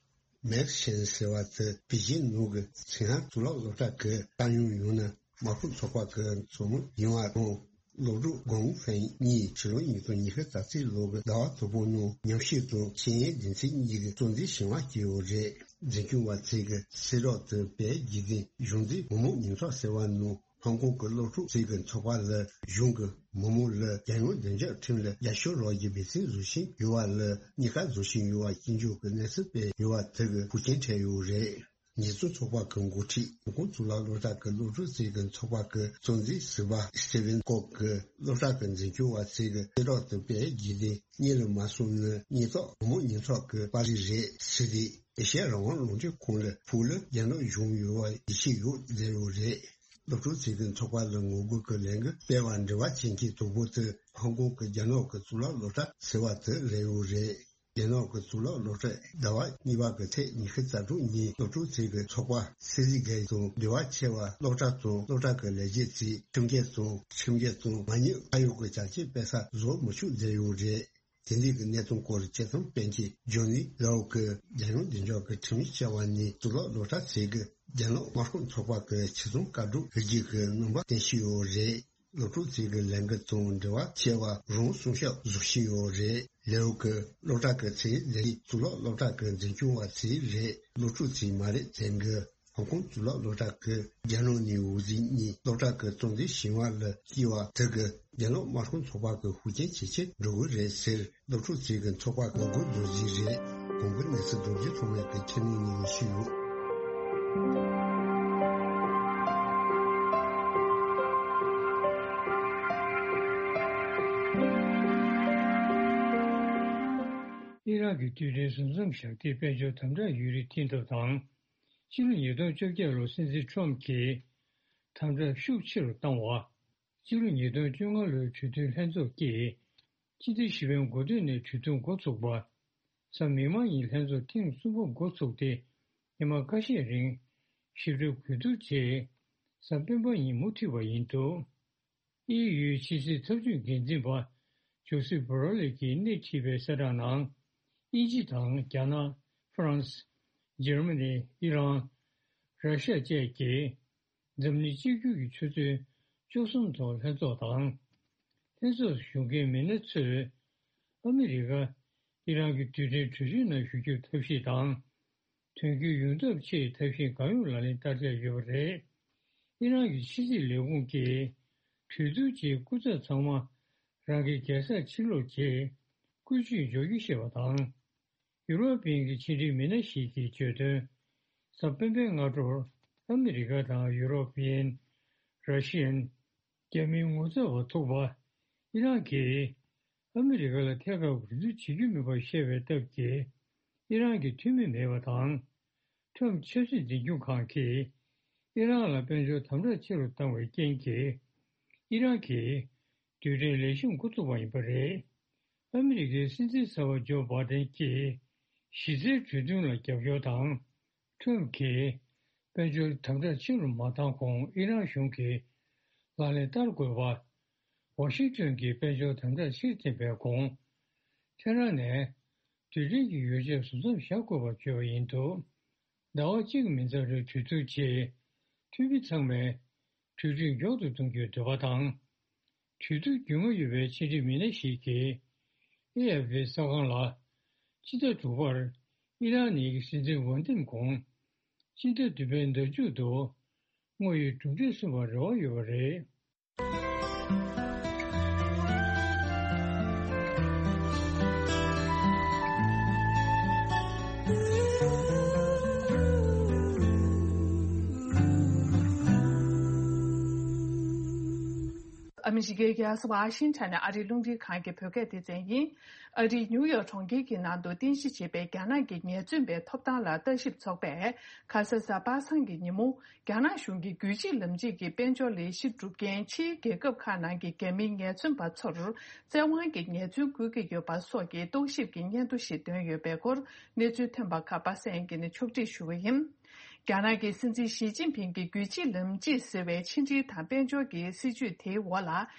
མེག་ཤན་ཟེར་བ་དེ་པེ་ཅིན་ནང་གི་ཚིང་ཧན་གཙུག་ལག་སློབ་གྲྭ་གི་ཏང་ཡོན་ཡང་ན་དམར་ཤོག་ཚོགས་པ་གི་མཚོ་མོ་ཡིན་པ་དང་། སློབ་ཕྲུག་གོང་ཧྥེང་གཉིས་ཕྱི་ལོ་ཉིས་སྟོང་ཉི་ཤུ་རྩ་གཅིག་ལོ་གི་ཟླ་བ་དང་པོ་ནང་ཉམས་ཞིབ་དང་ཤེས་ཡོན་སྡེ་ཚན་གཉིས་ཀྱི་གཙོ་འཛིན་ཞིང་བ་སྐྱེས་ཡོད་རེད། འཛིན་སྐྱོང་བ་ཚོས་གི་གསལ་བསྒྲགས་དེ་སྤེལ་རྒྱུ་དེ་གཞུང་འཛིན་མི་མང་ཉེན་ཚོགས་ཟེར་བ་ནང་ཧོང་ཀོང་གི་སློབ་ཕྲུག་ཚོས་གི་ཚོགས་པ་ལ་གཞུང་གི་མི་མང་ལ་རྒྱལ་ཡོངས་བདེ་འཇགས་ཁྲིམས་ལ་རྒྱབ་སྐྱོར་རོགས་ཀྱི་འབད་བརྩོན་བཟོ་བཞིན་ཡོད་པ་ལ་གཉིས་ཀ་བཟོ་བཞིན་ཡོད་པ་སྐྱོན་བརྗོད་ཀྱི་གནས་ཚུལ་སྤེལ་ཡོད་པ་དེ་གི་ཤུགས་རྐྱེན་འཕྲད་ཡོད་རེད། ཉེས་བཙུན་ཚོགས་པ་གི་འགོ་ཁྲིད་ཧོང་ཀོང་གཙུག་ལག་སློབ་གྲྭ་གི་སློབ་ཕྲུག་ཚོས་གི་ཚོགས་པ་གི་གཙོ་འཛིན་ཟུར་པ་སི་ཏི་ཝན་ཀོབ་གི་སློབ་གྲྭ་གི་འཛིན་སྐྱོང་བ་ཚོས་གི་གསལ་བསྒྲགས་དེ་སྤེལ་རྒྱུ་དེ་གཉེན་ལ་མ་སོང་ན་གཉེན་རྟོག་མི་མང་ཉེན་ཚོགས་གི་པར་རིས་རེད་ཟེར་ཏེ། ཨེ་ཤ་ཡ་རང་དབང་རླུང་འཕྲིན་ཁང་ལ་ཕུག་ལ་རྒྱ་ནག་གཞུང་ཡོད་པ་ཡིད་ཆེས་ཡོད་ཟེར་ཡོད་རེད། སློབ་ཕྲུག་ཚོས་གི་ཚོགས་པ་ལ་ངོ་རྒོལ་གི་ལས་འགུལ་སྤེལ་བར་འབྲེལ་བ་བྱེད་མཁན་དང་པོ་དེ་ཧོང་ཀོང་གི་རྒྱ་ནག་གི་གཙུག་ལག་སློབ་གྲྭ་ཟེར་བ་དེ་རེད་ཡོད་རེད། རྒྱ་ནག་གི་གཙུག་ལག་སློབ་གྲྭས་ཟླ་བ་གཉིས་པ་གི་ཚེས་ཉི་ཤུ་རྩ་དྲུག་ཉིན་སློབ་ཕྲུག་ཚོས་གི་ཚོགས་པ་སི་སི་གེ་དང་འབྲེལ་བ་ཆེ་བ་སློབ་གྲྭ་དང་སློབ་གྲྭ་གི་ལས་བྱེད་ཚོས་ཁྲིམས་འགལ་དང་ཁྲིམས་འགལ་དང་མ་ཉེས་ཁ་གཡོག་གི་བྱ་སྤྱོད་སྤེལ་ས་བཟོ་མི་ཆོག་མཛད་ཡོད་རེད། དེ་འདྲའི་གི་གནད་དོན་སྐོར་དཔྱད་རྩོམ་སྤེལ་མཁན་ཇོ་ནི་ལའོ་གིས་རྒྱལ་ཡོངས་བདེ་འཇགས་ཀྱི་ཁྲིམས་ཡིག་བཅའ་བ་ནི་གཙུག་ལག་སློབ་གྲྭ་ཚོས་གི་རྒྱ་ནག་དམར་ཤོག་ཚོགས་པ་གི་ཕྱི་ཚོང་བཀའ་སྒྲུབ་འབུལ་རྒྱུ་གི་རྣམ་པ་བསྟན་བཞིན་ཡོད་རེད། སློབ་ཕྲུག་ཚོས་གི་ལས་འགུལ་དང་འབྲེལ་བ་ཆེ་བ་རང་སྲུང་སྐྱོབ་བཟོ་བཞིན་ཡོད་རེད། ལའོ་གིས་སློབ་གྲྭ་གི་ཚོས་ལས་རིགས་གཙུག་ལག་སློབ་གྲྭ་གི་འཛིན་སྐྱོང་བ་ཚོས་རེད། སློབ་ཕྲུག་ཚོས་མ་རེད་ཟེར་གི། ཧོང་ཀོང་གཙུག་ལག་སློབ་གྲྭ་གིས་རྒྱ་ནག་ནས་འོག་འཛིན་གཉིས་སློབ་གྲྭ་གི་གཙོ་འཛིན་ཞིང་བ་ལ་སྐྱེས་པ་དེ་གིས་རྒྱ་ནག་དམར་ཤོག་ཚོགས་པ་གི་ཤུགས་རྐྱེན་ཇེ་ཆེར་འགྲོ་གི་རེད་ཟེར། སློབ་ཕྲུག་ཚོས་གི་ཚོགས་པ་གི་འགོ་འཛུགས་བཞིན་རེད། གོང་གི་གནས་ཚུལ་རྡོ་རྗེ་ཐོགས་མེད་ཀྱིས་ཁྱེར་ནས་ཉན་ཞུས་ཡོད། ཨི་རག་གི་རྡུལ་ཕྲན་གཟུགས་མཚམས་བཞག་སྟེ་དཔལ་འབྱོར་དམ་དྲག་ཡུན་རིང་བརྟན་ཐབས་དང་། ཕྱི་ལོ་ཉིས་སྟོང་བཅོ་བརྒྱད་ལོར་སྲིད་འཛིན་ཁྲོམ་གྱིས་དམ་དྲག་ཤུགས་ཆེ་རུ་བཏང་བ། ཕྱི་ལོ་ཉིས་སྟོང་བཅོ་ལྔ་ལོའི་གྲོས་མཐུན་ལྷན་ཚོགས་ཀྱིས་སྤྱི་ཟླ་བཞི་པའི་འགོ་སྟོད་ནས་གྲོས་མཐུན་འགོ་ཚུགས་པ། གཟའ་མིག་དམར་ཉིན་ལྷན་ཚོགས་ཐེངས་གསུམ་པ་འགོ་ཚུགས་ཏེ། ཉི་མ་ཁ་ཤས་རིང་ཞིབ་ཕྲ་གོ་བསྡུར་རྗེས། གཟའ་སྤེན་པ་ཉིན་མུ་མཐུད་པ་ཡིན་འདུག། ཨི་ཡུའི་ཕྱི་སྲིད་ཐབས་ཇུས་འགན་འཛིན་པ་ཇོ་སེབ་བྷོ་ར་ལེ་གིས་སྣེ་ཁྲིད་པའི་གསལ་བསྒྲགས་ནང་། དབྱིན་ཇི་དང་རྒྱ་ནག། ཧྥ་རན་སི། འཇར་མ་ནི། ཨི་རན། ར་ཤ་བཅས་ཀྱིས་འཛམ་གླིང་གཅིག་གྱུར་གྱི་ཆུ་ཚོད་བཅུ་གསུམ་ཐོག་ལྷན་ཚོགས་དང་། ལྷན་ཚོགས་སུ་ཞུགས་མཁན་མི་སྣ་ཚོས་ཨ་མི་རི་ཀ་ཨི་རན་གྱི་རྡུལ་ཕྲན་གྲོས་ཆོད་ནང་ཞུགས་རྒྱུའི་ཐབས་ཤེས་དང་། དོན་འཁྱོལ་ཡོང་ཐབས་ཆེད་ཐབས་ཤེས་གང་ཡོང་ལག་ལེན་བསྟར་འཆར་ཡོད་པ་རེད། ཨི་རན་གྱི་ཕྱི་སྲིད་ལས་ཁུངས་ཀྱིས་གྲོས་བསྡུར་རྗེས་སྐུ་ཚབ་ཚང་མ་རང་གི་རྒྱལ་སར་ཕྱིར་ལོག་རྗེས་བཀོལ་སྤྱོད་འཇོག་རྒྱུ་ཞེས་པ་དང་། ཡུ་རོབ་པའི་གི་ཕྱི་འབྲེལ་མི་སྣ་ཞིག་གིས་བརྗོད་དོན། གཟའ་སྤེན་པའི་སྔ་དྲོར་ཨ་མི་རི་ཀ་དང་ཡུ་རོབ་པན། ར་ཤི་ཡན། རྒྱ་མིའི་ངོ་ཚབ་པ་ཚོགས་པ། ཨི་རན་གྱིས་ཨ་མི་རི་ཀ་ལ་ཐད་ཀར་འོས་བསྡུ་བྱེད་རྒྱུ་མིན་པར་བཤད་པའི་སྟབས་ཀྱིས་ཨི་རན་གྱི་འཐུས་མི་མེད་པ་དང་། ཁྲོམ་ཆབ་སྲིད་འཛིན་སྐྱོང་ཁང་གིས་ཨི་རན་ལ་དཔལ་འབྱོར་དམ་དྲག་ཆེ་རུ་བཏང་བའི་རྐྱེན་གྱིས། ཨི་རན་གྱིས་རྡུལ་ཕྲན་ལེགས་ཤོམ་འགོ་ཚུགས་པ་ཡིན་པ་རེད། ཨ་མི་རི་ཀའི་སྲིད་འཛིན་གསར་པ་ཇོ་བྷ་དན་གྱིས་གཞི་རྩའི་གྲོས་མཐུན་ལ་རྒྱབ་སྐྱོར་དང་། ཁྲོམ་གྱིས་དཔལ་འབྱོར་དམ་དྲག་ཆེ་རུ་མ་བཏང་གོང་ཨི་རན་གཞུང་གིས་ལག་ལེན་བསྟར་དགོས་པ། ཝ་ཤིང་ཏོན་གྱིས་དཔལ་འབྱོར་དམ་དྲག་ཕྱིར་འཐེན་པའི་གོང་། ཐེ་རན་ནས་རྡུལ་ཕྲན་གྱི་ཡོ་བྱད་ཟུར་མཚམས་བཞག་དགོས་པར་བརྗོད་པ་ཡིན་འདུག། ཟླ་བ་གཅིག་མིན་ཙམ་རིང་གྲོས་བསྡུར་རྗེས། འཐུས་མི་ཚང་མས་གྲོས་མཐུན་མགྱོགས་དུ་གཏོང་རྒྱུའི་འདོད་པ་དང་། གྲོས་བསྡུར་རྒྱུས་མངའ་ཡོད་པའི་ཕྱི་འབྲེལ་མི་སྣ་ཞིག་གིས། ཨེ་ཨེཕ་པི་གསར་ཁང་ལ། སྤྱི་ཟླ་དྲུག་པར་ཨི་རན་ནི་སྲིད་འཛིན་འོས་འདེམས་གོང་། སྤྱི་ཟླ་བདུན་པའི་ཟླ་མཇུག་ཏུ། དངོས་ཡོད་གྲུབ་འབྲས་གསུངས་པར་རེ་བ་ཡོད་པ་རེད། ཨ་མི་རི་ཀའི་རྒྱལ་ས་ཝ་ཤིང་ཊོན་ནས་ཨ་རིའི་རླུང་འཕྲིན་ཁང་གི་བོད་སྐད་སྡེ་ཚན་ཡིན། ཨ་རིའི་ནིའུ་ཡོག་གྲོང་ཁྱེར་གྱི་ནང་དུ་རྟེན་གཞི་བྱས་པའི་རྒྱ་ནག་གི་ཉེས་བཙུན་པའི་ཐོབ་ཐང་ལ་ལྟ་ཞིབ་ཚོགས་པས། ཁ་ས་གཟའ་པ་སངས་ཀྱི་ཉིན་མོ། རྒྱ་ནག་གཞུང་གིས་རྒྱུད་གཅིག་ལམ་གཅིག་གི་དཔལ་འབྱོར་ལས་གཞི་སྒྲུབ་མཁན་ཕྱིའི་རྒྱལ་ཁབ་ཁག་ནང་གི་རྒྱ་མིའི་ཉེས་བཙུན་པ་ཚོར་བཙན་དབང་གིས་ཉེས་བཙུན་བཀོལ་གྱི་ཡོད་པ་སོགས་ཀྱི་རྟོག་ཞིབ་ཀྱི་སྙན་ཐོ་ཞིག་བཏོན་ཡོད་པའི་སྐོར་གནས་ཚུལ་ཐོན་པ་ཁག་པ་སངས་ཡིན་གྱིས་ཕྱོགས་སྒྲིག་ཞུ་བ་ཡིན། རྒྱ་ནག་གི་སྲིད་འཛིན་ཞི་ཅིན་ཕིང་གིས་རྒྱུད་གཅིག་ལམ་གཅིག་ཟེར་བའི་ཕྱི་འབྲེལ་དང་དཔལ་འབྱོར་གྱི་སྲིད་ཇུས་དེའི་འོག་ལ།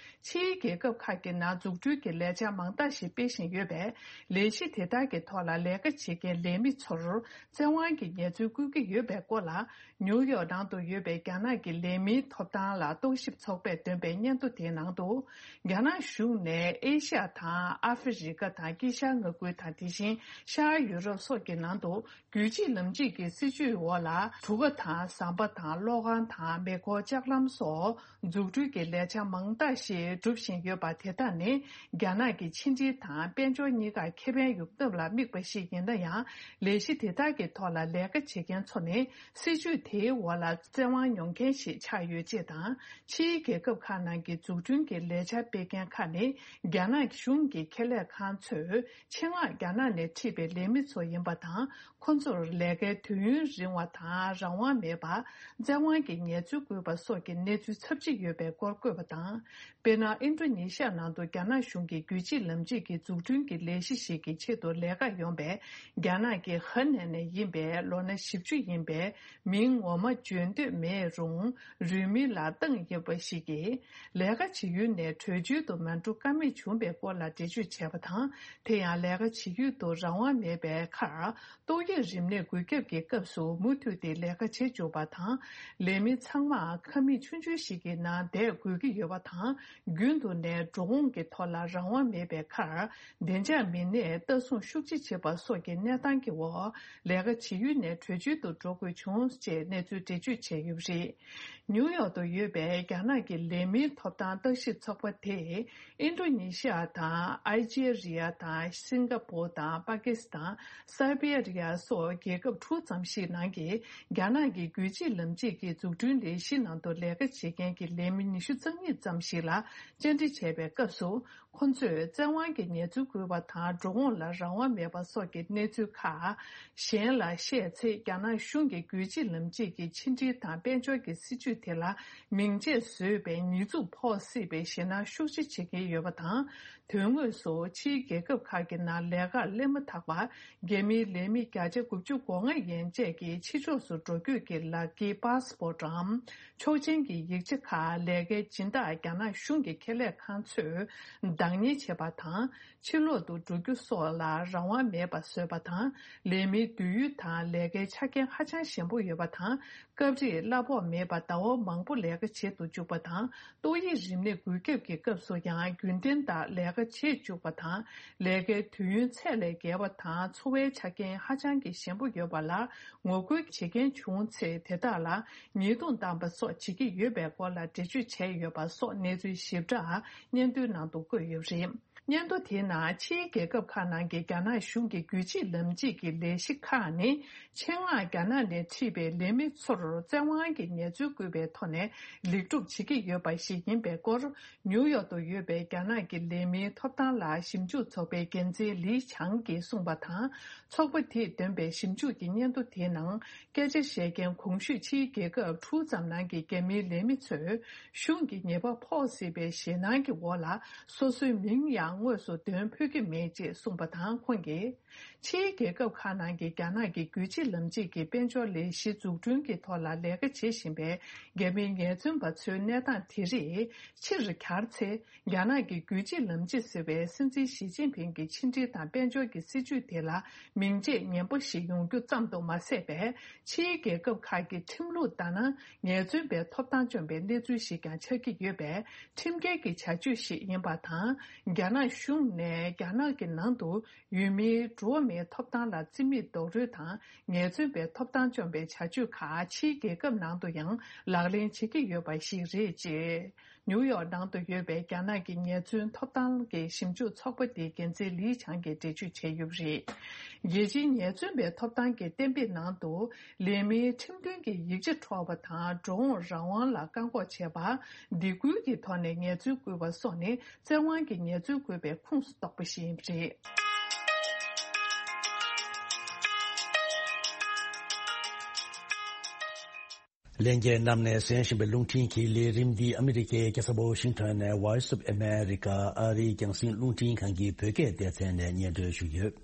ཕྱིའི་རྒྱལ་ཁབ་ཁག་གི་ནང་འཛུགས་སྐྲུན་གྱི་ལས་འཆར་མང་དག་ཞིག་སྤེལ་བཞིན་ཡོད་པས། ལས་གཞི་དེ་དག་གི་ཐོག་ལ་ལས་ཀ་བྱེད་མཁན་ལས་མི་ཚོར་བཙན་དབང་གིས་ཉེས་འཛུགས་བཀོལ་གྱི་ཡོད་པའི་སྐོར་ལ། ནིའུ་ཡོག་ནང་དུ་ཡོད་པའི་རྒྱ་ནག་གི་ལས་མིའི་ཐོབ་ཐང་ལ་རྟོག་ཞིབ་ཚོགས་པས་བཏོན་པའི་སྙན་ཐོ་དེའི་ནང་དུ། རྒྱ་ནག་གཞུང་ནས་ཨེ་ཤ་ཡ་དང་ཨ་ཧྥེ་རི་ཀ་དང་དཀྱིལ་ཤར་མངའ་ཁུལ་དང་། དེ་བཞིན་ཤར་ཡུ་རོབ་སོགས་ཀྱི་ནང་དུ། རྒྱུད་གཅིག་ལམ་གཅིག་གི་སྲིད་ཇུས་འོག་ལ། གྲུ་ཁ་དང་ཟམ་པ་དང་གློག་ཁང་དང་མེ་འཁོར་ལྕགས་ལམ་སོགས་འཛུགས་སྐྲུན་གྱི་ལས་འཆར་མང་དག་ཞིག་སྒྲུབ་བཞིན་ཡོད་པ་དེ་དག་ནི། རྒྱ་ནག་གི་ཕྱི་འབྲེལ་དང་དཔལ་འབྱོར་གཉིས་ཀར་ཁེ་ཕན་ཡོང་ཐབས་ལ་དམིགས་པ་ཞིག་ཡིན་ན་ཡང་། ལས་གཞི་དེ་དག་གི་ཐོག་ལ་ལས་ཀ་བྱེད་མཁན་ཚོ་ནི། སྲིད་ཇུས་དེའི་འོག་ལ་བཙན་དབང་མྱོང་མཁན་ཞིག་ཆགས་ཡོད་ཅེས་དང་། ཕྱིའི་རྒྱལ་ཁབ་ཁག་ནང་གི་འཛུགས་སྐྲུན་གྱི་ལས་འཆར་སྤེལ་མཁན་ཁག་ནི། རྒྱ་ནག་གཞུང་གི་ཁེ་ལས་ཁང་ཚོས། ཆེད་མངགས་རྒྱ་ནག་ནས་ཁྲིད་པའི་ལས་མི་ཚོ་ཡིན་པ་དང་། ཁོ་ཚོར་ལས་ཀའི་དུས་ཡུན་རིང་བ་དང་རང་དབང་མེད་པ། བཙན་དབང་གིས་ཉེས་འཛུགས་བཀོལ་བ་སོགས་ཀྱི་གནས་ཚུལ་ཚབས་ཆེ་ཡོད་པའི་སྐོར་བཀོད་པ་དང་། དཔེར་ན། ཨིན་ཌོ་ནི་ཤི་ཡ་ནང་དུ་རྒྱ་ནག་གཞུང་གིས་རྒྱུད་གཅིག་ལམ་གཅིག་གི་འཛུགས་སྐྲུན་གྱི་ལས་གཞི་ཞིག་གི་ཆེད་དུ་ལས་ཀར་ཡོང་པའི་རྒྱ་ནག་གི་ཧ་ནན་ནས་ཡིན་པའི་ལོ་ན་བཞི་བཅུ་ཡིན་པའི་མིང་ངོ་མ་བརྗོད་འདོད་མེད་རུང་། རུས་མིང་ལ་བཏགས་ཡོད་པ་ཞིག་གིས། ལས་ཀ་བྱེད་ཡུལ་ནས་བྲོས་བྱོལ་དུ་མ་འགྲོ་ཀ་མེད་བྱུང་བའི་སྐོར་ལ་འགྲེལ་བརྗོད་བྱས་པ་དང་། དེ་ཡང་ལས་ཀ་བྱེད་ཡུལ་དུ་རང་དབང་མེད་པའི་ཁར། ཏོག་དབྱིབས་རིམས་ནད་འགོས་ཁྱབ་ཀྱི་སྐབས་སུ་མུ་མཐུད་དེ་ལས་ཀ་བྱེད་བཅུག་པ་དང་། ལས་མི་ཚང་མ་ཁང་མིག་ཆུང་ཆུང་ཞིག་གི་ནང་བསྡད་དགོས་ཀྱི་ཡོད་པ་དང་། རྒྱུན་དུ་ནས་འགྲོ་འོང་གི་ཐོག་ལ་རང་དབང་མེད་པའི་ཁར། བདེ་འཇགས་མི་སྣས་ལྟ་སྲུང་ཤུགས་ཆེ་བྱེད་པ་སོགས་ཀྱི་གནས་སྟངས་ཀྱི་འོག་ལས་ཀ་བྱེད་ཡུལ་ནས་བྲོས་བྱོལ་དུ་འགྲོ་དགོས་བྱུང་ཅེས་གནས་ཚུལ་འགྲེལ་བརྗོད་བྱས་ཡོད་པ་རེད། ནིའུ་ཡོག་ཏུ་ཡོད་པའི་རྒྱ་ནག་གི་ལས་མིའི་ཐོབ་ཐང་ལྟ་ཞིབ་ཚོགས་པ་དེས། ཨིན་ཌོ་ནི་ཤི་ཡ་དང་། ཨལ་ཇེ་རི་ཡ་དང་། སིང་ག་པོར་དང་། པ་ཀི་སི་ཐན། སར་བྷི་ཡ་རི་ཡ་སོགས་རྒྱལ་ཁབ་དྲུག་ཙམ་ཞིག་ནང་གི་རྒྱ་ནག་གི་རྒྱུད་གཅིག་ལམ་གཅིག་གི་འཛུགས་སྐྲུན་ལས་གཞི་ནང་དུ་ལས་ཀ་བྱེད་མཁན་གྱི་ལས་མི་ཉི་ཤུ་རྩ་གཉིས་ཙམ་ཞིག་ལ་བཅར་འདྲི་བྱས་པའི་སྐབས་སུ། ཁོ་ཚོས་བཙན་དབང་གིས་ཉེས་འཛུགས་བཀོད་པ་དང་འགྲོ་འོང་ལ་རང་དབང་མེད་པ་སོགས་ཀྱི་གནས་ཚུལ་ཁག་གཞན་ལ་བཤད་ཚེ། རྒྱ་ནག་གཞུང་གི་རྒྱུད་གཅིག་ལམ་གཅིག་གི་ཕྱི་འབྲེལ་དང་དཔལ་འབྱོར་གྱི་སྲིད་ཇུས་དེ་ལ་མིང་ཆད་བཟོས་པའི་ཉེས་འཛུགས་ཕོག་སྲིད་པའི་ཞེད་སྣང་ཤུགས་ཆེ་བྱེད་ཀྱིན་ཡོད་པ་དང་། དོན་དངོས་སུ་ཕྱིའི་རྒྱལ་ཁབ་ཁག་གི་ནང་ལས་ཀར་སླེབས་མ་ཐག་པར། རྒྱ་མིའི་ལས་མི་བརྒྱ་ཆ་དགུ་བཅུ་གོ་ལྔ་ཡན་ཆད་ཀྱིས་ཕྱི་ཕྱོགས་སུ་འགྲོ་སྐྱོད་ཀྱི་ལག་འཁྱེར་པཱ་སི་པོར་ཊམ། ཆོག་མཆན་གྱི་ཡིག་ཆ་ཁག་ལས་ཀའི་སྦྱིན་བདག་རྒྱ་ནག་གཞུང་གི་ཁེ་ལས་ཁང་ཚོས་བདག་གཉེར་བྱེད་པ་དང་། ཕྱི་ལོག་ཏུ་འགྲོ་རྒྱུ་སོགས་ལ་རང་དབང་མེད་པ་བཟོས་པ་དང་། ལས་མིའི་སྡོད་ཡུལ་དང་ལས་ཀའི་ཆ་རྐྱེན་ཧ་ཅང་ཞན་པོ་ཡོད་པ་དང་། སྐབས་རེ་གླ་ཕོགས་མེད་པར་ཟླ་བ་མང་པོ་ལས་ཀ་བྱེད་དུ་བཅུག་པ་དང་། ཏོག་དབྱིབས་རིམས་ནད་འགོས་ཁྱབ་ཀྱི་སྐབས་སུ་ཡང་རྒྱུན་ལྡན་ལྟར་ལས་ཀ་བྱེད་བཅུག་པ་དང་། ལས་ཀའི་དུས་ཡུན་ཚད་ལས་བརྒལ་བ་དང་འཚོ་བའི་ཆ་རྐྱེན་ཧ་ཅང་གི་ཞན་པོ་ཡོད་པ་ལ་ངོ་རྒོལ་བྱེད་མཁན་བྱུང་ཚེ། དེ་དག་ལ་ཉེས་རྡུང་བཏང་པ་སོགས་བྱེད་ཀྱི་ཡོད་པའི་སྐོར་ལ་འགྲེལ་བརྗོད་བྱས་ཡོད་པ་སོགས་གནས་ཚུལ་ཞིབ་ཕྲ་སྙན་ཐོའི་ནང་དུ་བཀོད་ཡོད་པ་རེད། སྙན་ཐོ་དེའི་ནང་ཕྱིའི་རྒྱལ་ཁབ་ཁག་ནང་གི་རྒྱ་ནག་གཞུང་གི་རྒྱུད་གཅིག་ལམ་གཅིག་གི་ལས་གཞི་ཁག་ནི། ཆེད་མངགས་རྒྱ་ནག་ནས་ཁྲིད་པའི་ལས་མི་ཚོར་བཙན་དབང་གིས་ཉེས་འཛུགས་བཀོད་པའི་ཐོག་ནས་ལེགས་གྲུབ་བྱེད་ཀྱི་ཡོད་པ་ཞིག་ཡིན་པའི་སྐོར། ནིའུ་ཡོག་ཏུ་ཡོད་པའི་རྒྱ་ནག་གི་ལས་མིའི་ཐོབ་ཐང་ལ་ཞིབ་འཇུག་ཚོགས་པའི་འགན་འཛིན་ལི་ཆང་གིས་གསུངས་པ་དང་། ཚོགས་པ་དེས་འདོན་པའི་ཞིབ་འཇུག་གི་སྙན་ཐོ་དེའི་ནང་། སྐད་ཆ་བཤད་མཁན་གོང་ཞུས་ཕྱིའི་རྒྱལ་ཁབ་དྲུག་ཙམ་ནང་གི་རྒྱ་མིའི་ལས་མི་ཚོས་གཞུང་གི་ཉེས་པ་ཕོག་སྲིད་པའི་ཞེད་སྣང་གི་འོག་ལ། སོ་སོའི་མིང་ཡང་དངོས་སུ་འདོན་ཕོད་ཀྱི་མེད་ཅེས་གསུངས་པ་དང་། ཁོང་གིས། ཕྱིའི་རྒྱལ་ཁབ་ཁག་ནང་གི་རྒྱ་ནག་གི་རྒྱུད་གཅིག་ལམ་གཅིག་གི་དཔལ་འབྱོར་ལས་གཞི་འཛུགས་སྐྲུན་གྱི་ཐོག་ལ་ལས་ཀ་བྱེད་བཞིན་པའི་རྒྱ་མིའི་ཉེས་བཙུན་པ་ཚོའི་གནས་སྟངས་དེ་རིགས་ཕྱིར་གྱར་ཚེ། རྒྱ་ནག་གི་རྒྱུད་གཅིག་ལམ་གཅིག་ཟེར་བའི་སྲིད་འཛིན་ཞི་ཅིན་ཕིང་གི་ཕྱི་འབྲེལ་དང་དཔལ་འབྱོར་གྱི་སྲིད་ཇུས་དེ་ལ་མིང་ཆད་ངན་པ་ཞིག་ཡོང་རྒྱུ་ཙམ་དུ་མ་ཟད་པར། ཕྱིའི་རྒྱལ་ཁབ་ཁག་གི་ཁྲིམས་ལུགས་ལྟར་ན། ཉེས་བཙུན་པའི་ཐོབ་ཐང་བཅོམ་པའི་གནས་ཚུལ་ཞིག་ཀྱང་ཆགས་ཀྱི་ཡོད་པས། ཁྲིམས་འགལ་གྱི་བྱ་སྤྱོད་ཞིག་ཡིན་པ་དང་། རྒྱ་ནག་གཞུང་ནས་རྒྱ་ནག་གི་ནང་དུ་ཡུལ་མིའི་འགྲོ་བ་མིའི་ཐོབ་ཐང་ལ་བརྩི་མེད་རྡོག་རོལ་དང་། ཉེས་བཙུན་པའི་ཐོབ་ཐང་བཅོམ་པའི་བྱ་སྤྱོད་ཁག་ཕྱིའི་རྒྱལ་ཁབ་ནང་དུ་ཡང་ལག་ལེན་བྱེད་ཀྱི་ཡོད་པ་ཞིག་རེད་ཅེས། ནིའུ་ཡོག་ནང་དུ་ཡོད་པའི་རྒྱ་ནག་གི་ཉེས་བཙུན་ཐོབ་ཐང་གི་ཞིབ་འཇུག་ཚོགས་པ་དེའི་འགན་འཛིན་ལི་ཆང་གིས་འགྲེལ་བརྗོད་བྱས་ཡོད་པ་རེད། རྒྱལ་སྤྱིའི་ཉེས་བཙུན་པའི་ཐོབ་ཐང་གི་གཏན་འབེབས་ནང་དུ། ལས་མིའི་ཁྲིམས་མཐུན་གྱི་ཡིག་ཆ་འཕྲོག་པ་དང་། འགྲོ་འོང་རང་དབང་ལ་བཀག་འགོག་བྱས་པ། སྡིགས་སྐུལ་གྱི་ཐོག་ནས་ཉེས་བཙུན་བཀོད་པ་སོགས་ནི། བཙན་དབང་གིས་ཉེས་བཙུན་བཀོད་པའི་ཁོངས་སུ་གཏོགས་པ་ཞིག་ཡིན་པ་རེད། ལྷན་རྒྱས་རྣམས་ནས་གསན་བཞིན་པའི་རླུང་འཕྲིན་གྱི་ལས་རིམ་འདི་ཨ་མི་རི་ཀའི་རྒྱལ་ས་ཝ་ཤིང་ཊོན་ནས་Voice of America ཨ་རིའི་རྒྱང་སྲིང་རླུང་འཕྲིན་ཁང་གི་བོད་སྐད་སྡེ་ཚན་ནས་སྙན་སྒྲོན་ཞུས་ཡོད།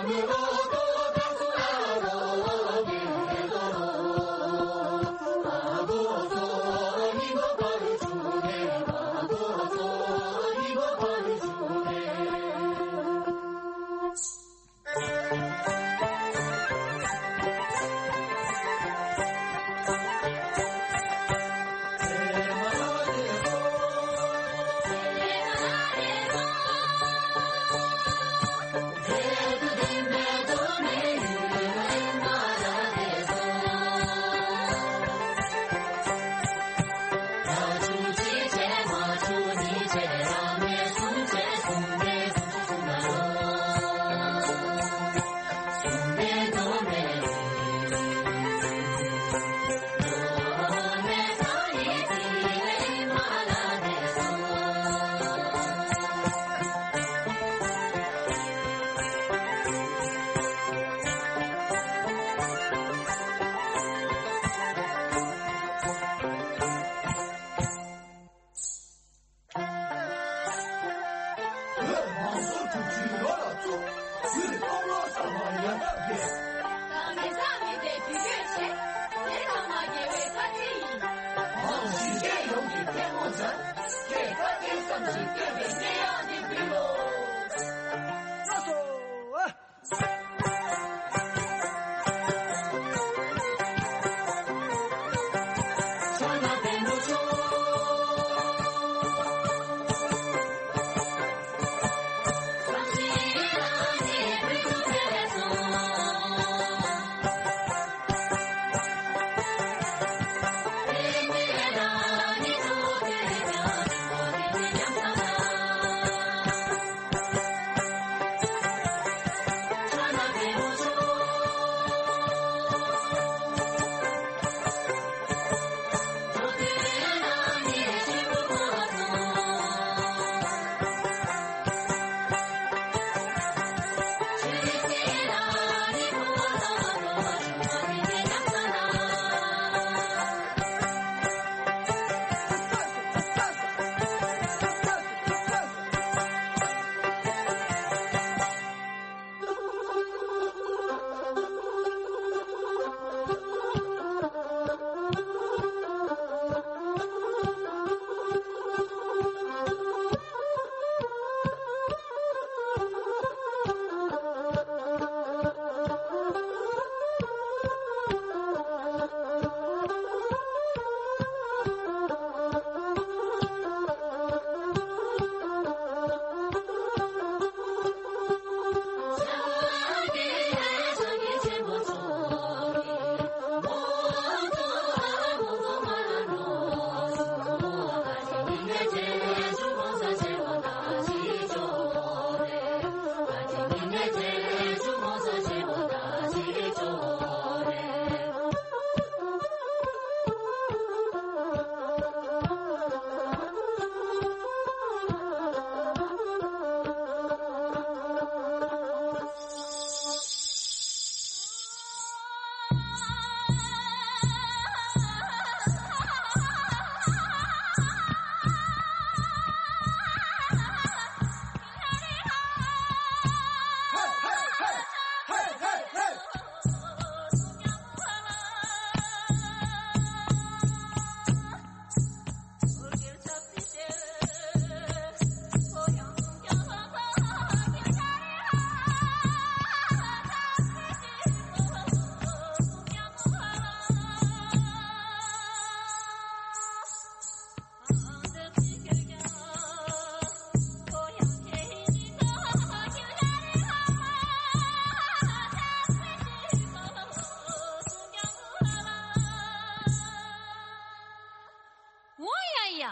བོད་མང་གཙོ་འཛུགས་སྐྲུན་ཡོངས་ལ་གཙོ། བོད་སྟོབས་ལོངས་གསར་པ་ཡར་ལྟ་འཕེལ། ད་མི་ཚང་མི་དེ་བུ་སྐྱོད་བྱེད། དེ་ཚང་མ་རྒྱལ་བའི་བཀའ་དྲིན་ཡིན། གཞིས་བྱེས་ཡོངས་ཀྱི་ཐལ་མོ་སྦྱར། དེ་བཀའ་དྲིན་བསམ་ཞིང་བསྟོད་པའི་སྙན་དབྱངས་འདི་འབུལ་ལོ། ལགས་སོ། འོ་ཡ་ཡ།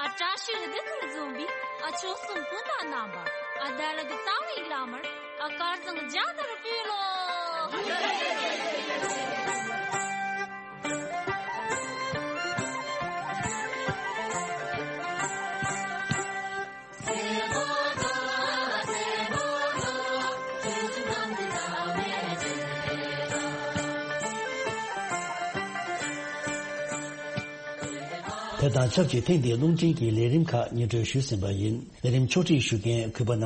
ཨ་བཀྲ་ཤིས་བདེ་ལེགས་འཛོམས་པའི་ཨ་ཆོལ་གསུམ་སྤུན་ཟླ་རྣམ་པ། ཨ་དར་གི་རྩ་བའི་བླ་མར་ཨ་དཀར་བཟང་རྒྱ་དར་ཕུལ་ལོ། དེ་དང་ཆབས་ཅིག་ཐེངས་འདིའི་རླུང་འཕྲིན་གྱི་ལས་རིམ་ཁག་སྙན་སྒྲོན་ཞུས་ཟིན་པ་ཡིན། ལས་རིམ་ཕྱོགས་སྒྲིག་ཞུ་མཁན་གུས་པ་ནང་